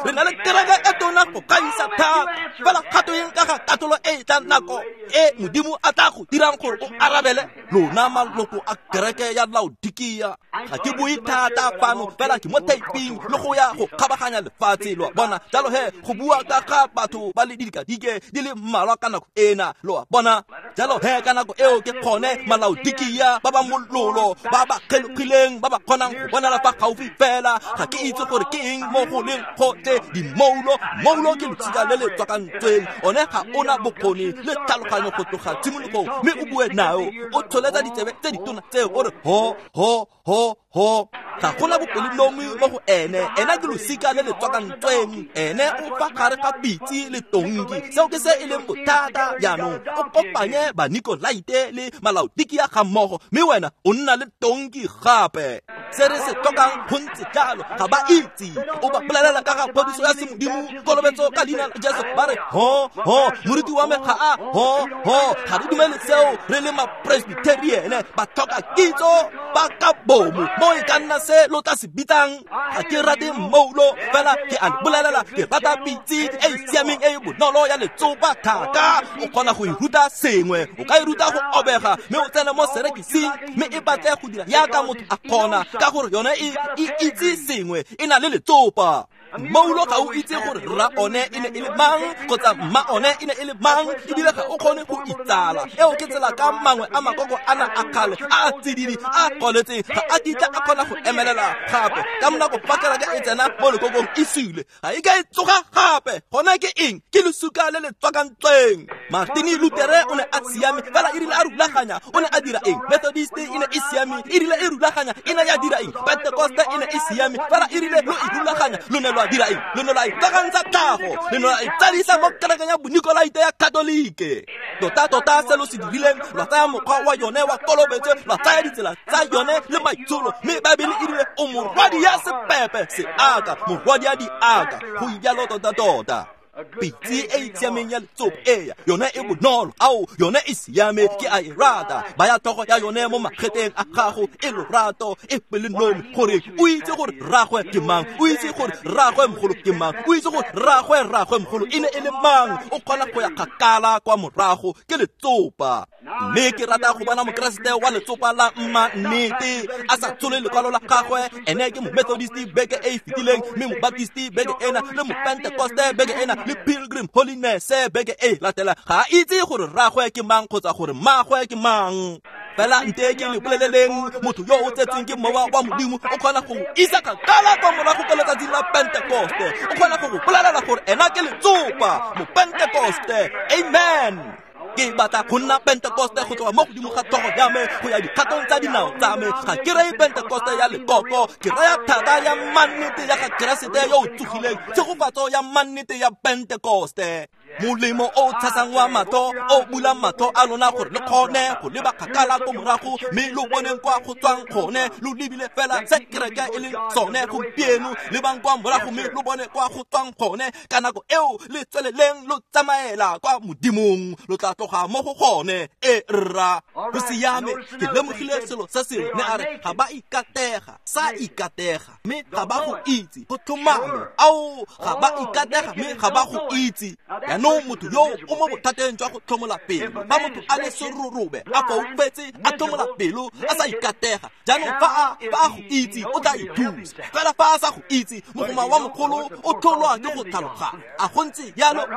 re na le kereke e tona go gaisa thata. Fela kgato eng ka ga katolo e e tlang nako e Modimo a tla go dirang gore o arabele? Lona maloko a kereke ya Laodikia, ga ke bue thata fano, fela ke mo taping le go ya go kgabaganya lefatshe, lo a bona. Jalo he go bua ka ga batho ba le didikadike di le mmalwa ka nako ena, lo a bona. Jalo he ka nako eo ke kgone Malaodikia ba ba mololo, ba ba kgelogileng, ba ba kgonang go bonela fa gaufi fela. Ga ke itse gore ke eng mo go leng gotlhe dimoulo. Moulo ke losika le le tswakantsweng, one ga ona bokgoni le tlhaloganyo go tloga tshimologong, mme o bue nao o tsholetsa ditsebe tse ditona tseo o re ho ho ho ho. Ga gona bopelonomi mo go ene, ena ke losika le le tswakantsweng, ene o fa gare ga pitse le tonki. Seo ke se e leng bothata. Jaanong o kopanye Banikolaite le Malaodikia ga mmogo, mme wena o nna le tonki gape. Se re se tlhokang go ntse jalo, ga ba itse. O ba bolelela ka ga phodiso ya semodimo, kolobetso ka leina la Jesu, ba re ho ho, moruti wa me ga a ho ho, ga re dumele seo, re le mapresbyteriene. Ba tlhoka kitso ba ka bomo, Mo e ka nna se lo tla se bitsang. Ga ke rate mmoulo, fela ke a le bolelela, ke rata pitse e e siameng e e bonolo ya letsopa thata. O kgona go e ruta sengwe, o ka e ruta go obega, mme o tsene mo serekising, mme e batle go dira yaka motho a kgona, ka gore yone e itse sengwe, e na le letsopa. Mmoulo ga o itse gore rra one e ne e le mang kgotsa mma one e ne e le mang, ebile ga o kgone go itsala. Eo ke tsela ka mangwe a makoko ana a kgale a a tsididi a goletseng, ga a kitla a kgona go emelela gape. Ka monako fa kereke e tsena mo lekokong e sule, ga e ka e tsoga gape. Gone ke eng? Ke lesuka le le tswakantsweng. Martini Lutere o ne a siame, fela e rile a rulaganya, o ne a dira eng? Methodist e ne e siame, e rile e rulaganya, e ne ya dira eng? Pentecoste e ne e siame, fela e rile lo e rulaganya, lo ne lwa dira eng? Lo ne lwa itsagantsha tlhago, le ne lwa itsadisa mo kerekeng ya Bonikolaite ya Katolike. Tota-tota se lo se dirileng, lwa tsaya mokgwa wa yone wa kolobetso, lwa tsaya ditsela tsa yone le maitsholo, mme Baebele e rile o morwadi ya sepepe seaka, morwadi ya diaka. Go ijalo tota-tota. Pitse e e siameng ya letsopa, eya, yone e bonolo, ao, yone e siame, ke a e rata. Baya tlhogo ya yone mo mageteng a gago, e lorato, e pelonomi, gore o itse gore rragwe ke mang, o itse gore rragwe mogolo ke mang, o itse gore rragwe rragwe mogolo e ne e le mang. O kgona go ya kgakala kwa morago, ke letsopa. Mme ke rata go bona Mokeresete wa letsopa la mma nnete a sa tshole lekwalo la gagwe. Ene ke Momethodist beke e e fetileng, mme Mobaptist beke ena, le Mopentecoste beke ena, le Pilgrim Holiness beke e latela. Ga a itse gore rragwe ke mang kgotsa gore mmagwe ke mang. Fela nte ke le boleleleng, motho yo o tsetsweng ke mowa wa Modimo o kgona go isa kgakala kwa morago ka letsatsi la Pentecoste. O kgona go go bolelela gore ena ke letsopa, Mopentecoste. Amen. Ke batla go nna Pentecoste go tloga mo godimo ga tlhogo ya me go ya dikgatong tsa dinao tsa me. Ga ke reye Pentecoste ya lekoko, ke raya thata ya mannete ya ga Keresete yo o tsogileng, tshegofatso ya mannete ya Pentecoste. Molemo o tshasang wa matlho, o bulang matlho a lona gore le kgone go leba kgakala ko morago, mme lo boneng kwa go tswang gone. Lo lebile fela se kereke e leng sone gompieno, lebang kwa morago mme lo bone kwa go tswang gone. Ka nako eo le tsweleleng lo tsamaela kwa Modimong, lo tla tloga mo go gone. E rra, go siame. Ke lemogile selo se sengwe, ne a re ga ba ikatega, sa ikatega, mme ga ba go itse. Go tlhomame, ao, ga ba ikatega mme ga ba go itse. Jaanong motho yo o mo bothateng jwa go tlhomola pelo. Fa motho a le serorobe, a foufetse, a tlhomola pelo, a sa ikatega, jaanong fa a go itse o tla ithusa. Fela fa a sa go itse, mogoma wa mogolo o tlholwa ke go tlhaloganya. A go ntse jalo?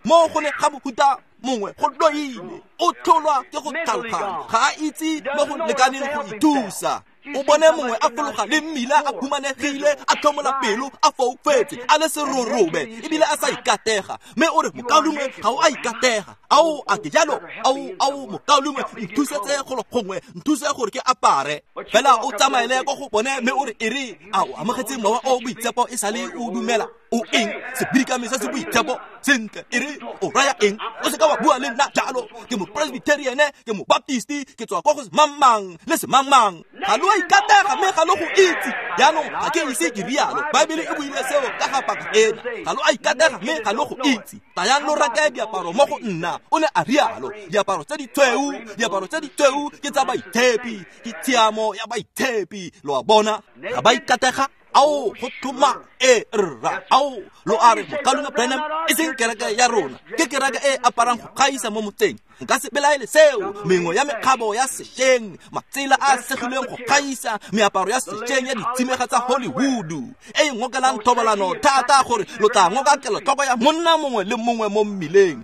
Mo go ne ga mohuta mongwe go loile, o tlholwa ke go tlhaloganya, ga a itse mo go lekaneng go ithusa. O bone mongwe a fologa le mmila, a humanegile, a tlhomola pelo, a foufetse, a le serorobe, ebile a sa ikatega, mme o re, mokaulengwe, ga o a ikatega. Ao, a ke jalo? Ao, mokaulengwe, nthusetse golo gongwe, nthuse gore ke apare. Fela o tsamaele ko go bone mme o re, e re, a o amogetse mowa o boitshepo e sale o dumela? O eng? Sebidikami se se boitshepo? Sentle, e re, o raya eng? O seka wa bua le nna jalo. Ke Mopresbyteriane, ke Mobaptist, ke tswa kwa go semangmang le semangmang. Ga lo a ikatega mme ga lo go itse. Jaanong ga ke ise ke rialo. Baebele e buile seo ka ga paka ena. Ga lo a ikatega mme ga lo go itse. Tayang lo reke diaparo mo go nna, o ne a rialo. Diaparo tse ditshweu, diaparo tse ditshweu ke tsa baitshepi, ke tshiamo ya baitshepi. Lo a bona, ga ba ikatega. Ao, go tlhoma e rra. Ao, lo a re, mokaulengwe Branham, e seng kereke ya rona, ke kereke e aparang go gaisa mo motseng. Nka se belaele seo. Mengwe ya mekgabo ya sešweng, matsela a segilweng go gaisa, meaparo ya sešweng ya ditshimega tsa Hollywood e e ngokelang thobalano thata gore lo tla ngoka kelotlhoko ya monna mongwe le mongwe mo mmileng.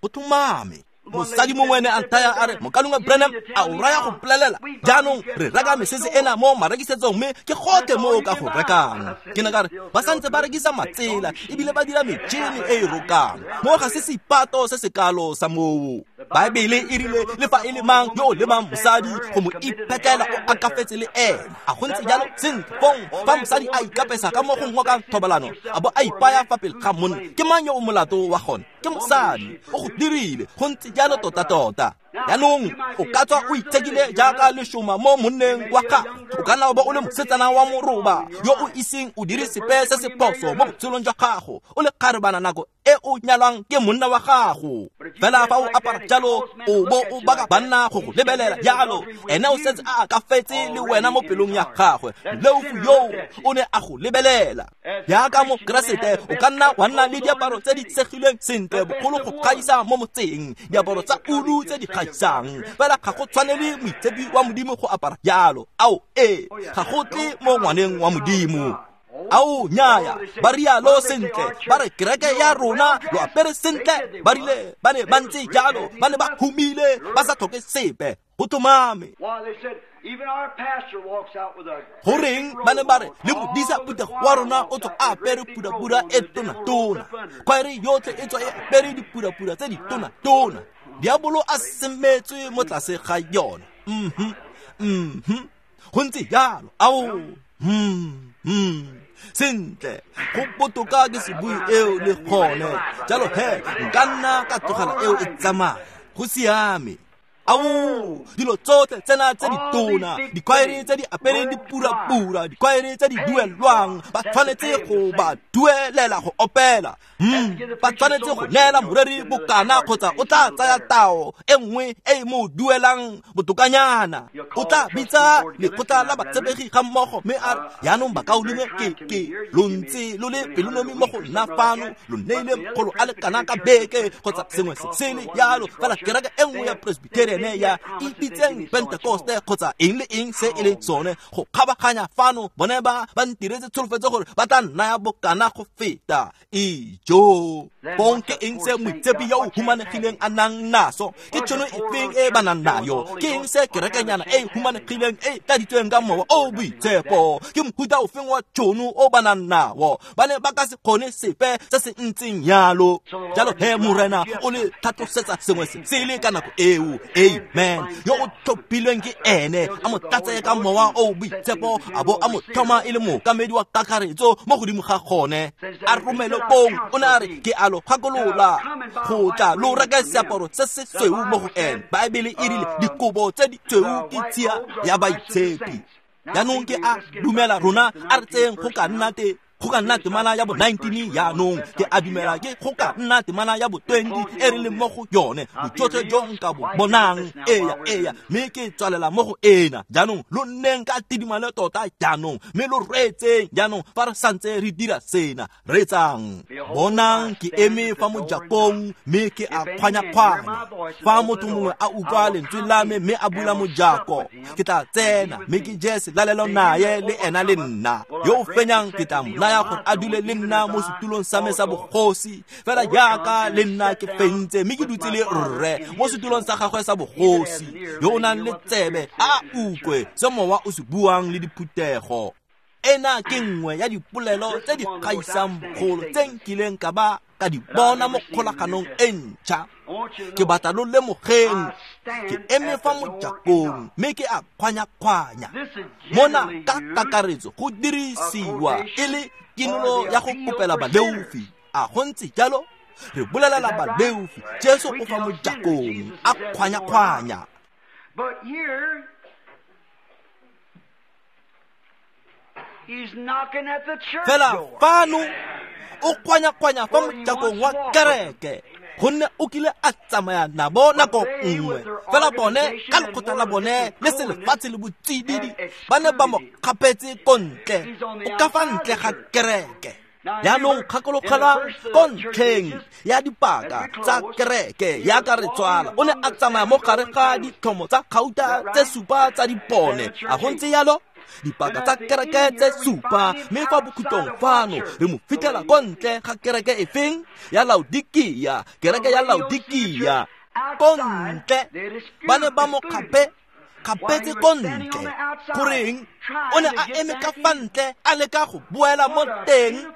Go tlhomame. Mosadi mongwe ne a nthaya a re, mokaulengwe Branham, a o raya go mpolelela? Jaanong re reka mesese ena mo marekisetsong, mme ke gotlhe mo o ka go rekang. Ke ne ka re, ba santse ba rekisa matsela ebile ba dira metšhini e e rokang. Mo ga se seipato se se kalo sa moo. Baebele e rile le fa e le mang yo o lemang mosadi go mo iphetlela o akafetse le ene. A go ntse jalo? Sentle, fong fa mosadi a ikapesa ka mo go ngokang thobalano, a bo a ipaya fa pele ga monna, ke mang yo o molato wa gone? Ke mosadi. O go dirile. Go ntse jalo tota-tota. Jaanong o ka tswa o itshekile jaaka lešoma mo monneng wa gago. O ka nna wa bo o le mosetsana wa moroba yo o iseng o dire sepe se se phoso mo botshelong jwa gago, o le kgarebana nako e e o nyalwang ke monna wa gago. Fela fa o apara jalo o bo o baka banna go go lebelela jalo, ene o setse a akafetse le wena mo pelong ya gagwe. Leofu yo o ne a go lebelela. Jaaka mo Keresete o ka nna wa nna le diaparo tse di segilweng sentle bogolo go gaisa mo motseng, diaparo tsa ulu tse di gaisang. Fela ga go tshwanele moitshepi wa Modimo go apara jalo. Ao ee, ga go tle mo ngwaneng wa Modimo. Ao nnyaya, ba rialo sentle, ba re kereke ya rona lo apere sentle, ba rile ba ne ba ntse jalo, ba ne ba humile, ba sa tlhoke sepe. Go tlhomame. Goreng ba ne ba re le modisa phuthego wa rona o tswa a apere purapura e tona-tona, khwaere yotlhe e tswa e apere dipurapura tse di tona-tona. Diabolo a semetswe mo tlase ga yona. Go ntse jalo. Ao, sentle, go botoka ke se bue eo le gone. Jalo he, nka nna ka tlogela eo e tsamaya. Go siame. Ao, dilo tsotlhe tsena tse di tona, dikhwaere tse di apereng dipurapura, dikhwaere tse di duelwang, ba tshwanetse go ba duelela go opela. Ba tshwanetse go neela moreri bokana kgotsa o tla tsaya tao e nngwe e mo duelang botokanyana. O tla bitsa lekgotla la batshepegi ga mmogo mme a re, jaanong bakaulengwe ke lo ntse lo le pelonomi mo go nna fano, lo neile makgolo a le kana ka beke kgotsa sengwe se sele jalo, fela kereke e nngwe ya Presbyterian ya ipitseng Pentecoste kgotsa eng le eng se e leng sone go kgabaganya fano, bone ba ba ntiretse tsholofetso gore ba tla nnaya bokana go feta. Ijo, bong ke eng se moitshepi yo o humanegileng a nang naso? Ke tšhono efeng e ba nang nayo? Ke eng se kerekenyana e humanegileng e tladitsweng ka mowa o boitshepo? Ke mohuta ofeng wa tšhono o ba nang nao? Ba ne ba ka se kgone sepe se se ntseng jalo. Jalo he Morena o le tlhatlosetsa sengwe se sele ka nako eo. Amen. Yo o tlhophilweng ke ene, a mo tlatse ka mowa o boitshepo, a bo a mo tlhoma e le mookamedi wa kakaretso mo godimo ga gone. A romele kong, o ne a re, ke a lo gakolola go tla lo reke seaparo se se sweu mo go ene. Baebele e rile dikobo tse di tsweu ke tshia ya baitshepi. Jaanong ke a dumela rona a re tseyeng go ka nna te go ka nna temana ya bo 19 jaanong, ke a dumela ke go ka nna temana ya bo 20 e re leng mo go yone, bojotlhe jo nka bo bonang. Eya, mme ke tswalela mo go ena. Jaanong lo nneng ka tidimalo tota jaanong, mme lo reetseng jaanong fa re santse re dira sena. Reetsang, bonang ke eme fa mojakong mme ke a kgwanya-kgwanya. Fa motho mongwe a utlwa lentswe la me mme a bula mojako, ke tla tsena mme ke je selalelo naye le ena le nna. Yo o fenyang ke tla mo naya gore a dule le nna mo setulong sa me sa bogosi, fela jaaka le nna ke fentse mme ke dutse le rre mo setulong sa gagwe sa bogosi. Yo o nang le tsebe a utlwe se mowa o se buang le diphuthego. Ena ke nngwe ya dipolelo tse di gaisang bogolo tse nkileng ka ba ka di bona mo kgolaganong e ntšha. Ke batla lo lemogeng, ke eme fa mojakong mme ke a kgwanya-kgwanya. Mona ka kakaretso go dirisiwa e le kinolo ya go kopela baleofi. A go ntse jalo? Re bolelela baleofi, Jesu o fa mojakong a kgwanya-kgwanya. Fela fano o kgwanya-kgwanya fa mojakong wa kereke, gonne o kile a tsamaya nabo nako nngwe. Fela bone ka lekgotla la bone le selefatshe le botsididi ba ne ba mo kgapetse ko ntle, o ka fa ntle ga kereke. Jaanong kgakologelwa ko ntlheng ya dipaka tsa kereke ya ka re tswala, o ne a tsamaya mo gare ga ditlhomo tsa gauta tse supa tsa dipone. A go ntse jalo? Dipaka tsa kereke tse supa, mme fa bokhutlong fano re mo fitlhela ko ntle ga kereke efeng? Ya Laodikia, kereke ya Laodikia. Ko ntle ba ne ba mo kgapetse ko ntle. Goreng? O ne a eme ka fa ntle a leka go boela mo teng,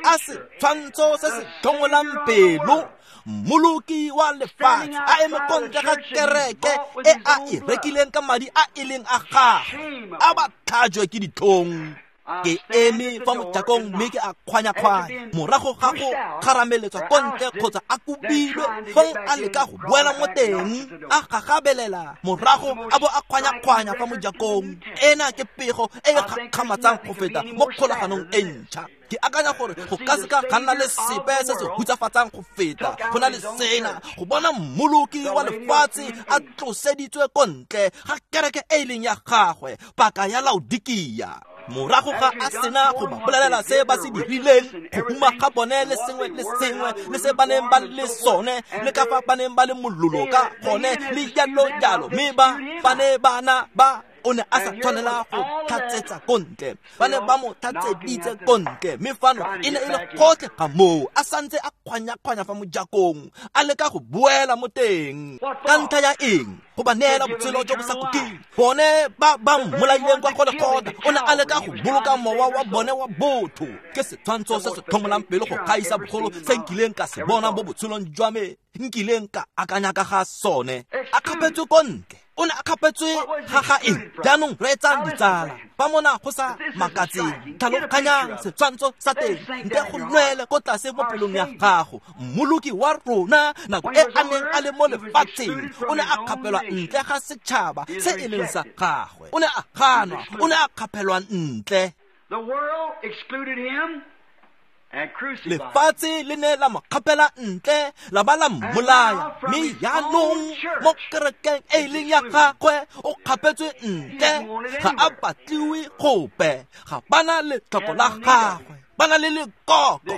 a setshwantsho se se tlhongolang pelo, mmoloki wa lefatshe, a eme ko ntle ga kereke e a e rekileng ka madi a e leng a gagwe, a ba tlhajwe ke ditlhong. Ke eme fa mojakong mme ke a kgwanya-kgwanya. Morago ga go kgarameletswa ko ntle kgotsa a kobilwe, fong a leka go boela mo teng, a gagabelela morago a bo a kgwanya-kgwanya fa mojakong. Ena ke pego e e gakgamatsang go feta mo kgolaganong e ntšha. Ke akanya gore go ka seka ga nna le sepe se se hutsafatsang go feta go na le sena, go bona mmoloki wa lefatshe a tloseditswe ko ntle ga kereke e e leng ya gagwe, paka ya Laodikia. Morago ga a sena go ba bolelela se ba se dirileng, go huma ga bone le sengwe le sengwe le se ba neng ba le sone, le ka fa ba neng ba le mololo ka gone, le jalo jalo, mme ba ne bana ba o ne a sa tshwanela go tlhatsetsa ko ntle, ba ne ba mo tlhatseditse ko ntle, mme fano e ne e le gotlhe ga moo a santse a kgwanya-kgwanya fa mojakong, a leka go boela mo teng. Ka ntlha ya eng? Go ba neela botshelo jo bo sa khutleng. Bone ba ba mmolaileng kwa Golgotha, o ne a leka go boloka mowa wa bone wa botho. Ke setshwantsho se se tlhomolang pelo go gaisa bogolo se nkileng ka se bona mo botshelong jwa me, nkileng ka akanya ka ga sone. A kgapetswe ko ntle. O ne a kgapetswe ga ga eng? Jaanong reetsang ditsala, ba mona go sa makatseng, tlhaloganyang setshwantsho sa teng, ntle go nwele ko tlase mo pelong ya gago. Mmoloki wa rona nako e a neng a le mo lefatsheng, o ne a kgapelwa ntle ga setšhaba se e leng sa gagwe. O ne a ganwa, o ne a kgapelwa ntle. The world excluded him. Lefatshe le ne la mo kgapela ntle, la ba la mmolaya, mme jaanong mo kerekeng e e leng ya gagwe o kgapetswe ntle, ga a batliwe gope, ga bana letlhoko la gagwe, ba na le lekoko,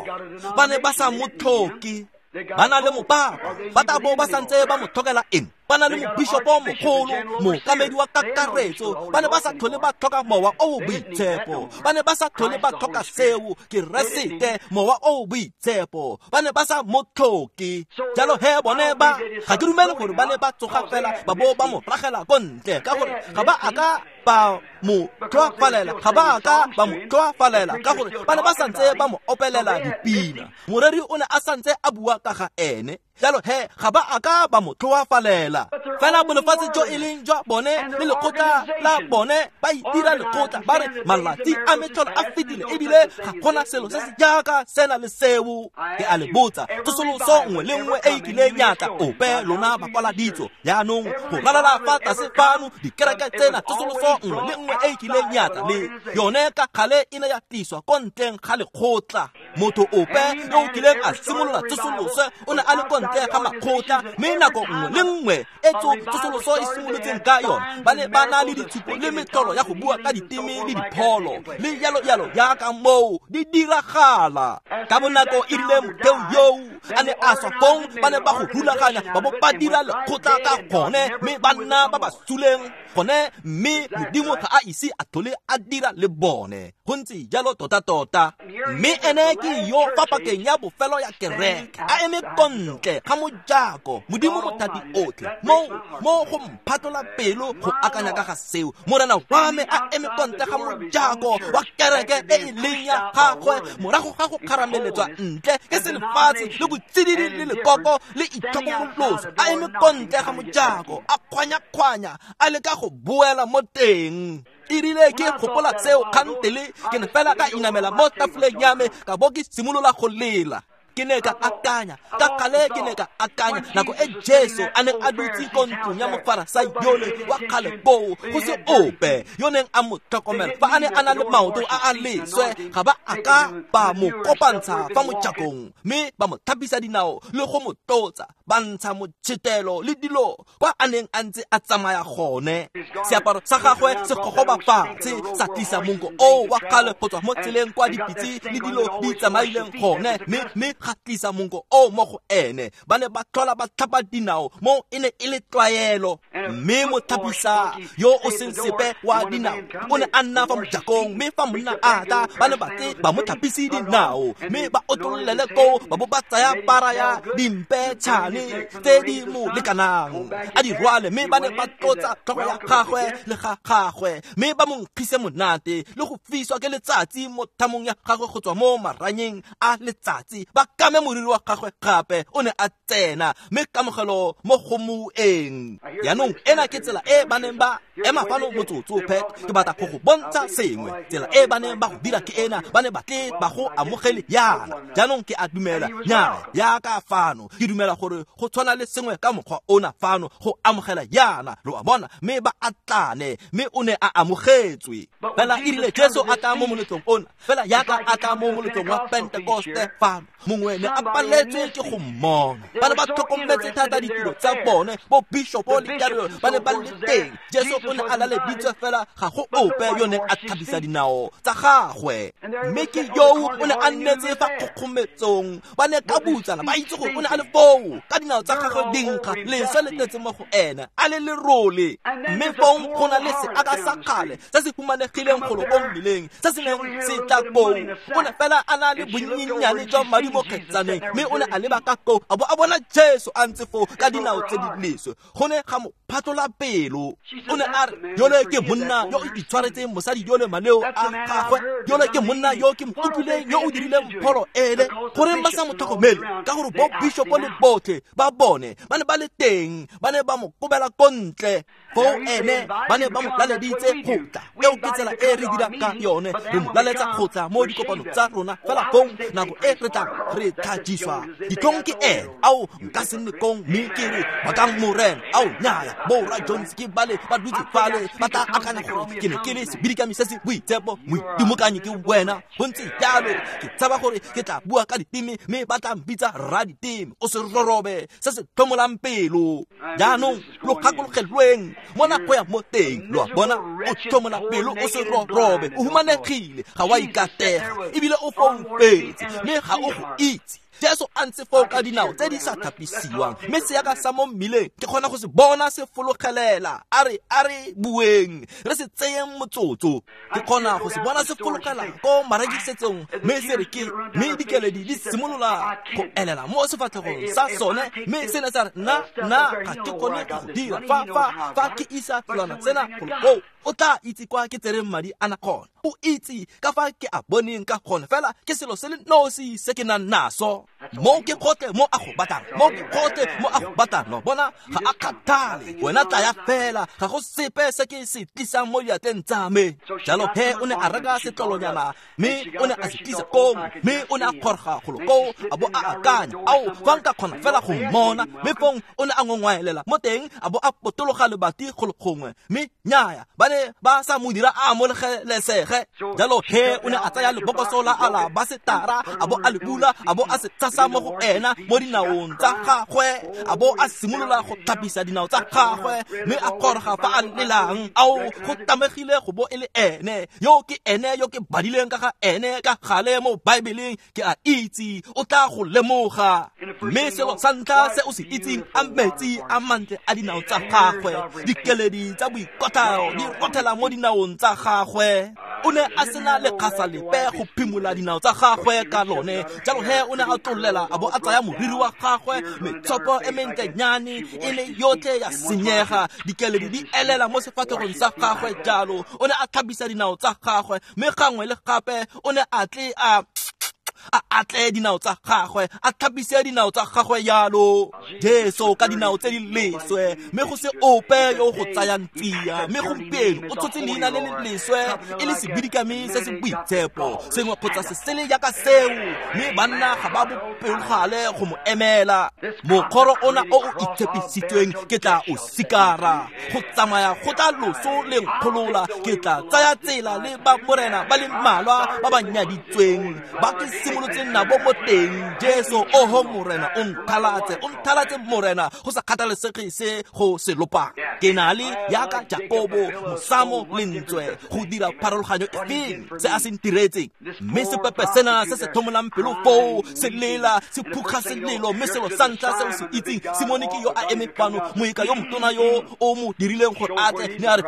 ba ne ba sa mo tlhoke, ba na le mopapa, ba tla bo ba santse ba mo tlhokela eng? Ba na le mobishopo mogolo, mookamedi wa kakaretso, ba ne ba sa tlhole ba tlhoka mowa o o boitshepo, ba ne ba sa tlhole ba tlhoka seo, Keresete, mowa o o boitshepo, ba ne ba sa mo tlhoke. Jalo he bone ba, ga ke dumele gore ba ne ba tsoga fela ba bo ba mo ragela ko ntle, ka gore ga ba a ka ba mo tlhoafalela, ga ba a ka ba mo tlhoafalela, ka gore ba ne ba santse ba mo opelela dipina. Moreri o ne a santse a bua ka ga ene. Jalo he ga ba a ka ba mo tlhoafalela. Fela bolefatshe jo e leng jwa bone le lekgotla la bone, ba itira lekgotla, ba re malatsi a metlholo a fetile, ebile ga gona selo se se jaaka sena le seo. Ke a le botsa, tsosoloso nngwe le nngwe e e kileng ya tla ope lona bakwaladitso jaanong go ralala fa tlase fano dikereke tsena, tsosoloso nngwe le nngwe e e kileng ya tla le yone ka gale e ne ya tliswa ko ntleng ga lekgotla. Motho ope yo o kileng a simolola tsosoloso o ne a le ko ntle ga makgotla, mme nako nngwe le nngwe e tsosoloso e simolotseng ka yone, ba ne ba na le ditshupo le metlholo ya go bua ka diteme le dipholo le jalo jalo jaaka moo di diragala. Ka bonako e rile motheo yoo a ne a swa fong, ba ne ba go rulaganya, ba bo ba dira lekgotla ka gone, mme ba nna ba ba suleng gone, mme Modimo ga a ise a tlhole a dira le bone. Go ntse jalo tota-tota. Mme ene ke yo fa pakeng ya bofelo ya kereke, a eme ko ntle ga mojako, Modimo mothati otlhe, mo go mphatlola pelo go akanya ka ga seo. Morena wa me a eme ko ntle ga mojako wa kereke e e leng ya gagwe, morago ga go kgarameletswa ntle ke selefatshe le botsididi le lekoko le itlhokomoloso, a eme ko ntle ga mojako, a kgwanya-kgwanya, a leka go boela mo teng. E rile ke gopola tseo kgantele, ke ne fela ka inamela mo tafoleng ya me, ka bo ke simolola go lela. Ke ne ka akanya, ka gale ke ne ka akanya nako e Jesu a neng a dutse ko ntlong ya mofarasai yole wa kgale koo, go se ope yo neng a mo tlhokomela, fa a ne a na le maoto a a leswe, ga ba a ka ba mo kopantsha fa mojakong, mme ba mo tlhapisa dinao le go mo tlotsa, ba ntsha motšhetelo le dilo kwa a neng a ntse a tsamaya gone. Seaparo sa gagwe se gogoba fatshe, sa tlisa monko o wa kgale go tswa mo tseleng kwa dipitse le dilo di tsamaileng gone, mme ga tlisa monko o mo go ene. Ba ne ba tlhola ba tlhapa dinao, mo e ne e le tlwaelo. Mme motlhapisa yo o seng sepe wa dinao o ne a nna fa mojakong, mme fa monna a tla, ba ne ba tle ba mo tlhapise dinao, mme ba otlololele koo, ba bo ba tsaya para ya dimpetšhane tse di mo lekanang, a di rwale, mme ba ne ba tlotsa tlhogo ya gagwe le ga gagwe, mme ba mo nkgise monate le go fiswa ke letsatsi mo thamong ya gagwe go tswa mo maranyeng a letsatsi, ba kame moriri wa gagwe gape o ne a tsena mme kamogelo mo go moeng. Jaanong ena ke tsela e ba neng ba ema fano motsotso Pet, ke batla go go bontsha sengwe. Tsela e ba neng ba go dira ke ena, ba ne ba tle ba go amogele yana. Jaanong ke a dumela nyaa yaka fano, ke dumela gore go tshwana le sengwe ka mokgwa ona fano go amogela yana, lo a bona, mme ba atlane, mme o ne a amogetswe. Fela e rile Jesu a tla mo moletlong ona, fela yaka a tla mo moletlong wa Pentekoste fano, mongwe ne a paletswe ke go mmona. Ba ne ba tlhokometse thata ditiro tsa bone, bo bishopo le jalo ba ne ba le teng. Jesu o ne a laleditswe fela ga go ope yo neng a tlhapisa dinao tsa gagwe. Mme ke yoo o ne a nnetse fa kgokgometsong, ba ne ka butsana ba itse gore o ne a le foo ka dinao tsa gagwe di nkga, leswe le tletse mo go ena, a le lerole. Mme fong go na le seaka sa kgale se se humanegileng golo ko mmileng se se neng se tla koo. O ne fela a na le bonnyenyane jwa madi mo kgetsaneng, mme o ne a leba ka koo a bo a bona Jesu a ntse foo ka dinao tse di leswe. Go ne ga mo phatlola pelo. O ne a re, yole ke monna yo o itshwaretseng mosadi yole maleo a gagwe, yole ke monna yo ke mo utlwileng yo o dirileng pholo ele. Goreng ba sa mo tlhokomele? Ka gore bo bishopo le botlhe ba bone ba ne ba le teng, ba ne ba mo kobela ko ntle. Foo ene ba ne ba mo laleditse go tla. Eo ke tsela e re dirang ka yone, re mo laletsa go tla mo dikopanong tsa rona. Fela fong nako e re tlang re tlhajiswa ditlhong ke ene. Ao nka se nne kong mme ke re bakang Morena. Ao nyaya, bo Ra Jones ke bale ba dutse fale, ba tla akanya gore ke ne ke le sebidikami se se boitshepo, moitimokanyi ke wena. Go ntse jalo, ke tshaba gore ke tla bua ka diteme mme ba tla mpitsa rraditeme. O se rorobe se se tlhomolang pelo. Jaanong lo gakologelweng mona go ya mo teng, lo a bona, o tlhomola pelo, o se rorobe, o humanegile, ga wa ikatega, ebile o foufetse mme ga o go itse. Jesu a ntse foo ka dinao tse di sa thapisiwang, mme seaka sa mo mmileng ke kgona go se bona se fologelela. A re bueng, re se tseyeng motsotso. Ke kgona go se bona se fologela ko marekisetsong, mme se re ke, mme dikeledi di simolola go elela mo sefatlhegong sa sone, mme se ne sa re nna ga ke kgone go dira fa ke isa selwana sena golo koo. O tla itse kwa ke tsereng madi ana gona, o itse ka fa ke a boneng ka gone, fela ke selo se le nosi se ke nang naso. Mo ke gotlhe mo a go batlang, mo ke gotlhe mo a go batlang. No bona, ga a kgathale, wena tlaya fela, ga go sepe se ke se tlisang mo diatleng tsa me. Jalo he o ne a reka setlolonyana, mme o ne a se tlisa koo, mme o ne a kgorga golo koo, a bo a akanya, ao fa nka kgona fela go mmona. Mme fong o ne a ngongwaelela mo teng, a bo a potologa lebati golo gongwe, mme nyaya ba ne ba sa mo dira a amogelesege. Jalo he o ne a tsaya lebokoso la alabasetara, a bo a le bula, a bo a se tshasa mo go ena mo dinaong tsa gagwe, a bo a simolola go tlhapisa dinao tsa gagwe, mme a kgorga fa a lelang. Ao go tamegile go bo e le ene yo ke ene yo ke badileng ka ga ene ka gale mo Baebeleng, ke a itse o tla go lemoga. Mme selo sa ntlha se o se itseng, a metsi a mantle a dinao tsa gagwe, dikeledi tsa boikotlhao di rothela mo dinaong tsa gagwe. O ne a sena lekgasa lepe go phimola dinao tsa gagwe ka lone. Jalo he o ne a tlolela, a bo a tsaya moriri wa gagwe, metshopo e mentlenyane e le yotlhe ya senyega, dikeledi di elela mo sefatlhegong sa gagwe. Jalo o ne a tlhapisa dinao tsa gagwe, mme gangwe le gape o ne a tle a atle dinao tsa gagwe, a tlhapise dinao tsa gagwe yalo. Jesu ka dinao tse di leswe, mme go se ope yo go tsayang tsia. Mme gompieno o tshotse leina le le leswe e le sebidikami se se boitshepo, sengwe kgotsa se sele jaaka seo, mme banna ga ba bopelogale go mo emela. Mokgoro ona o o itshepisitsweng ke tla o sikara, go tsamaya go tla loso le nkgolola. Ke tla tsaya tsela le ba morena ba le mmalwa ba ba nyaditsweng, ba ke simolotseng nabo mo teng. Jesu, oho Morena, o nthalatse Morena, go sa kgathalesege se go se lopang. Ke na le yaka Jakobo mosamo lentswe go dira pharologanyo efeng se a se ntiretseng. Mme sepepe sena se se tlhomolang pelo foo se lela, se phukga selelo, mme selo sa ntlha se o se itseng, Simone ke yo a eme fano, moeka yo motona yo o mo dirileng gore a tle, ne a re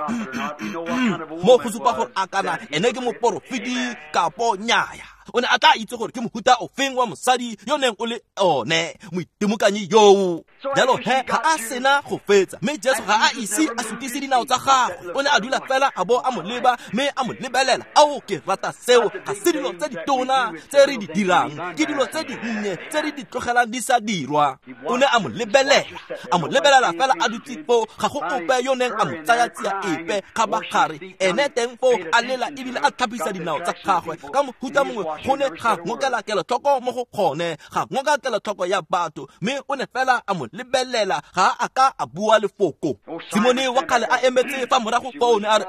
mo go supa gore a kana ene ke moporofeti kapo nyaya. O ne a tla itse gore ke mohuta ofeng wa mosadi yo neng o le one moitemokanyi yoo. Jalo he ga a sena go fetsa, mme Jesu ga a ise a sutise dinao tsa gagwe. O ne a dula fela a bo a mo leba mme a mo lebelela. Ao, ke rata seo. Ga se dilo tse ditona tse re di dirang, ke dilo tse dinnye tse re di tlogelang di sa dirwa. O ne a mo lebelela, a mo lebelela fela a dutse foo. Ga go ope yo neng a mo tsaya tsia epe kgabagare. Ene teng foo a lela ebile a tlhapisa dinao tsa gagwe. Ka mohuta mongwe go ne ga ngokela kelotlhoko mo go gone, ga ngoka kelotlhoko ya batho, mme o ne fela a mo lebelela, ga a ka a bua lefoko. Simone wa kgale a emetse fa morago foo ne a re,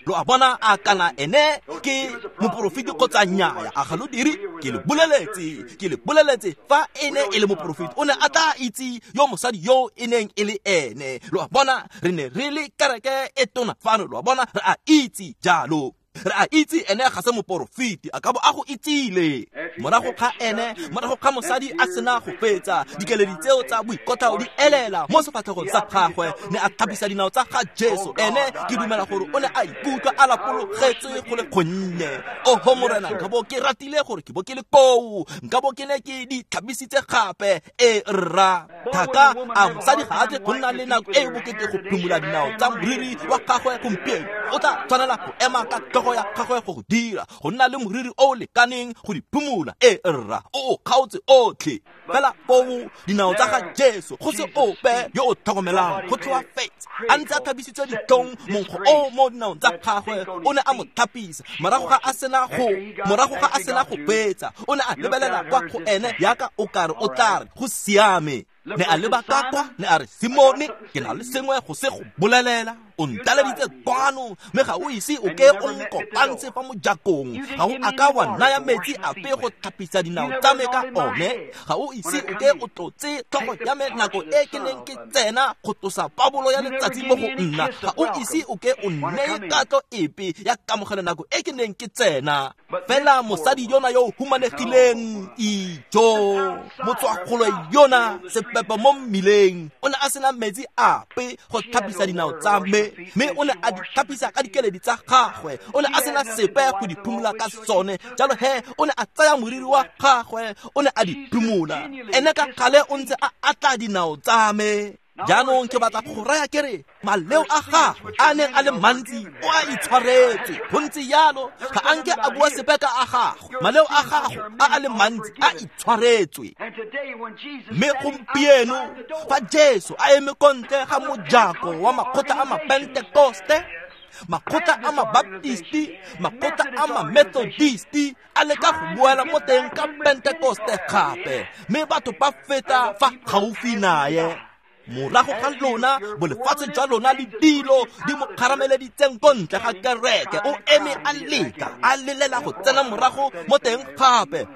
lo a bona, a kana ene ke moporofeti kgotsa nnyaya? A ga lo dire? Ke le boleletse, ke le boleletse, fa e ne e le moporofeti o ne a tla itse yo mosadi yo e neng e le ene. Lo a bona, re ne re le kereke e tona fano, lo a bona, re a itse jalo. Re a itse ene ga se moporofeti, a ka bo a go itsile. Morago ga ene, morago ga mosadi a sena go fetsa, dikeledi tseo tsa boikotlhao di elela mo sefatlhegong sa gagwe, ne a tlhapisa dinao tsa ga Jesu. Ene ke dumela gore o ne a ikutlwa a lapologetswe go le gonnye. Oho Morena, nka bo ke ratile gore ke bo ke le koo, nka bo ke ne ke di tlhapisitse gape. E rra thaka, a mosadi ga a tle go nna le nako e e bokete go phimola dinao tsa moriri wa gagwe gompieno. O tla tshwanela go ema ka tlhogo ya gagwe go go dira, go nna le moriri o lekaneng go di phimola. E rra, o o kgaotse otlhe fela foo dinao tsa ga Jesu, go se ope yo o tlhokomelang, go tlhoafetse a ntse a tlhapisitswe ditlhong, monkgo o mo dinaong tsa gagwe o ne a mo tlhapisa. Morago ga a sena go fetsa, o ne a lebelela kwa go ene yaka o kare o tla re go siame. Ne a leba ka kwa, ne a re, Simone, ke na le sengwe go se go bolelela. O ntaleditse kwano, mme ga o ise o ke o nkopantshe fa mojakong. Ga o a ka wa naya metsi ape go tlhapisa dinao tsa me ka one. Ga o ise o ke o tlotse tlhogo ya me nako e ke neng ke tsena go tlosa pabolo ya letsatsi mo go nna. Ga o ise o ke o nneye katlo epe ya kamogelo nako e ke neng ke tsena. Fela mosadi yona yo o humanegileng, ijo, motswakgolo yona, sepepe mo mmileng, o ne a sena metsi ape go tlhapisa dinao tsa me, mme o ne a di tlhapisa ka dikeledi tsa gagwe. O ne a sena sepe go di phimola ka sone. Jalo he o ne a tsaya moriri wa gagwe, o ne a di phimola. Ene ka gale o ntse a atla dinao tsa me. Jaanong ke batla go raya ke re, maleo a gagwe a neng a le mantsi o a itshwaretse. Go ntse jalo, ga a nke a bua sepe ka a gagwe. Maleo a gagwe a a le mantsi a itshwaretswe. Mme gompieno fa Jesu a eme ko ntle ga mojako wa makgotla a mapentekoste, makgotla a mabaptisti, makgotla a mamethodisti, a leka go boela mo teng ka Pentekoste gape, mme batho ba feta fa gaufi naye. Morago ga lona, bolefatshe jwa lona le dilo di mo kgarameleditseng ko ntle ga kereke, o eme a leka, a lelela go tsena morago mo teng gape.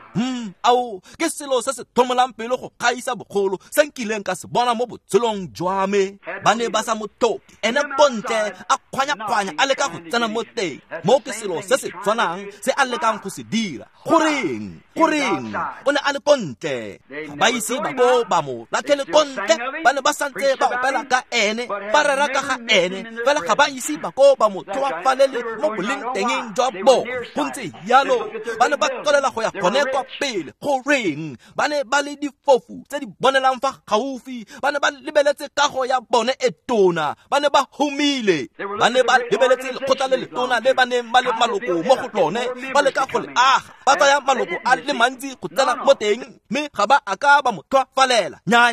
Ao, ke selo se se tlhomolang pelo go gaisa bogolo se nkileng ka se bona mo botshelong jwa me. Ba ne ba sa mo tlhoke, ene ko ntle a kgwanya-kgwanya a leka go tsena mo teng. Mo ke selo se se tshwanang se a lekang go se dira. Goreng? Goreng? O ne a le ko ntle. Ga ba ise ba bo ba mo latlhele ko ntle, ba ne ba santse ba opela ka ene, ba rera ka ga ene, fela ga ba ise ba ko ba mo tlhoafalele mo boleng tengeng jwa bone. Go ntse jalo, ba ne ba tswelela go ya gone kwa pele. Goreng? Ba ne ba le difofu tse di bonelang fa gaufi, ba ne ba lebeletse kago ya bone e tona, ba ne ba humile, ba ne ba lebeletse lekgotla le letona le ba neng ba le maloko mo go lone, ba leka go le aga, ba tsaya maloko a le mantsi go tsena mo teng, mme ga ba a ka ba mo tlhoafalela. Nya,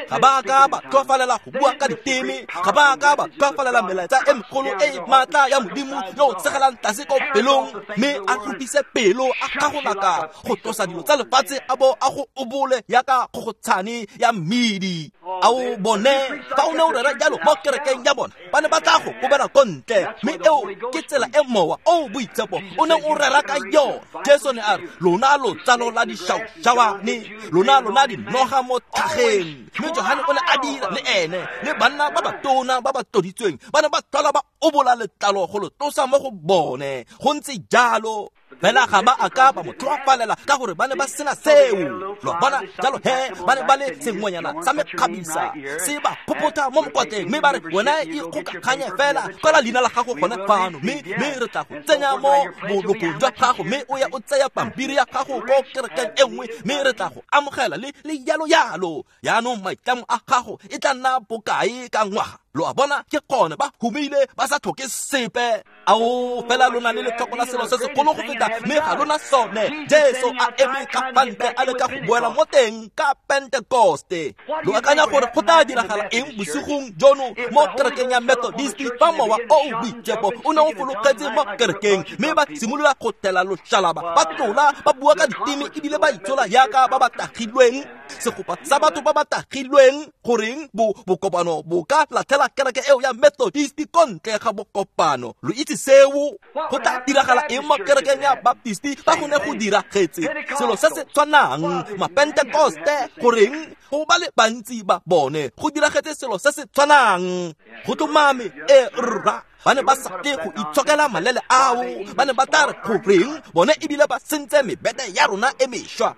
ga ba a ka ba tlhoafalela go bua ka diteme, ga ba a ka ba tlhoafalela melaetsa e megolo e e maatla ya Modimo yo o tsegelang tlase ko pelong, mme a rupise pelo, a kgagolaka go tlosa dilo tsa lefatshe a bo a go obole yaka kgogotshane ya mmidi. Ao bone, fa o ne o rera jalo mo kerekeng ya bona, ba ne ba tla go kobela ko ntle, mme eo ke tsela e mowa o boitshepo o neng o rera ka yone. Jesu ne a re, lona lo tsalo la dišaušawane, lona dinoga mo tlhageng. Mme Johane o ne a dira le ene le banna ba batona ba ba tloditsweng, ba ne ba tlhola ba obola letlalo go lo tlosa mo go bone. Go ntse jalo. Fela ga ba a ka ba mo tlhoafalela ka gore ba ne ba sena seo. Lo bona jalo he ba ne ba le sengwenyana sa mekgabisa se ba phopotha mo mokwatleng, mme ba re wena ikgokaganye fela kwala leina la gago gone fano, mme re tla go tsenya mo bolokong jwa gago, mme o ya o tseya pampiri ya gago ko kerekeng e nngwe, mme re tla go amogela le yalo yalo. Yaanong maitlamo a gago e tla nna bokae ka ngwaga? Lo a bona ke gone ba humile ba sa tlhoke sepe. Ao fela lona le letlhoko la selo se segolo go feta, mme ga lona sone. Jesu a eme ka fa ntle a leka go boela mo teng ka Pentekoste. Lo akanya gore go tla diragala eng bosigong jono mo kerekeng ya Methodist fa mowa o o boitshepo o ne o fologetse mo kerekeng, mme ba simolola go thela loshalaba, ba tlola, ba bua ka diteme ebile ba itshola yaka ba ba tagilweng, segopa sa batho ba ba tagilweng. Goreng bokopano bo ka latlhela kereke eo ya Methodist ko ntle ga bokopano? Lo itse seo. Go tla diragala eng mo kerekeng ya Baptist fa go ne go diragetse selo se se tshwanang? Mapentekoste, goreng go ba le bantsi ba bone go diragetse selo se se tshwanang? Go tlhomame e rra, ba ne ba sa tle go itshokela malele ao, ba ne ba tla re goreng bone ebile ba sentse mebete ya rona e mešwa.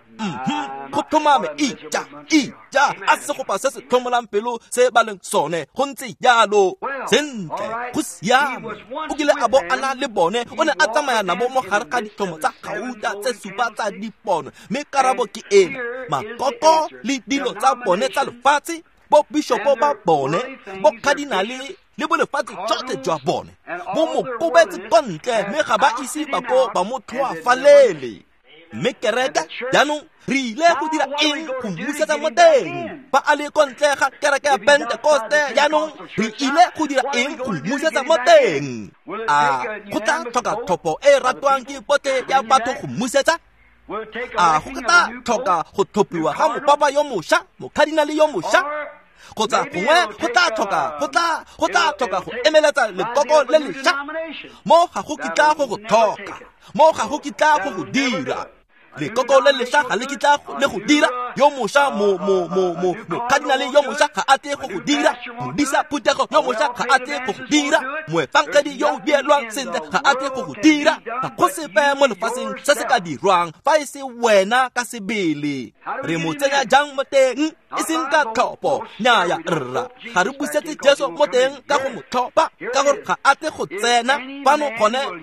Go tlhomame ija a segopa se se tlhomolang pelo se ba leng sone. Go ntse jalo. Sentle, go siame. O kile a bo a na le bone, o ne a tsamaya nabo mo gare ga ditlhomo tsa gauta tse supa tsa dipono, mme karabo ke ena: makoko le dilo tsa bone tsa lefatshe, bo bishopo ba bone, bo cardinale le bo lefatshe tsotlhe jwa bone bo mo kobetse kwa ntle, mme ga ba ise ba ko ba mo tlhoafalele. Mme kereke jaanong re ile go dira eng go mmusetsa mo teng? Fa a le ko ntle ga kereke ya Pentekoste, jaanong re ile go dira eng go mmusetsa mo teng? A go tla tlhoka tlhopho e ratwang ke botlhe ya batho go mmusetsa? A go tla tlhoka go tlhophiwa ga mopapa yo mošwa, mokadinale yo mošwa? Kgotsa gongwe go tla tlhoka go emeletsa lekoko le lešwa? Mo ga go kitla go go tlhoka, mo ga go kitla go go dira. Lekoko le lešwa ga le kitla le go dira. Yo mošwa mokadinale yo mošwa ga a tle go go dira. Modisa phuthego yo mošwa ga a tle go go dira. Moefangedi yo o dielwang sentle ga a tle go go dira. Ga go sepe mo lefatsheng se se ka dirwang fa e se wena ka sebele. Re mo tsenya jang mo teng? E seng ka tlhopho. Nnyaya rra, ga re busetse Jesu mo teng ka go mo tlhopha, ka gore ga a tle go tsena fano.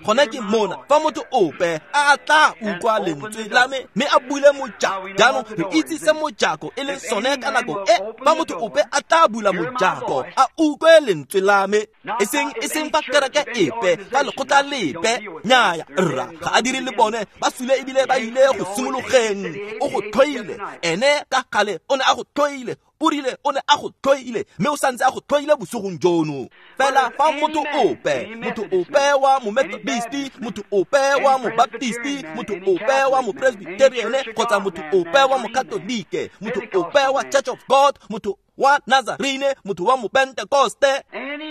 Gone ke mona fa motho ope a tla utlwa lentswe la me mme a bule mojako. Jaanong re itse se mojako e leng sone ka nako e. Fa motho ope a tla bula mojako a utlwe lentswe la me, e seng fa kereke epe, fa lekgotla lepe. Nnyaya rra, ga a dire le bone, ba sule ebile ba ile go simologeng. O go tlhoile ene ka gale, o ne a go tlhoile, o rile o ne a go tlhoile, mme o santse a go tlhoile bosigong jono. Fela fa motho ope wa Momethodist, motho ope wa Mobaptist, motho ope wa Mopresbyterian, kgotsa motho ope wa Mokatolike, motho ope wa Church of God, motho wa Nazarene, motho wa Mopentekoste,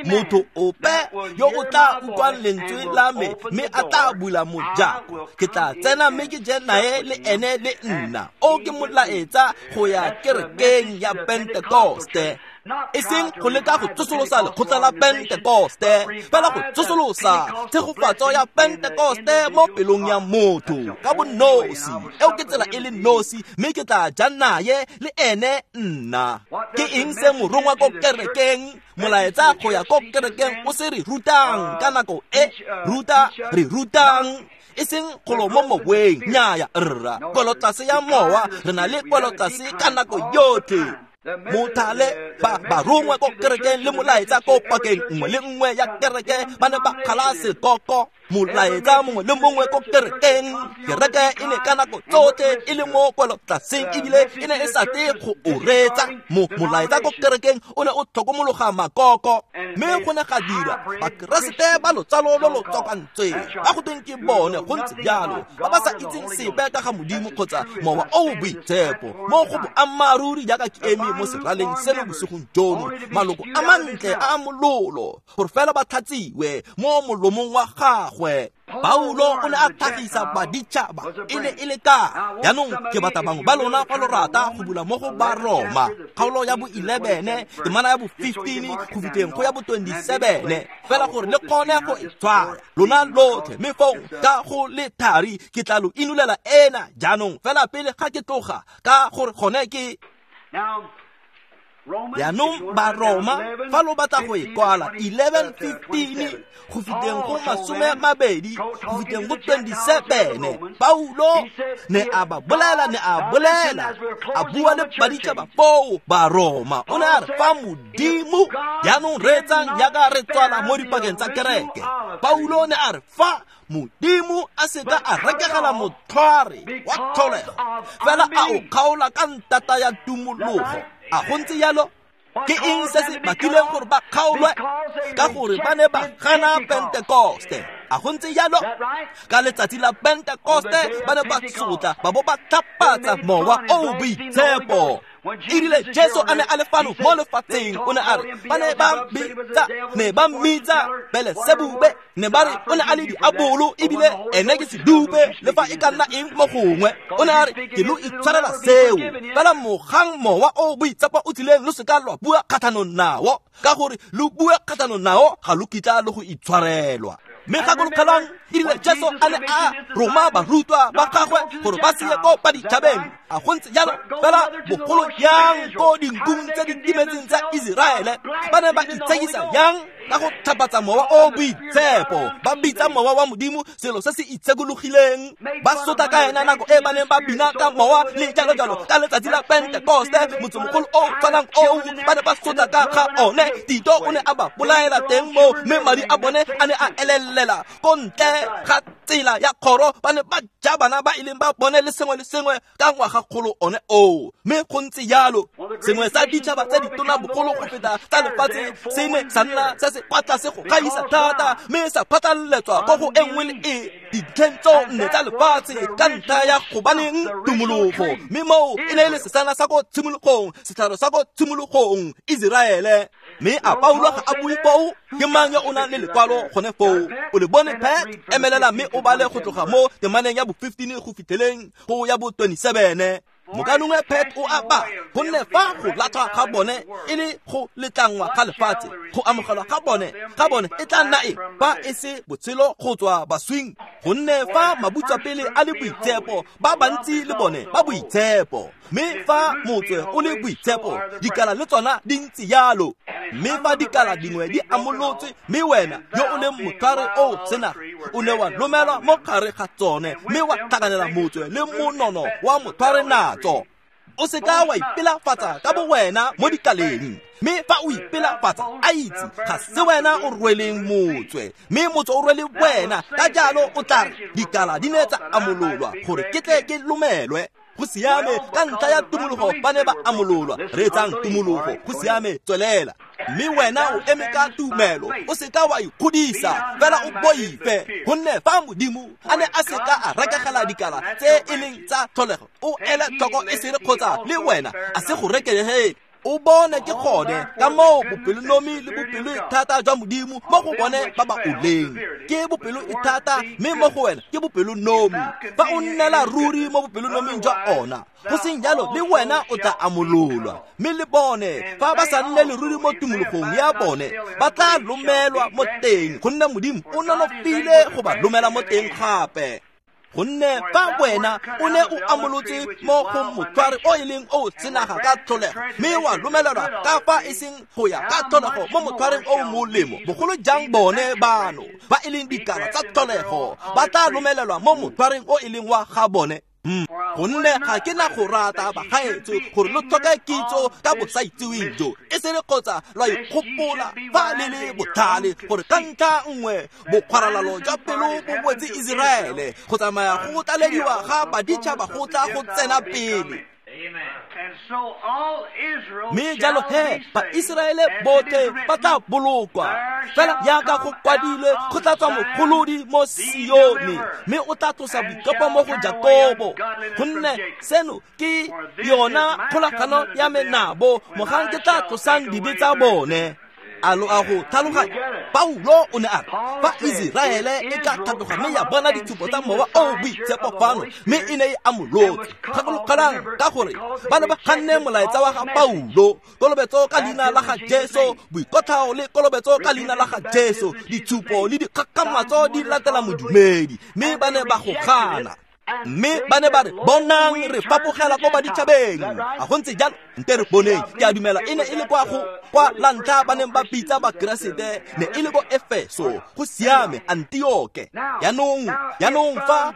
motho ope yo o tla utlwang lentswe la me mme a tla bula mojako, ke tla tsena mme ke je nae le ene le nna. O ke molaetsa go ya kerekeng ya Pentekoste, e seng go leka go tsosolosa lekgotla la Pentekoste, fela go tsosolosa tshegofatso ya Pentekoste mo pelong ya motho ka bonosi. Eo ke tsela e le nosi, mme ke tla ja naye le ene nna. Ke eng se morongwa ko kerekeng, molaetsa go ya ko kerekeng o se re rutang ka nako e? Re rutang e seng golo mo moweng. Nnyaya rra, kwelotlase ya mowa, re na le kwelotlase ka nako yotlhe. Mothale ba barongwa ko kerekeng le molaetsa ko pakeng nngwe le nngwe ya kereke, ba ne ba kgala sekoko. Molaetsa mongwe le mongwe ko kerekeng, kereke e ne ka nako tsotlhe e le mo kwelotlaseng, ebile e ne e sa tle go o reetsa. Molaetsa ko kerekeng o ne o tlhokomologa makoko, mme go ne ga dira Bakeresete ba lotsalo lo lo tswakantsweng, ba go tweng ke bone go ntse jalo, ba ba sa itseng sepe ka ga Modimo kgotsa mowa o o boitshepo. Mo go boammaaruri jaaka ke eme eme mo seraleng seno bosigong jono, maloko a mantle a mololo, gore fela ba tlhatsiwe mo molomong wa gagwe. Paulo o ne a tlhagisa baditšhaba e ne e le ka. Jaanong ke batla bangwe ba lona fa lo rata go bula mo go Baroma, kgaolo ya bo 11, temana ya bo 15 go fitlheng go ya bo 27, fela gore le kgone go e tshwara lona lotlhe. Mme fong ka go le thari ke tla lo inolela ena jaanong fela pele ga ke tloga, ka gore gone ke jaanong Baroma fa lo batla go e kwala 11:15 go fitlheng go 20 go fitlheng go 27. Paulo ne a ba bolela, ne a bolela, a bua le baditšhaba foo Baroma. O ne a re fa Modimo, jaanong reetsang jaaka re tswala mo dipakeng tsa kereke. Paulo ne a re fa Modimo a seka a rekegela motlhware wa tlholego, fela a o kgaola ka ntata ya tumologo. A go ntse jalo? Ke eng se se bakileng gore ba kgaolwe? Ka gore ba ne ba gana Pentekoste. A go ntse jalo? Ka letsatsi la Pentekoste ba ne ba sotla ba bo ba tlhapatsa mowa o boitshepo. Erile Jesu a ne a le fano mo lefatsheng, o ne a re ba ne ba bitsa, ne ba mmitsa Belesebube, ne ba re o ne a le diabolo ebile ene ke sedupe le fa e ka nna eng mo gongwe. O ne a re ke lo itshwarela seo, fela mogang mowa o boitshepo o tlileng lo seka lwa bua kgatlhanong nao, ka gore lo bua kgatlhanong nao ga lo kitla le go itshwarelwa. Mme gakologelang erile Jesu a ne a roma barutwa ba gagwe gore ba se ye ko baditšhabeng. A go ntse jalo? Fela bogolo yang ko dinkung tse di timetseng tsa Iseraele, ba ne ba itshekisa yang ka go tlhapatsa mowa o boitshepo, ba bitsa mowa wa Modimo selo se se itshekologileng, ba sotla ka ena nako e ba neng ba bina ka mowa le jalo jalo ka letsatsi la Pentekoste, motsemogolo o tshwanang oo ba ne ba sotla ka ga one. Tito o ne a ba bolaela teng moo, mme madi a bone a ne a elelela ko ntle ga tsela ya kgoro. Ba ne ba ja bana ba e leng ba bone le sengwe le sengwe ka ngwagakgolo one oo. Mme go ntse jalo, sengwe sa ditšhaba tse ditona bogolo go feta tsa lefatshe se ne sa nna se se kwa tlase go gaisa thata, mme sa phatlaletswa ko go e nngwe le e dintlheng tso nne tsa lefatshe ka ntlha ya gobaneng tumologo. Mme moo e ne e le sesana sa ko tshimologong, setlhare sa ko tshimologong, Iseraele. Mme a Paulo ga a bue foo? Ke mang yo o nang le lekwalo gone foo? O le bone Pat? Emelela mme o bale go tloga mo temaneng ya bo 15 go fitlheleng go ya bo 27. Mokanongwe Pat o a ba, gonne fa go latlhwa ga bone e le go letlangwa ga lefatshe, go amogelwa ga bone e tla nna eng fa e se botshelo go tswa baswing? Gonne fa mabutswapele a le boitshepo, ba bantsi le bone ba boitshepo. Mme fa motswe o le boitshepo, dikala le tsona di ntse jalo. Mme fa dikala dingwe di amolotswe, mme wena yo o leng motlhware o senaga o ne wa lomelwa mo gare ga tsone, mme wa tlhakanela motswe le monono wa motlhware natso. O seka wa ipelafatsa ka bo wena mo dikaleng, mme fa o ipelafatsa a itse ga se wena o rweleng motswe, mme motswe o rwele wena. Ka jalo o tla re dikala di ne tsa amololwa gore ke tle ke lomelwe. Go siame, ka ntlha ya tumologo ba ne ba amololwa. Reetsang tumologo, go siame, tswelela. Mme wena o eme ka tumelo, o seka wa ikgodisa, fela o boife, gonne fa Modimo a ne a seka a rekegela dikala tse e leng tsa tlholego, o ele tlhoko e sere kgotsa le wena a se go rekegele. O bone ke gone ka moo bopelonomi le bopelo thata jwa Modimo mo go bone ba ba oleng. Ke bopelo e thata, mme mo go wena ke bopelonomi. Fa o nnela ruri mo bopelonoming jwa ona, go seng jalo le wena o tla amololwa. Mme le bone fa ba sa nne le ruri mo tumologong ya bone, ba tla lomelwa mo teng, gonne Modimo o nonofile go ba lomela mo teng gape. Gonne fa wena o ne o amolotse mo go motlhware o e leng o senaga ka tlholego, mme wa lomelelwa ka fa e seng go ya ka tlholego mo motlhwareng o molemo, bogolo jang bone bano ba e leng dikala tsa tlholego ba tla lomelelwa mo motlhwareng o e leng wa ga bone. Gonne ga ke na go rata bagaetsho gore lo tlhoke kitso ka bosaitseweng jo, e se re kgotsa lwa ikgopola fa le le botlhale gore ka ntlha nngwe bokgwaralalo jwa pelo bo wetse Iseraele, go tsamaya go tlalediwa ga baditšhaba go tla go tsena pele. Mme jalo he Baiseraele botlhe ba tla bolokwa, fela jaaka go kwadilwe, go tla tswa mogolodi mo Sione, mme o tla tlosa boikopo mo go Jakobo. Gonne seno ke yona kgolagano ya me nabo, mogang ke tla tlosang dibe tsa bone. A lo a go tlhaloganya? Paulo o ne a re, fa Iseraele e ka tlhatloga mme ya bona ditshupo tsa Mowa o o Boitshepo fano, mme e ne e amolotse. Gakologelang, ka gore ba ne ba ganne molaetsa wa ga Paulo, kolobetso ka leina la ga Jesu, boikotlhao le kolobetso ka leina la ga Jesu, ditshupo le dikgakgamatso di latela modumedi, mme ba ne ba go gana. Mme ba ne ba re, bonang re fapogela ko baditšhabeng. A go ntse jalo? Nte re boneng. Ke a dumela e ne e le kwa go kwa la ntlha ba neng ba bitsa Bakeresete, ne e le ko Efeso, go siame, Antioke. Jaanong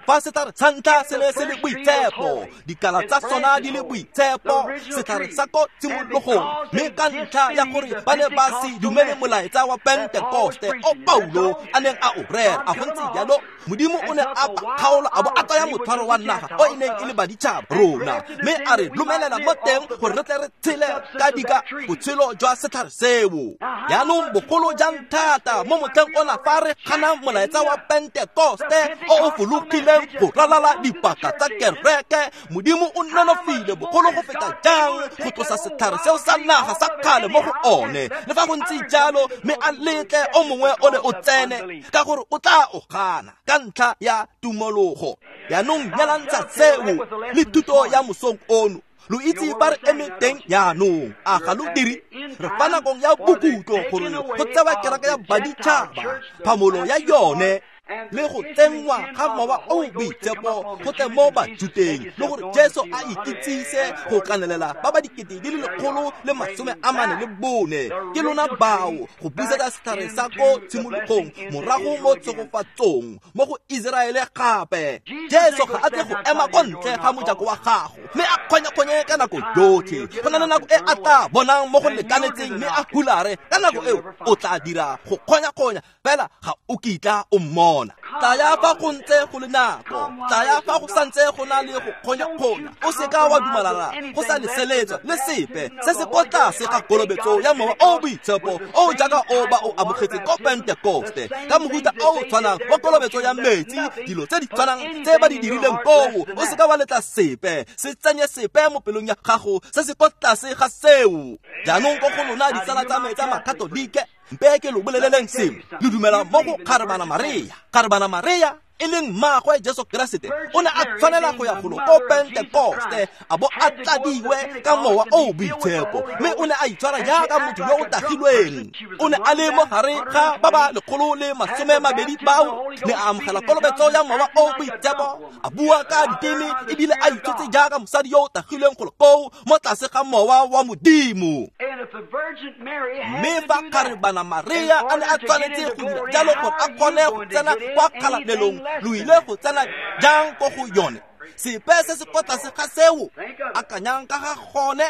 fa setlhare sa ntlha se ne se le boitshepo, dikala tsa sona di le boitshepo, setlhare sa ko tshimologong, mme ka ntlha ya gore ba ne ba se dumele molaetsa wa Pentekoste o Paulo a neng a o rera, a go ntse jalo? Modimo o ne a kgaola a bo a tsaya motshwaro wa naga o e neng e le baditšhaba rona, mme a re lomelela mo teng gore re tle re tshele ka dika botshelo jwa setlhare seo. Jaanong bogolo jang thata mo motlheng ona fa re ganang molaetsa wa Pentekoste o o fologileng go ralala dipaka tsa kereke, Modimo o nonofile bogolo go feta jang go tlosa setlhare seo sa naga sa kgale mo go one. Le fa go ntse jalo, mme a letle o mongwe o le o tsene, ka gore o tla o gana ka ntlha ya tumologo. Jaanong nyalantsha seo le thuto ya mosong ono. Lo itse ba re eme teng jaanong, a ga lo dire? Re fa nakong ya bokutlo gore go tsewa kereke ya baditšhaba, phamolo ya yone, le go tsenngwa ga Mowa o o Boitshepo go tle mo Bajuteng, le gore Jesu a ikitsise go kanelela ba ba 144,000. Ke lona bao go busetsa setlhare sa ko tshimologong morago mo tshegofatsong mo go Iseraele gape. Jesu ga a tle go ema ko ntle ga mojako wa gago mme a kgonye-kgonye ka nako yotlhe. Go na le nako e a tla bonang mo go lekanetseng mme a hulare, ka nako eo o tla dira go kgonya-kgonya, fela ga o kitla o mmona. Tlaya fa go ntse go le nako, tlaya fa go santse go na le go kgonya-kgonya. O seka wa dumalana go sa leseletswa le sepe se se ko tlase ga kolobetso ya Mowa o o Boitshepo o jaaka o ba o amogetse ko Pentekoste, ka mohuta o o tshwanang wa kolobetso ya metsi, dilo tse di tshwanang tse ba di dirileng koo. O seka wa letla sepe se tsenye sepe mo pelong ya gago se se ko tlase ga seo. Jaanong ko go lona ditsala tsa me tsa Makatolike, mpe ke lo boleleleng sengwe. Lo dumela mo go Kgarebana Maria. Kgarebana Maria e leng mmaagwe Jesu Keresete o ne a tshwanela go ya golo ko Pentekoste, a bo a tladiwe ka Mowa o o Boitshepo, mme o ne a itshwara jaaka motho yo o tagilweng. O ne a le mo gare ga ba ba 120 bao, ne a amogela kolobetso ya Mowa o o Boitshepo, a bua ka diteme, ebile a itshotse jaaka mosadi yo o tagilweng golo koo mo tlase ga Mowa wa Modimo. Mme fa Kgarebana Maria a ne a tshwanetse go dira jalo gore a kgone go tsena kwa kgalalelong, lo ile go tsena jang ko go yone? Sepe se se ko tlase ga seo, akanyang ka ga gone.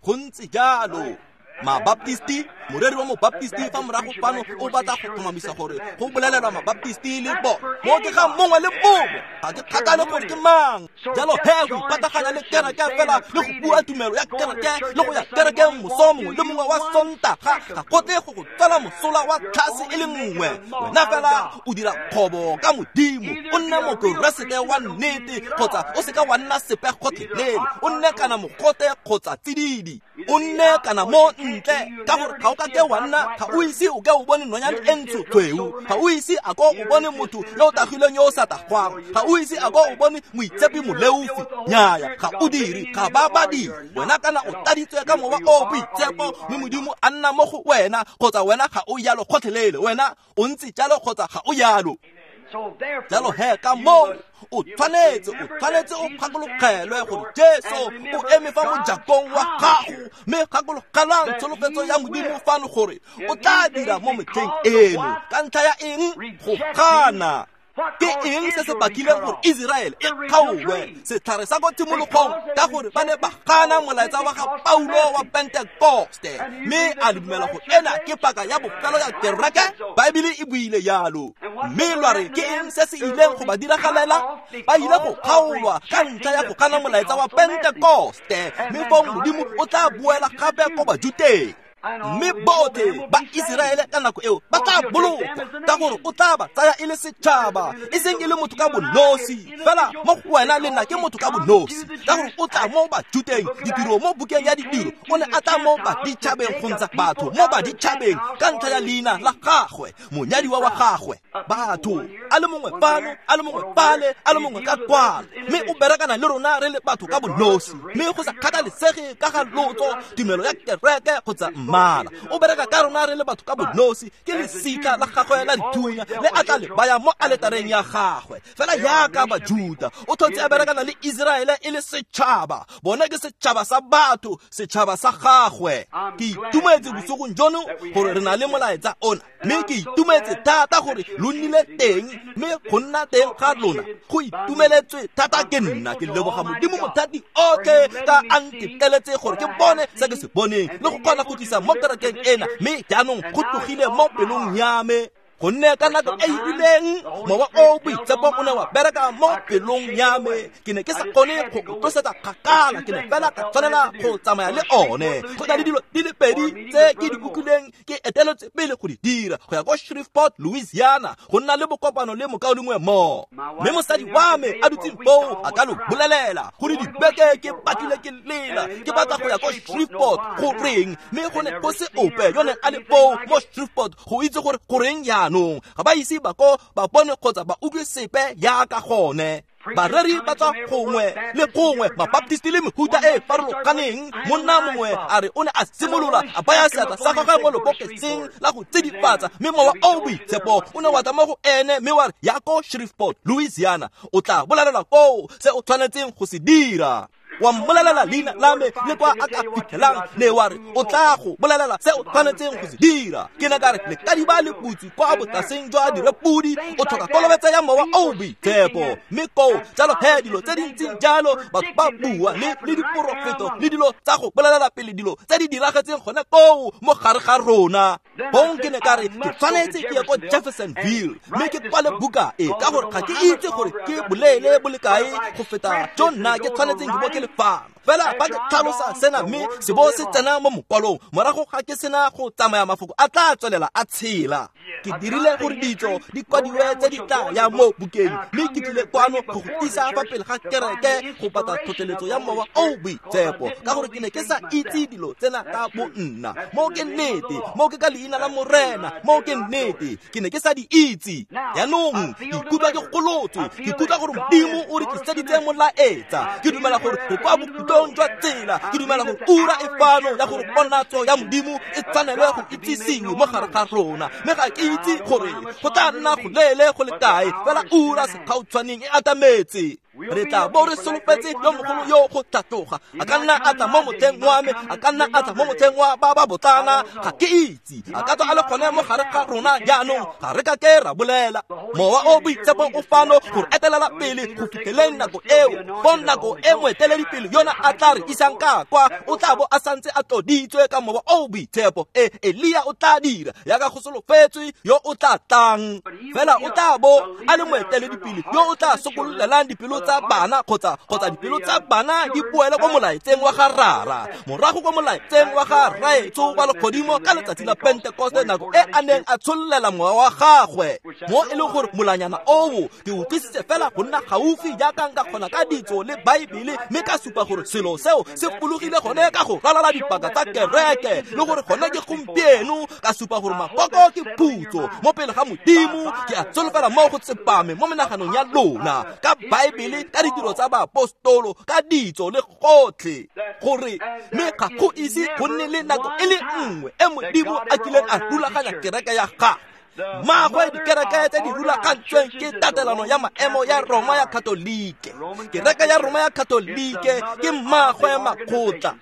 Go ntse jalo. Mabaptisti, moreri wa mobaptisti fa morago fano o batla go tlhomamisa gore go bolelelwa mabaptisti le bo mo ke ga mongwe le mongwe, ga ke kgathale gore ke mang. Jalo he go ipataganya le kereke fela le go bua tumelo ya kereke le go ya kerekeng moso mongwe le mongwe wa Sontaga ga go tle go go tswela mosola wa tlhase e le nngwe. Wena fela o dira kgobo ka Modimo, o nne mokeresete wa nnete kgotsa o seka wa nna sepe gotlhelele, o nne kana mogote kgotsa tsididi, o nne kana mo ntle, ka gore ga o ka ke wa nna, ga o ise o ke o bone nonyane e ntsho tshweu, ga o ise a ko o bone motho yo o tagilweng yo o sa tagwang, ga o ise a ko o bone moitshepi moleofi. Nnyaya, ga o dire, ga ba ba dire. Wena kana o tladitswe ka Mowa o o Boitshepo, mme Modimo a nna mo go wena, kgotsa wena ga o yalo gotlhelele, wena o ntse jalo kgotsa ga o yalo. Jalo he ka moo o tshwanetse o gakologelwe gore Jesu o eme fa mojakong wa gago, mme gakologelang tsholofetso ya Modimo fano gore o tla dira mo metlheng eno. Ka ntlha ya eng? Go gana. Ke eng se se bakileng gore Israel e kgaolwe setlhare sa ko tshimologong ka gore ba ne ba gana molaetsa wa ga Paulo wa Pentekoste mme a le dumela gore ena ke paka ya bofelo ya kereke. Baebele e buile yalo. Mme lwa re ke eng se se ileng go ba diragalela? Ba ile go kgaolwa ka ntlha ya go gana molaetsa wa Pentekoste, mme fong Modimo o tla boela gape ko Bajuteng. Mme botlhe ba Iseraele ka nako eo ba tla bolokwa ka gore o tla ba tsaya e le setšhaba, e seng e le motho ka bonosi fela. Mo go wena le nna ke motho ka bonosi, ka gore o tla mo Bajuteng. Ditiro mo bukeng ya Ditiro o ne a tla mo baditšhabeng go ntsha batho mo baditšhabeng ka ntlha ya leina la gagwe, monyadiwa wa gagwe. Batho a le mongwe fano, a le mongwe fale, a le mongwe ka kwano, mme o berekana le rona re le batho ka bonosi, mme go sa kgathalesege ka ga lotso, tumelo ya kereke kgotsa mmala. O bereka ka rona re le batho ka bonosi. Ke lesika la gagwe la dithunya le a tla le baya mo aletareng ya gagwe. Fela yaka Bajuta, o tlhotse a berekana le Iseraele e le setšhaba. Bona ke setšhaba sa batho, setšhaba sa gagwe. Ke itumetse bosigong jono gore re na le molaetsa ona, mme ke itumetse thata gore lo nnile teng, mme go nna teng ga lona go itumeletswe thata ke nna. Ke leboga Modimo mothati otlhe ka a nteteletse gore ke bone se ke se boneng le go kgona go tlisa mo kerekeng ena, mme jaanong go tlogile mo pelong ya me. Gonne ka nako e rileng mowa o boitshepo o ne wa bereka mo pelong ya me. Ke ne ke sa kgone go o tlosetsa kgakala, ke ne fela ka tshwanela go tsamaya le one. Go na le dilo di le pedi tse ke di utlwileng ke eteletse pele go di dira, go ya ko Shreveport, Louisiana, go nna le bokopano le mokaulengwe mo. Mme mosadi wa me a dutseng foo a ka lo bolelela gore dibeke ke batlile ke lela ke batla go ya ko Shreveport go reng, mme go ne go se ope yo neng a le foo mo Shreveport go itse gore goreng jaanong. Ga ba ise ba ko ba bone kgotsa ba utlwe sepe yaka gone. Bareri ba tswa gongwe le gongwe, Mabaptisti le mehuta e farologaneng. Monna mongwe a re o ne a simolola a baya seatla sa gagwe mo lebokeseng la go tsidifatsa, mme mowa o boitshepo o ne wa tla mo go ene mme wa re ya ko Shreveport, Louisiana, o tla bolelela koo se o tshwanetseng go se dira. Wa mmolelela leina la me le kwa a ka fitlhelang, ne wa re o tla go bolelela se o tshwanetseng go se dira. Ke ne ka re lekadiba le butse kwa botlaseng jwa direpodi, o tlhoka kolobetsa ya mowa o boitshepo. Mme koo jalo he dilo tse dintseng jalo batho ba bua le diporofeto le dilo tsa go bolelela pele dilo tse di diragetseng gone koo mo gare ga rona. Bong ke ne ka re ke tshwanetse ke ye ko Jeffersonville mme ke kwale buka e, ka gore ga ke itse gore ke boleele bo le kae go feta jo nna ke tshwanetseng ke bo ke le fano. Fela ba ke tlhalosa sena mme se bo se tsena mo mokwalong, morago ga ke sena go tsamaya mafoko a tla tswelela a tshela. Ke dirile gore ditso di kwadiwe tse di tla ya mo bukeng, mme ke tlile kwano go go tlisa fa pele ga kereke go batla tlhotlheletso ya mowa o boitshepo, ka gore ke ne ke sa itse dilo tsena ka bo nna. Mo ke nnete, mo ke ka leina la Morena, mo ke nnete, ke ne ke sa di itse. Jaanong ke ikutlwa ke golotswe, ke ikutlwa gore Modimo o re tliseditse molaetsa. Ke dumela gore re kwa bokhutlong jwa tsela, ke dumela gore ura e fano ya gore ponatso ya Modimo e tshwanelwe go itsisiwe mo gare ga rona. Mme ga ke itse gore go tla nna go leele go le kae, fela ura segautshwaneng e atametse. Re tla bo re solofetse yo mogolo yo go tlhatloga. A ka nna a tla mo motlheng wa me, a ka nna a tla mo motlheng wa ba ba botlana, ga ke itse. A ka tswa a le gone mo gare ga rona jaanong, ga re ka ke ra bolela. Mowa o boitshepo o fano go re etelela pele go fitlheleng nako eo. Fong nako e moeteledipele yona a tla re isang ka kwa, o tla bo a santse a tloditswe ka mowa o boitshepo. E Elia o tla dira yaka go solofetswe yo o tla tlang, fela o tla bo a le moeteledipele yo o tla sokololelang dipelo tsa bana kgotsa dipelo tsa bana di boele ko molaetseng wa ga Rara, morago ko molaetseng wa ga Rraetsho wa legodimo ka letsatsi la Pentekoste, nako e a neng a tshollela mowa wa gagwe. Mo e leng gore molanyana oo ke o tlisitse fela go nna gaufi jaaka nka kgona ka ditso le Baebele, mme ka supa gore selo seo se fologile gone ka go ralala dipaka tsa kereke, le gore gone ke gompieno. Ka supa gore makoko ke phutso mo pele ga Modimo. Ke a solofela mo go tsepame mo menaganong ya lona ka Baebele, ka ditiro tsa baapostolo, ka ditso le gotlhe, gore mme ga go ise go nne le nako e le nngwe e Modimo a kileng a rulaganya kereke ya gagwe. Mmagwe dikereke tse di rulagantsweng ke tatelano ya maemo ya Roma ya Katolike. Kereke ya Roma ya Katolike ke mmagwe makgotla.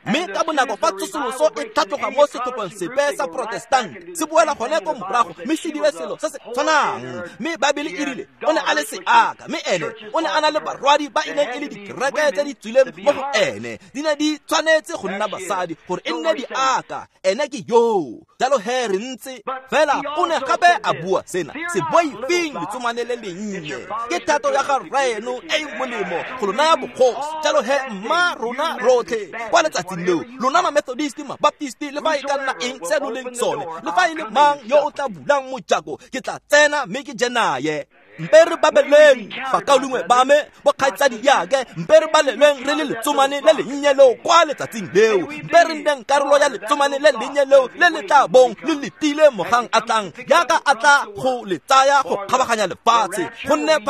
Mme ka bonako fa tsosoloso e tlhatloga mo setlhopheng sepe sa Protestant, se boela gone ko morago mme se dire selo se se tshwanang. Mme Baebele e rile o ne a le seaka, mme ene o ne a na le barwadi ba e neng e le dikereke tse di tswileng mo go ene. Di ne di tshwanetse go nna basadi gore e nne diaka. Ene ke yoo. Jalo he re ntse fela o ne gape a bua sena: se boifeng letsomane le lennye, ke thato ya ga rraeno e e molemo go lo naya bogosi. Jalo he mma rona rotlhe kwa letsatsing leo, lona ma-Methodist, ma-Baptist, le fa e ka nna eng se lo leng sone, le fa e le mang yo o tla bulang mojako, ke tla tsena mme ke je naye. Mpe re babeleng bakaulengwe ba me, bokgaitsadi yake, mpe re balelweng re le letsomane le lennye leo kwa letsatsing leo. Mpe re nneng karolo ya letsomane le lennye leo le le tla bong le letile mogang a tlang, jaaka a tla go le tsaya go kgabaganya lefatshe. Gonne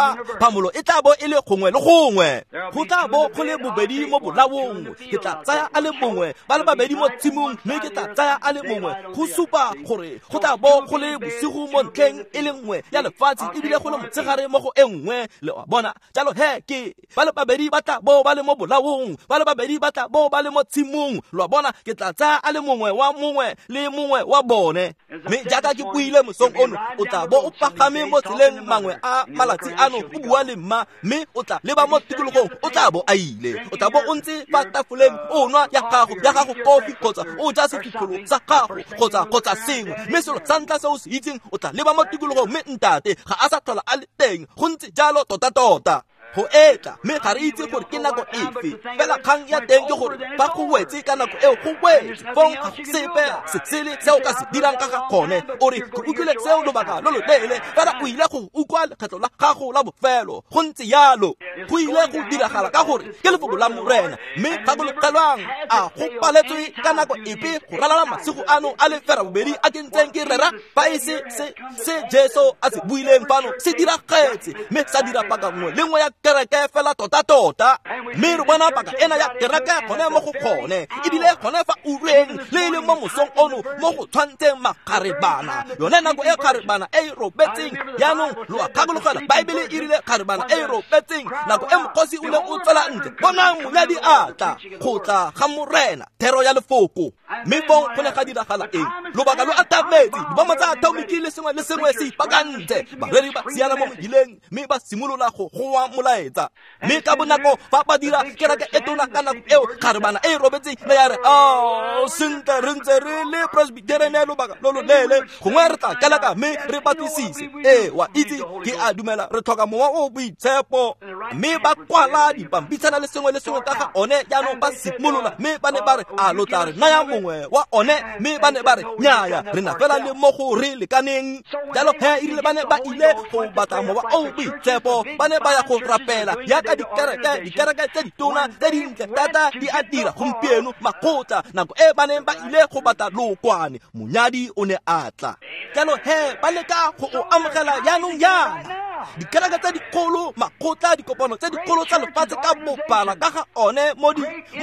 phamolo e tla bo e le gongwe le gongwe. Go tla bo go le bobedi mo bolaong, ke tla tsaya a le mongwe, ba le babedi mo tshimong, mme ke tla tsaya a le mongwe. Go supa gore go tla bo go le bosigo mo ntlheng e le nngwe ya lefatshe, ebile go le motshegare mo go e nngwe. Le a bona? Jalo he ke ba le babedi ba tla bo ba le mo bolaong, ba le babedi ba tla bo ba le mo tshimong. Lo a bona? Ke tla tsaya a le mongwe wa mongwe le mongwe wa bone. Mme jaaka ke buile mosong ono, o tla bo o pagame mo tseleng mangwe a malatsi ano, o bua le mma, mme o tla leba mo tikologong, o tla bo a ile. O tla bo o ntse fa tafoleng o nwa ya gago kofi, kgotsa o ja sefitlholo sa gago, kgotsa sengwe. Mme selo sa ntlha se o se itseng, o tla leba mo tikologong, mme ntate ga a sa tlhola a le teng. Go ntse jalo tota-tota. Go etla, mme ga re itse gore ke nako efe. Fela kgang ya teng ke gore fa go wetse ka nako eo, go wetse. Fong ga go sepe se sele se o ka se dirang ka ga gone. O re ke utlwile seo lobaka lo loleele, fela o ile go utlwa lekgetlo la gago la bofelo. Go ntse jalo. Go ile go diragala ka gore ke lefoko la Morena. Mme gakologelwang, a go paletswe ka nako epe go ralala masigo ano a le ferabobedi a ke ntseng ke rera, fa e se se Jesu a se buileng fano se diragetse, mme sa dira paka nngwe le nngwe ya kereke fela tota-tota. Mme re bona paka ena ya kereke gone mo go gone, ebile gone fa ureng le le mo mosong ono mo go tshwantseng makgarebana, yone nako e kgarebana e e robetseng. Jaanong lo a gakologelwa, Baebele e rile kgarebana e e robetseng nako e mokgosi o neng o tswela ntle, bonang monyadi a tla, go tla ga Morena, thero ya lefoko. Mme fong go ne ga diragala eng? Lobaka lo atametse, dibomo tsa atomiki le sengwe le sengwe se ipakantse. Bareri ba siana mo mebileng, mme ba simolola go goa molaetsa. Mme ka bonako fa ba dira kereke e tona ka nako eo, kgarebana e e robetseng ne ya re, "Oh, sentle re ntse re le Presbyterian lobaka lo loleele, gongwe re tla keleka mme re batlisise. Ee, wa itse, ke a dumela re tlhoka mowa o boitshepo." Mme ba kwala dipampitshana le sengwe le sengwe ka ga one. Jaanong ba simolola, mme ba ne ba re, "A lo tla re naya mongwe wa one?" Mme ba ne ba re, "Nnyaya, re na fela le mo go re lekaneng." Jalo he erile ba ne ba ile go batla mowa o boitshepo, ba ne ba ya go rapela jaaka dikereke tse ditona tse dintle thata di a dira gompieno, makgotla. Nako e ba neng ba ile go batla lookwane, monyadi o ne a tla. Jalo he ba leka go o amogela jaanong jaana. Dikereke tse dikgolo, makgotla, dikopano tse dikgolo tsa lefatshe ka bophara ka ga one mo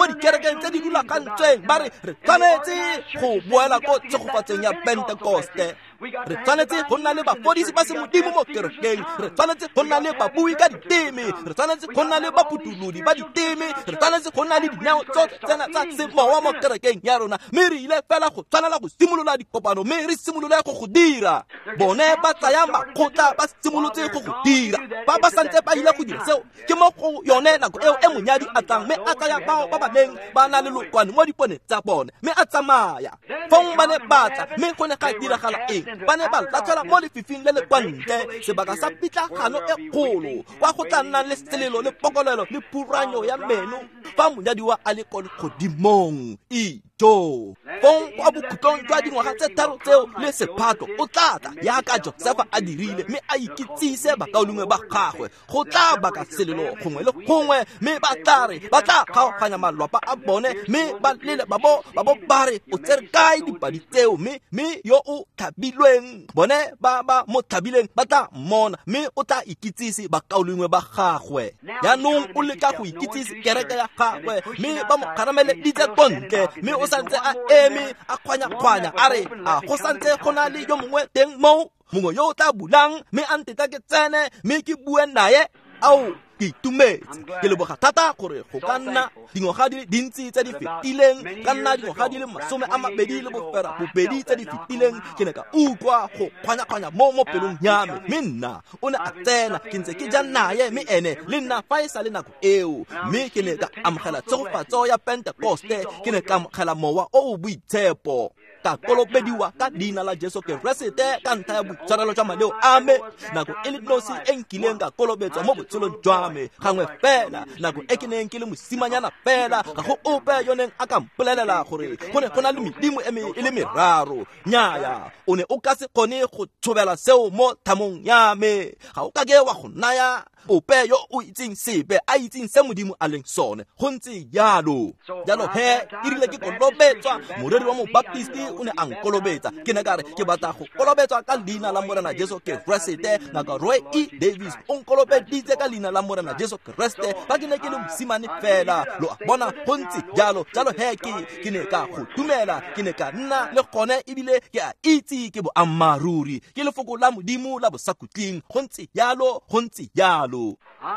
dikerekeng tse di rulagantsweng, ba re re tshwanetse go boela ko tshegofatseng ya Pentekoste. Re tshwanetse go nna le bafodisi ba semodimo mo kerekeng, re tshwanetse go nna le babui ka diteme, re tshwanetse go nna le baputulodi ba diteme, re tshwanetse go nna le dineo tsotlhe tsena tsa semowa mo kerekeng ya rona. Mme re ile fela go tshwanela go simolola dikopano, mme re simolole go go dira. Bone ba tsaya makgotla, ba simolotse go go dira. Ba ba santse ba ile go dira seo, ke mo go yone nako eo e monyadi a tlang, mme a tsaya bao ba ba neng ba na le lookwane mo dipone tsa bone, mme a tsamaya. Fong ba ne ba tla, mme go ne ga diragala eng? Ba ne ba latlhelwa mo lefifing le le kwa ntle, sebaka sa pitlagano e kgolo, kwa go tla nnang le selelo le pokolelo le phuranyo ya meno fa monyadiwa a le ko legodimong. Ijo! Fong kwa bokhutlong jwa dingwaga tse tharo tseo le sephato, o tla tla jaaka Josefa a dirile, mme a ikitsise bakaulengwe ba gagwe. Go tla baka selelo gongwe le gongwe, mme ba tla re ba tla kgaoganya malwapa a bone, mme ba lele ba bo ba re, "O tsere kae dipadi tseo?" Mme yo o thabilweng, bone ba ba mo thabileng ba tla mmona, mme o tla ikitsise bakaulengwe ba gagwe. Jaanong o leka go ikitsise kereke ya gagwe, mme ba mo kgarameleditse ko ntle, mme o santse a eme a kgwanya-kgwanya, a re, "A go santse go na le yo mongwe teng moo, mongwe yo o tla bulang, mme a ntetla ke tsene, mme ke bue naye?" Ao, Ke itumetse, ke leboga thata gore go ka nna dingwaga di le dintsi tse di fetileng, ka nna dingwaga di le 28 tse di fetileng, ke ne ka utlwa go kgwanya-kgwanya mo pelong ya me. Mme nna o ne a tsena, ke ntse ke ja naye, mme ene le nna fa e sa le nako eo. Mme ke ne ka amogela tshegofatso ya Pentekoste, ke ne ka amogela mowa o o boitshepo, ka kolobediwa ka leina la Jesu Keresete ka ntlha ya boitshwarelo jwa maleo a me. Nako e le nosi e nkileng ka kolobetswa mo botshelong jwa me, gangwe fela, nako e ke neng ke le mosimanyana fela, ga go ope yo neng a ka mpolelela gore go ne go na le medimo e le meraro. Nnyaya, o ne o ka se kgone go tshobela seo mo thamong ya me. Ga o kake wa go naya ope yo o itseng sepe, a itseng se Modimo a leng sone. Go ntse jalo. Jalo he, e rile ke kolobetswa, moreri wa mobaptisti o ne a nkolobetsa. Ke ne ka re ke batla go kolobetswa ka leina la Morena Jesu Keresete. Ngaka Roy E. Davis o nkolobeditse ka leina la Morena Jesu Keresete fa ke ne ke le mosimane fela. Lo a bona, go ntse jalo. Jalo he ke ne ka go dumela, ke ne ka nna le gone, ebile ke a itse ke boammaaruri, ke lefoko la Modimo la bosakhutleng. Go ntse jalo, go ntse jalo.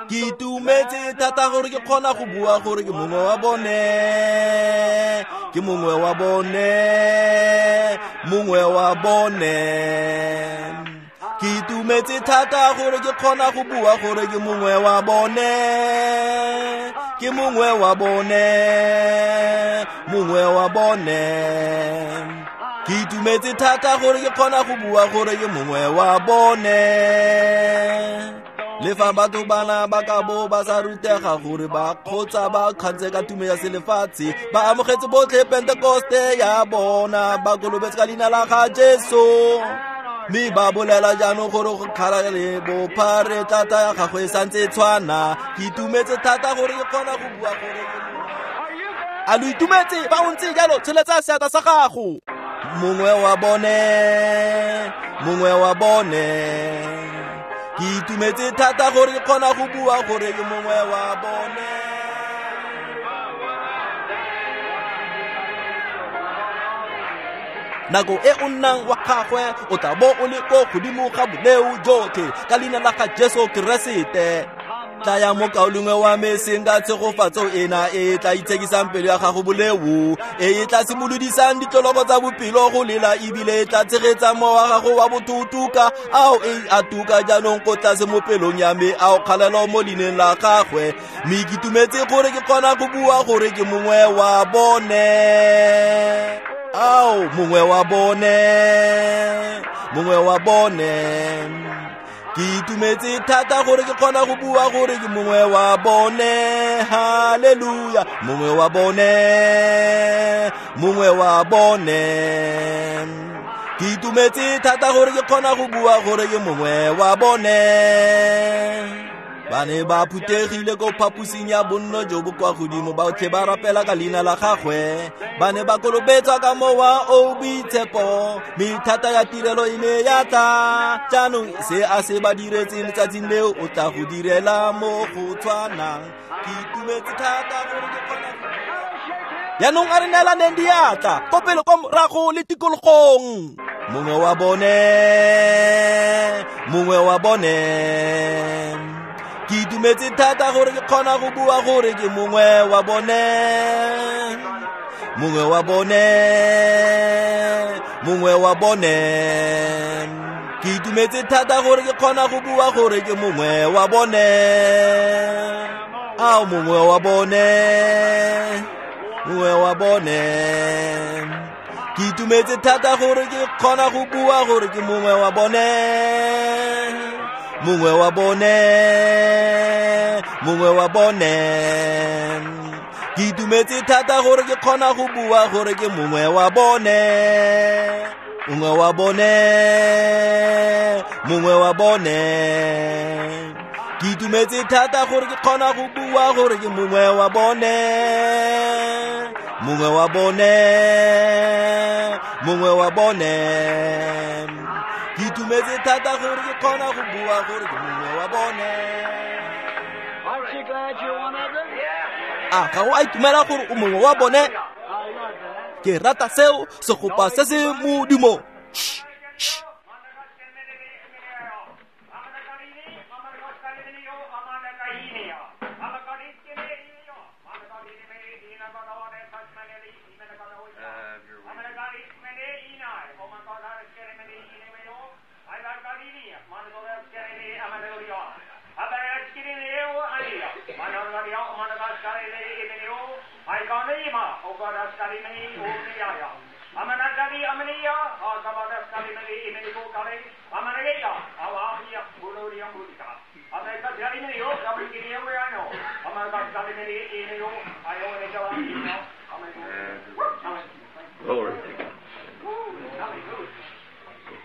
Ke itumetse thata gore ke kgona go bua gore ke mongwe wa bone, ke mongwe wa bone, mongwe wa bone. Ke itumetse thata gore ke kgona go bua gore ke mongwe wa bone, ke mongwe wa bone, mongwe wa bone. Ke itumetse thata gore ke kgona go bua gore ke mongwe wa bone. Le fa batho bana ba ka bo ba sa rutega gore ba kgotsa ba kgantse ka tumo ya selefatshe, ba amogetse botlhe Pentekoste ya bona, ba kolobetse ka leina la ga Jesu. Mme ba bolela jaanong gore go kgala le bophare thata ya gagwe e santse e tshwana. Ke itumetse thata gore ke kgona go bua gore a lo itumetse. Fa o ntse jalo, tsholetsa seatla sa gago. Mongwe wa bone, mongwe wa bone. Ke itumetse thata gore ke kgona go bua gore ke mongwe wa bone. Nako e o nnang wa gagwe, o tla bo o le ko godimo ga boleo jotlhe ka leina la ga Jesu Keresete. Tlaya mokaulengwe wa me, seng ka tshegofatso ena e tla itshekisang pelo ya gago boleo, e e tla simolodisang ditloloko tsa bophelo go lela, ebile e tla tshegetsa mowa wa gago wa botho ao e a tuka jaanong ko tlase mo pelong ya me, ao kgalelo mo leineng la gagwe. Mme ke itumetse gore ke kgona go bua gore ke mongwe wa bone. Ao, mongwe wa bone, mongwe wa bone. Ke itumetse thata gore ke kgona go bua gore ke mongwe wa bone. Haleluya, mongwe wa bone, mongwe wa bone. Ke itumetse thata gore ke kgona go bua gore ke mongwe wa bone. Ba ne ba phuthegile ko phaposing ya bonno jo bo kwa godimo, botlhe ba rapela ka leina la gagwe. Ba ne ba kolobetswa ka mowa o boitshepo, mme thata ya tirelo e ne ya tla. Jaanong se a se ba diretseng letsatsing leo, o tla go direla mo go tshwanang. Ke itumetse thata gore ke kgona go. Jaanong a re neelaneng diatla, ko pele ko morago le tikologong. Mongwe wa bone, mongwe wa bone. Ke itumetse thata gore ke kgona go bua gore ke mongwe wa bone, mongwe wa bone, mongwe wa bone. Ke itumetse thata gore ke kgona go bua gore ke mongwe wa bone. Ao, mongwe wa bone, mongwe wa bone. Ke itumetse thata gore ke kgona go bua gore ke mongwe wa bone, mongwe wa bone, mongwe wa bone. Ke itumetse thata gore ke kgona go bua gore ke mongwe wa bone, mongwe wa bone, mongwe wa bone. Ke itumetse thata gore ke kgona go bua gore ke mongwe wa bone, mongwe wa bone, mongwe wa bone. Ke itumetse thata gore ke kgona go bua gore ke mongwe wa bone. A ga o a itumela gore o mongwe wa bone? Ke rata seo, segopa se se modumo. Glory.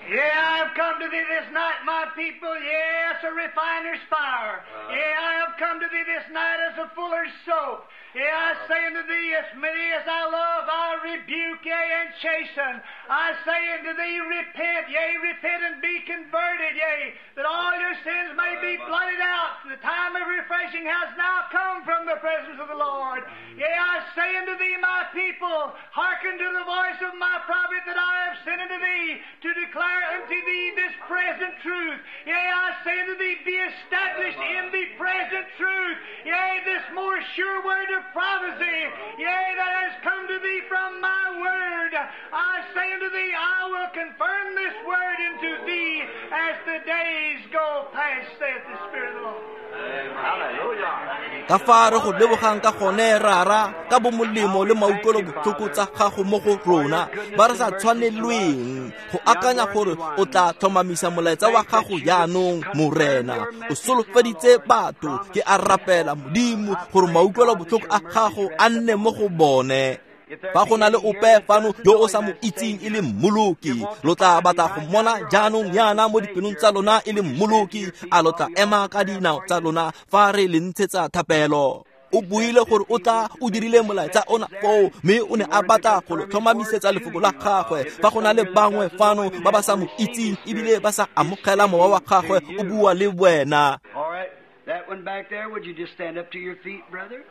Yeah, I have come to thee this night, my people, yes, a refiner's fire. Yeah, I have come to thee this night as a fuller's soap. Yeah, I say unto thee, as many as I love, I rebuke, yea, and chasten. I say unto thee, repent, yea, repent and be converted, yea, that all your sins may be blotted out. The time of refreshing has now come from the presence of the Lord. Yea, I say unto thee, my people, hearken to the voice of my prophet that I have sent unto thee, to declare unto thee this present truth. Yea, I say unto thee, be established in the present truth. Yea, this more sure word of prophecy, yea, that has come to thee from my word. I say unto thee, I will confirm this word unto thee as the days go past, saith the Spirit of the Lord. Ka fa re go lebogang ka gone rara ka bomolemo le mautlwelo botlhoko tsa gago mo go rona ba re sa tshwanelweng go akanya gore o tla tlhomamisa molaetsa wa gago jaanong morena o solofeditse batho ke a rapela modimo gore mautlwelo botlhoko a gago a nne mo go bone. Fa go na le ope fano yo o sa mo itseng e le mmoloki lo tla batla go mmona jaanong yana mo dipelong tsa lona e le mmoloki a lo tla ema ka dinao tsa lona fa re le ntshetsa thapelo. O buile gore o tla o dirile molaetsa ona foo mme o ne a batla go lo tlhomamisetsa lefoko la gagwe. Fa go na le bangwe fano ba ba sa mo itseng ebile ba sa amogela mowa wa gagwe o bua le wena. All right, that one back there, would you just stand up to your feet, brother?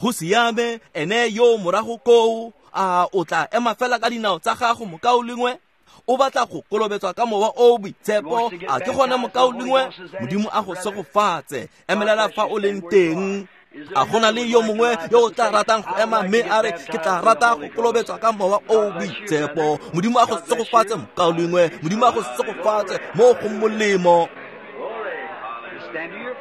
Go siame ene yo morago koo a o tla ema fela ka dinao tsa gago mokaulengwe o batla go kolobetswa ka mowa o boitshepo a ke gone mokaulengwe modimo a go segofatse emelela fa o leng teng. A gona le yo mongwe yo o tla ratang go ema mme a re ke tla rata go kolobetswa ka mowa o boitshepo. Modimo a go segofatse mokaulengwe, modimo a go segofatse mo go molemo.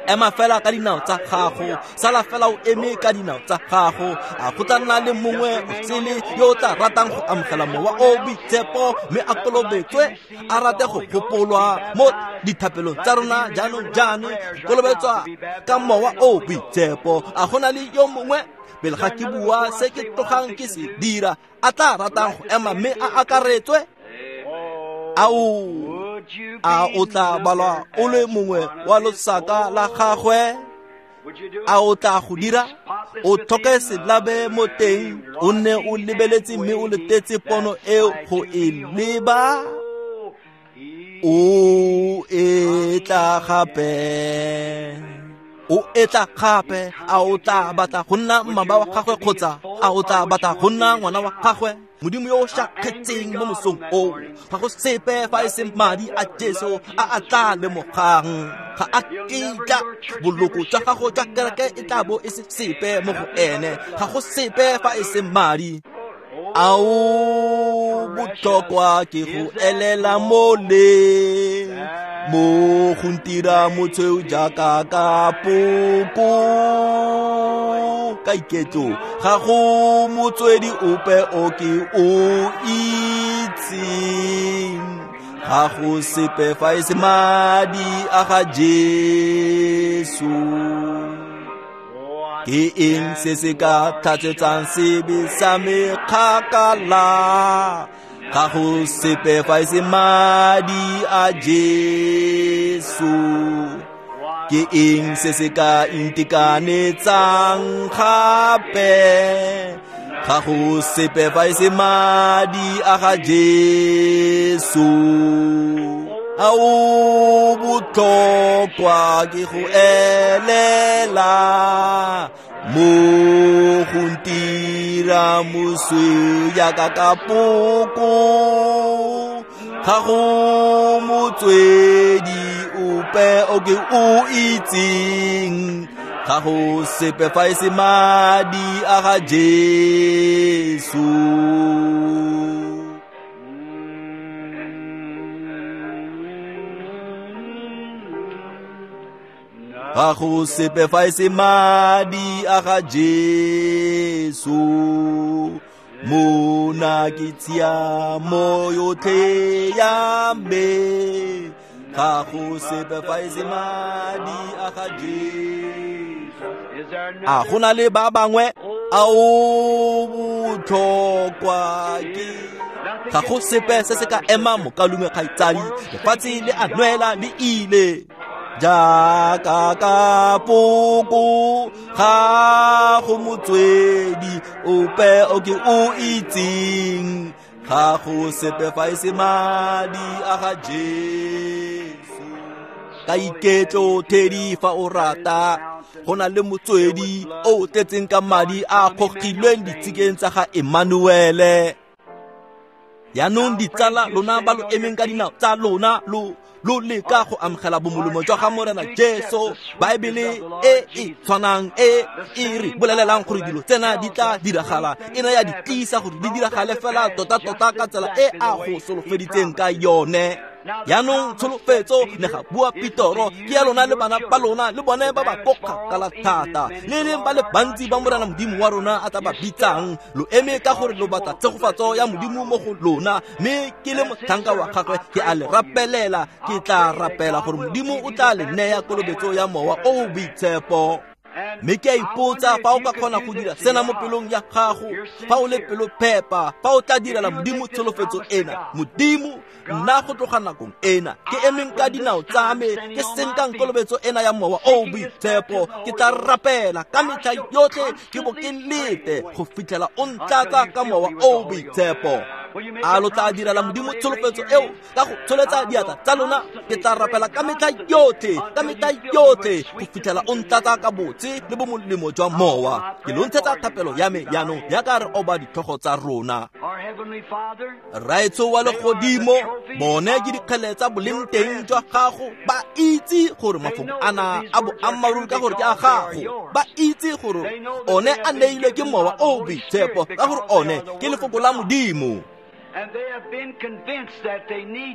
Ema fela ka dinao tsa gago, sala fela o eme ka dinao tsa gago. A go tla nna le mongwe o sele yo o tla ratang go amogela mowa o boitshepo mme a kolobetswe a rate go gopolwa mo dithapelong tsa rona jaanong jaane go kolobetswa ka mowa o boitshepo. A go na le yo mongwe pele ga ke bua se ke tlogang ke se dira a tla ratang go ema mme a akaretswe? Ao a o tla balwa o le mongwe wa losaka la gagwe? A o tla go dira? O tlhoke selabe mo teng, o nne o lebeletse mme o letetse pono eo go e leba. O e tla gape, o etla gape. A o tla batla go nna mmaba wa gagwe kgotsa a o tla batla go nna ngwana wa gagwe? Modimo yo o šakgetseng mo mosong oo, ga go sepe fa e seng madi a Jesu a a tla lemogang. Ga a kitla boloko jwa gago jwa kereke e tla bo e se sepe mo go ene, ga go sepe fa e seng madi. Ao botlhokwa ke go elela mole mo go ntira motshweu jaaka kapoko ka iketlo, ga go motswedi ope o ke o itseng, ga go sepe fa e se madi a ga Jesu. Ke eng se se ka tlhatswetsang sebe sa me kgakala? Ga go sepe fa e se madi a Jesu. Ke eng se se ka ntekanetsang gape? Ga go sepe fa e se madi a ga Jesu. Ao botlhokwa ke go elela mo go ntira mosweu jaaka kapoko, ga go motswedi ope o ke o itseng, ga go sepe fa e se madi a ga Jesu. Ga go sepe fa e se madi a ga Jesu. Mona ke tshiamo yotlhe ya me. Ga go sepe fa e se madi a ga Jesu. A go na le ba bangwe a o botlhokwa ke ga go sepe se se ka ema mokalume kgaitsadi. Lefatshe le a nwela le ile. Jaaka kapoko ga go motswedi ope o ke o itseng. Ga go sepe fa e se madi a ga Jesu. Ka iketlo thedi fa o rata, go na le motswedi o tletseng ka madi a kgogilweng ditshikeng tsa ga Emmanuele. Yaanong ditsala lona ba lo emeng ka dinao tsa lona lo leka go amogela bomolemo jwa ga Morena Jesu. Baebele e e tshwanang e e re bolelelang gore dilo tsena di tla diragala e ne ya di tlisa gore di diragale fela tota-tota ka tsela e a go solofeditseng ka yone. Yaanong tsholofetso ne ga bua Petoro ke ya lona le bana ba lona le bone ba ba ko kgakala thata, le leng ba le bantsi ba Morena Modimo wa rona a tla ba bitsang. Lo eme ka gore lo batla tshegofatso ya Modimo mo go lona, mme ke le motlhanka wa gagwe ke a le rapelela. Ke tla rapela gore Modimo o tla le neya kolobetso ya Mowa o o Boitshepo. Mme ke a ipotsa fa o ka kgona go dira sena mo pelong ya gago, fa o le pelophepa, fa o tla direla Modimo tsholofetso ena. Modimo, nna go tloga nakong ena ke emeng ka dinao tsa me, ke senkang kolobetso ena ya Mowa o o Boitshepo. Ke tla rapela ka metlha yotlhe ke bo ke lete go fitlhela o ntlatsa ka Mowa o o Boitshepo. A lo tla direla Modimo tsholofetso eo ka go tsholetsa diatla tsa lona? Ke tla rapela ka metlha yotlhe, ka metlha yotlhe go fitlhela o ntlatsa ka botse le bomolemo jwa Mowa. Ke lo ntshetsa thapelo ya me jaanong jaaka re oba ditlhogo tsa rona. Rraetsho wa legodimo, bone ke dikgele tsa boleng teng jwa gago. Ba itse gore mafoko ana a boammaaruri ka gore ke a gago. Ba itse gore one a neilwe ke Mowa o o Boitshepo ka gore one ke lefoko la Modimo.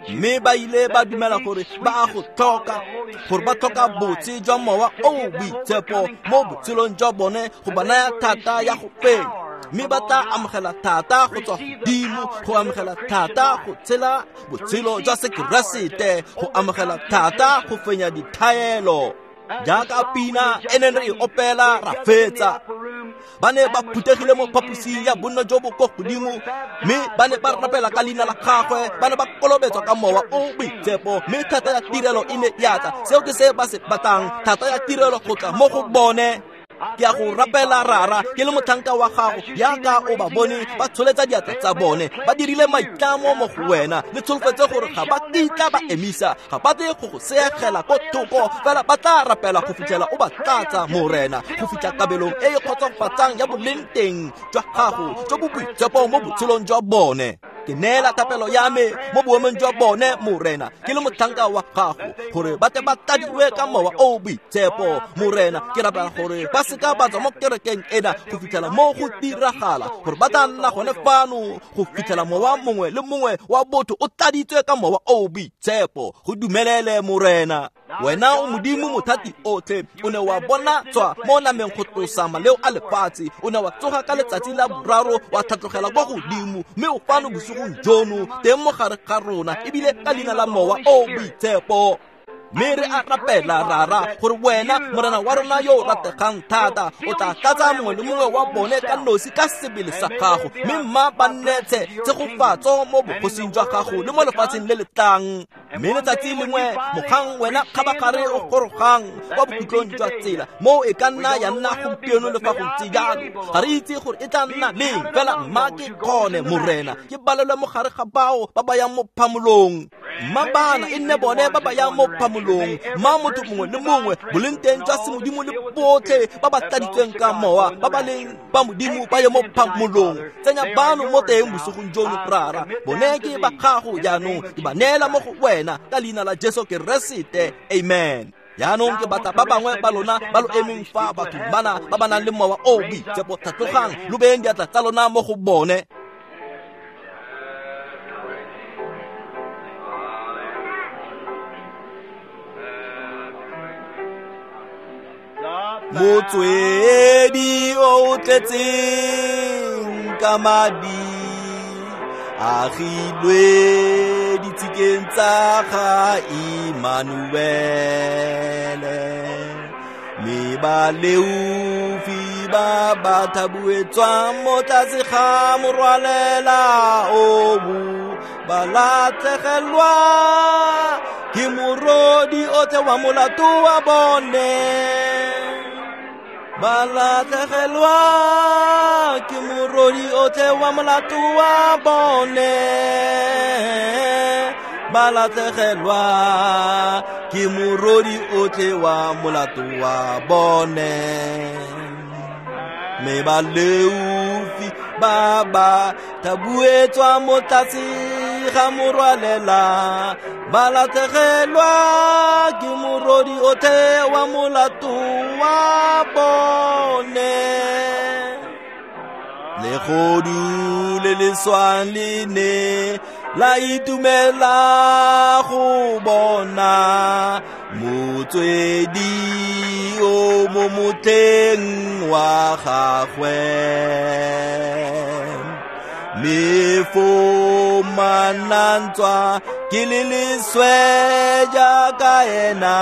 Mme ba ile ba dumela gore ba a go tlhoka, gore ba tlhoka botse jwa Mowa o o Boitshepo mo botshelong jwa bone go ba naya thata ya go fenya. Mme ba tla amogela thata go tswa godimo, go amogela thata go tshela botshelo jwa Sekeresete, go amogela thata go fenya dithaelo. Jaaka pina e neng re e opela ra fetsa, ba ne ba phuthegile mo phaposing ya bonno jo bo ko godimo, mme ba ne ba rapela ka leina la gagwe, ba ne ba kolobetswa ka Mowa o o Boitshepo, mme thata ya tirelo e ne ya tla. Seo ke se ba se batlang, thata ya tirelo go tla mo go bone. Ke a go rapela Rara, ke le motlhanka wa gago, jaaka o ba bone ba tsholetsa diatla tsa bone, ba dirile maitlamo mo go wena le tsholofetse gore ga ba kitla ba emisa, ga ba tle go go seegela ko thoko, fela ba tla rapela go fitlhela o ba tlatsa, Morena, go fitlha kabelong e e kgotsofatsang ya boleng teng jwa gago jo bo boitshepo mo botshelong jwa bone. Ke neela thapelo ya me mo boemong jwa bone, Morena, ke le motlhanka wa gago, gore ba tle ba tladiwe ka Mowa o o Boitshepo. Morena, ke rapela gore ba seka ba tswa mo kerekeng ena go fitlhela mo go diragala, gore ba tla nna gone fano go fitlhela mowa mongwe le mongwe wa botho o tladitswe ka Mowa o o Boitshepo. Go dumelele, Morena. Wena o Modimo mothati otlhe, o ne wa bona tswa mo nameng go tlosa maleo a lefatshe, o ne wa tsoga ka letsatsi la boraro wa tlhatlogela kwa godimo, mme o fano bosigong jono teng mo gare ga rona, ebile ka leina la Mowa o o Boitshepo. Mme re a rapela Rara gore wena Morena wa rona yo o rategang thata o tla tlatsa mongwe le mongwe wa bone ka nosi ka sebele sa gago, mme mma ba nnetse tshegofatso mo bogosing jwa gago le mo lefatsheng le le tlang. Mme letsatsi lengwe mogang wena kgabagare o gorogang kwa bokhutlong jwa tsela, moo e ka nna ya nna gompieno le fa go ntse jalo, ga re itse gore e tla nna leng, fela mma ke kgone, Morena, ke balelwe mo gare ga bao ba ba yang mo phamolong. Mma bana e nne bone ba ba yang mo phamolong, mma motho mongwe le mongwe boleng teng jwa semodimo le botlhe ba ba tladitsweng ka Mowa ba ba leng ba Modimo ba ye mo phamolong. Tsenya bano mo teng bosigong jono, Rara, bone ke ba gago jaanong, ke ba neela mo go wena ka leina la Jesu Keresete, amen. Jaanong ke batla ba bangwe ba lona ba lo emeng fa batho bana ba ba nang le Mowa o o Boitshepo, tlhatlogang lo beyeng diatla tsa lona mo go bone. Motswedi o tletseng ka madi, agilwe ditshikeng tsa ga Immanuele. Mme baleofi ba ba thabuetswang mo tlase ga morwalela obu, ba latlhegelwa ke morodi otlhe wa molato wa bone. Ba latlhegelwa ke morodi otlhe wa molato wa bone. Ba latlhegelwa ke morodi otlhe wa molato wa bone. Mme baleofi ba ba thabuetswa mo tlase ga morwalela, ba latlhegelwa ke morodi otlhe wa molato wa bone. Legodu le le swang le ne la itumela go bona motswedi o mo motlheng wa gagwe. Mme foo manantswa ke le leswe jaaka ena,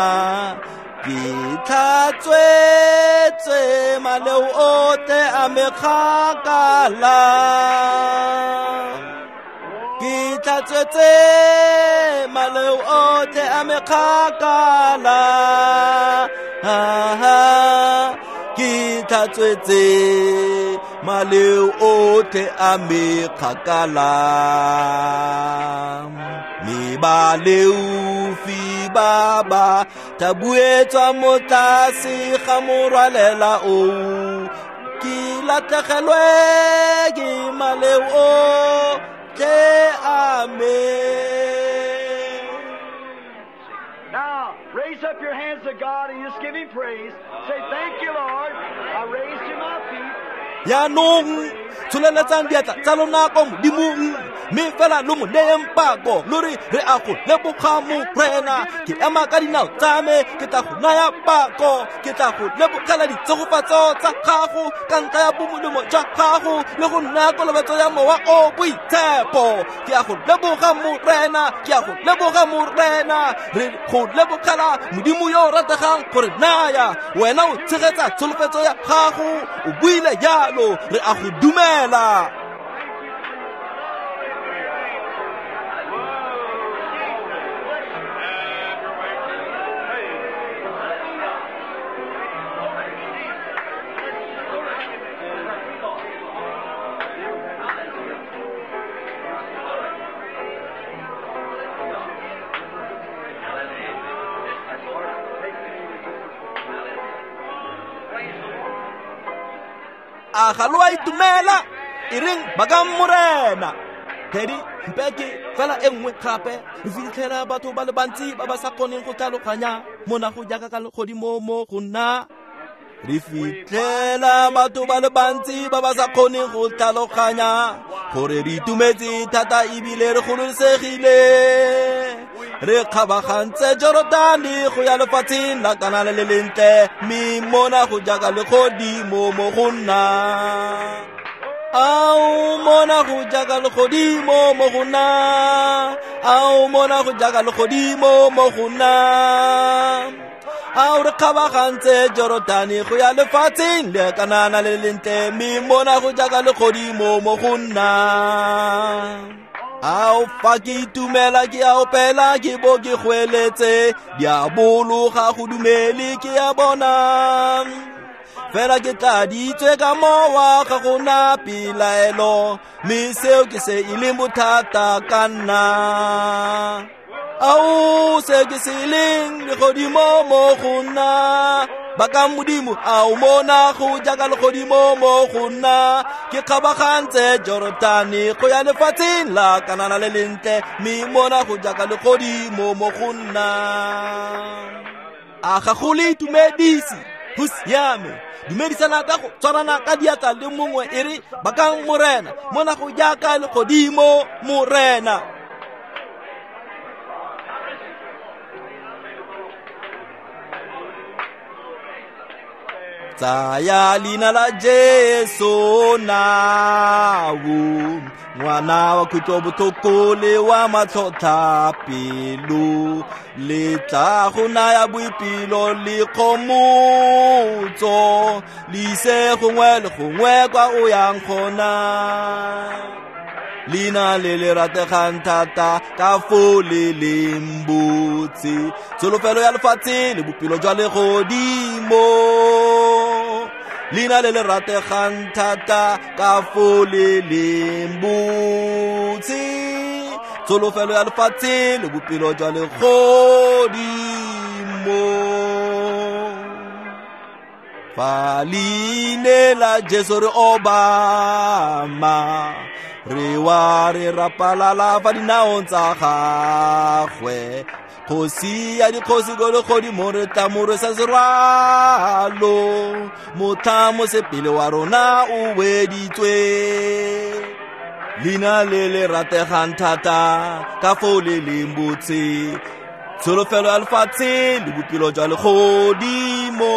ke tlhatswetswe maleo otlhe a mekgakala. Ke tlhatswetse maleo otlhe a mekgakala. Ke tlhatswetse maleo otlhe a mekgakala. Mme baleofi ba ba thabuetswa mo tlase ga morwalela oo, ke latlhegelwe ke maleo otlhe a me. Now, raise up your hands to God and just give Him praise. Say, thank you, Lord. I raised to my feet. Jaanong tsholeletsang diatla tsa lona ko Modimong, mme fela lo mo neyeng pako, lo re re a go leboga Morena. Ke ema ka dinao tsa me, ke tla go naya pako, ke tla go lebogela ditshegofatso tsa gago ka ntlha ya bomolemo jwa gago le go nna kolobetso ya Mowa o Boitshepo. Ke a go leboga Morena, ke a go leboga Morena. Re go lebogela Modimo yo o rategang gore naya wena o tshegetsa tsholofetso ya gago, o buile jalo, re a go dumela. A ga lo a itumela? E reng bakang Morena. Teddy, mpeke fela e nngwe gape. Re fitlhela batho ba le bantsi ba ba sa kgoneng go tlhaloganya mona go jaaka ka legodimo mo go nna. Re fitlhela batho ba le bantsi ba ba sa kgoneng go tlhaloganya gore re itumetse thata ebile re gololosegile. Re kgabagantse Jorodane go ya lefatsheng la Kanana le lentle, mme mona go jaaka legodimo mo go nna. Ao mona go jaaka legodimo mo go nna. Ao mona go jaaka legodimo mo go nna. Ao re kgabagantse Jorodane go ya lefatsheng le Kanana le lentle, mme mona go jaaka legodimo mo go nna. Ao fa ke itumela ke a opela ke bo ke goeletse, diabolo ga go dumele ke a bona. Fela ke tladitswe ka mowa ga go na pelaelo, mme seo ke se e leng bothata ka nna. Ao se ke se leng legodimo mo go nna. Bakang Modimo, ao mona go jaaka legodimo mo go nna. Ke kgabagantse Jorodane go ya lefatsheng la Kanana le lentle, mme mona go jaaka legodimo mo go nna. A ga go le itumedise? Go siame. Dumedisana ka go tshwarana ka diatla le mongwe e re bakang Morena, mona go jaaka legodimo Morena. Tsaya leina la Jesu nao, ngwana wa kutlobotlhoko le wa matlhotlhapelo, le tla go naya boipelo le kgomotso, le ise gongwe le gongwe kwa o yang gona. Leina le le rategang thata ka foo le leng botse, tsholofelo ya lefatshe le bophelo jwa legodimo. Leina le le rategang thata ka foo le leng botse, tsholofelo ya lefatshe le bophelo jwa legodimo. Fa leina la Jesu re obama, re wa re rapalala fa dinaong tsa gagwe. Kgosi ya dikgosi ko legodimo re tla mo rwesa serwalo, motlha mosepele wa rona o weditswe. Leina le le rategang thata ka foo le leng botse, tsholofelo ya lefatshe le bophelo jwa legodimo.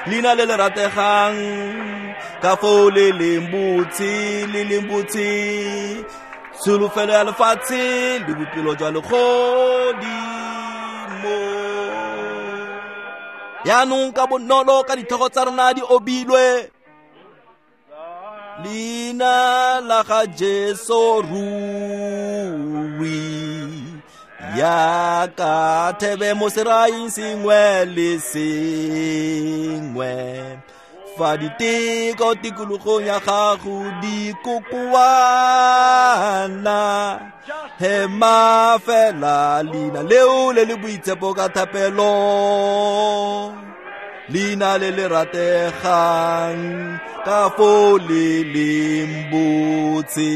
Leina le le rategang ka foo le leng botse, le leng botse, tsholofelo ya lefatshe le bophelo jwa legodimo. Yaanong ka bonolo ka ditlhogo tsa rona di obilwe, leina la ga Jesu ruri yaka thebe mo seraing sengwe le sengwe. Fa diteko tikologong ya gago di kokoana, hema fela leina leo le le boitshepo ka thapelo. Leina le le rategang ka foo le leng botse.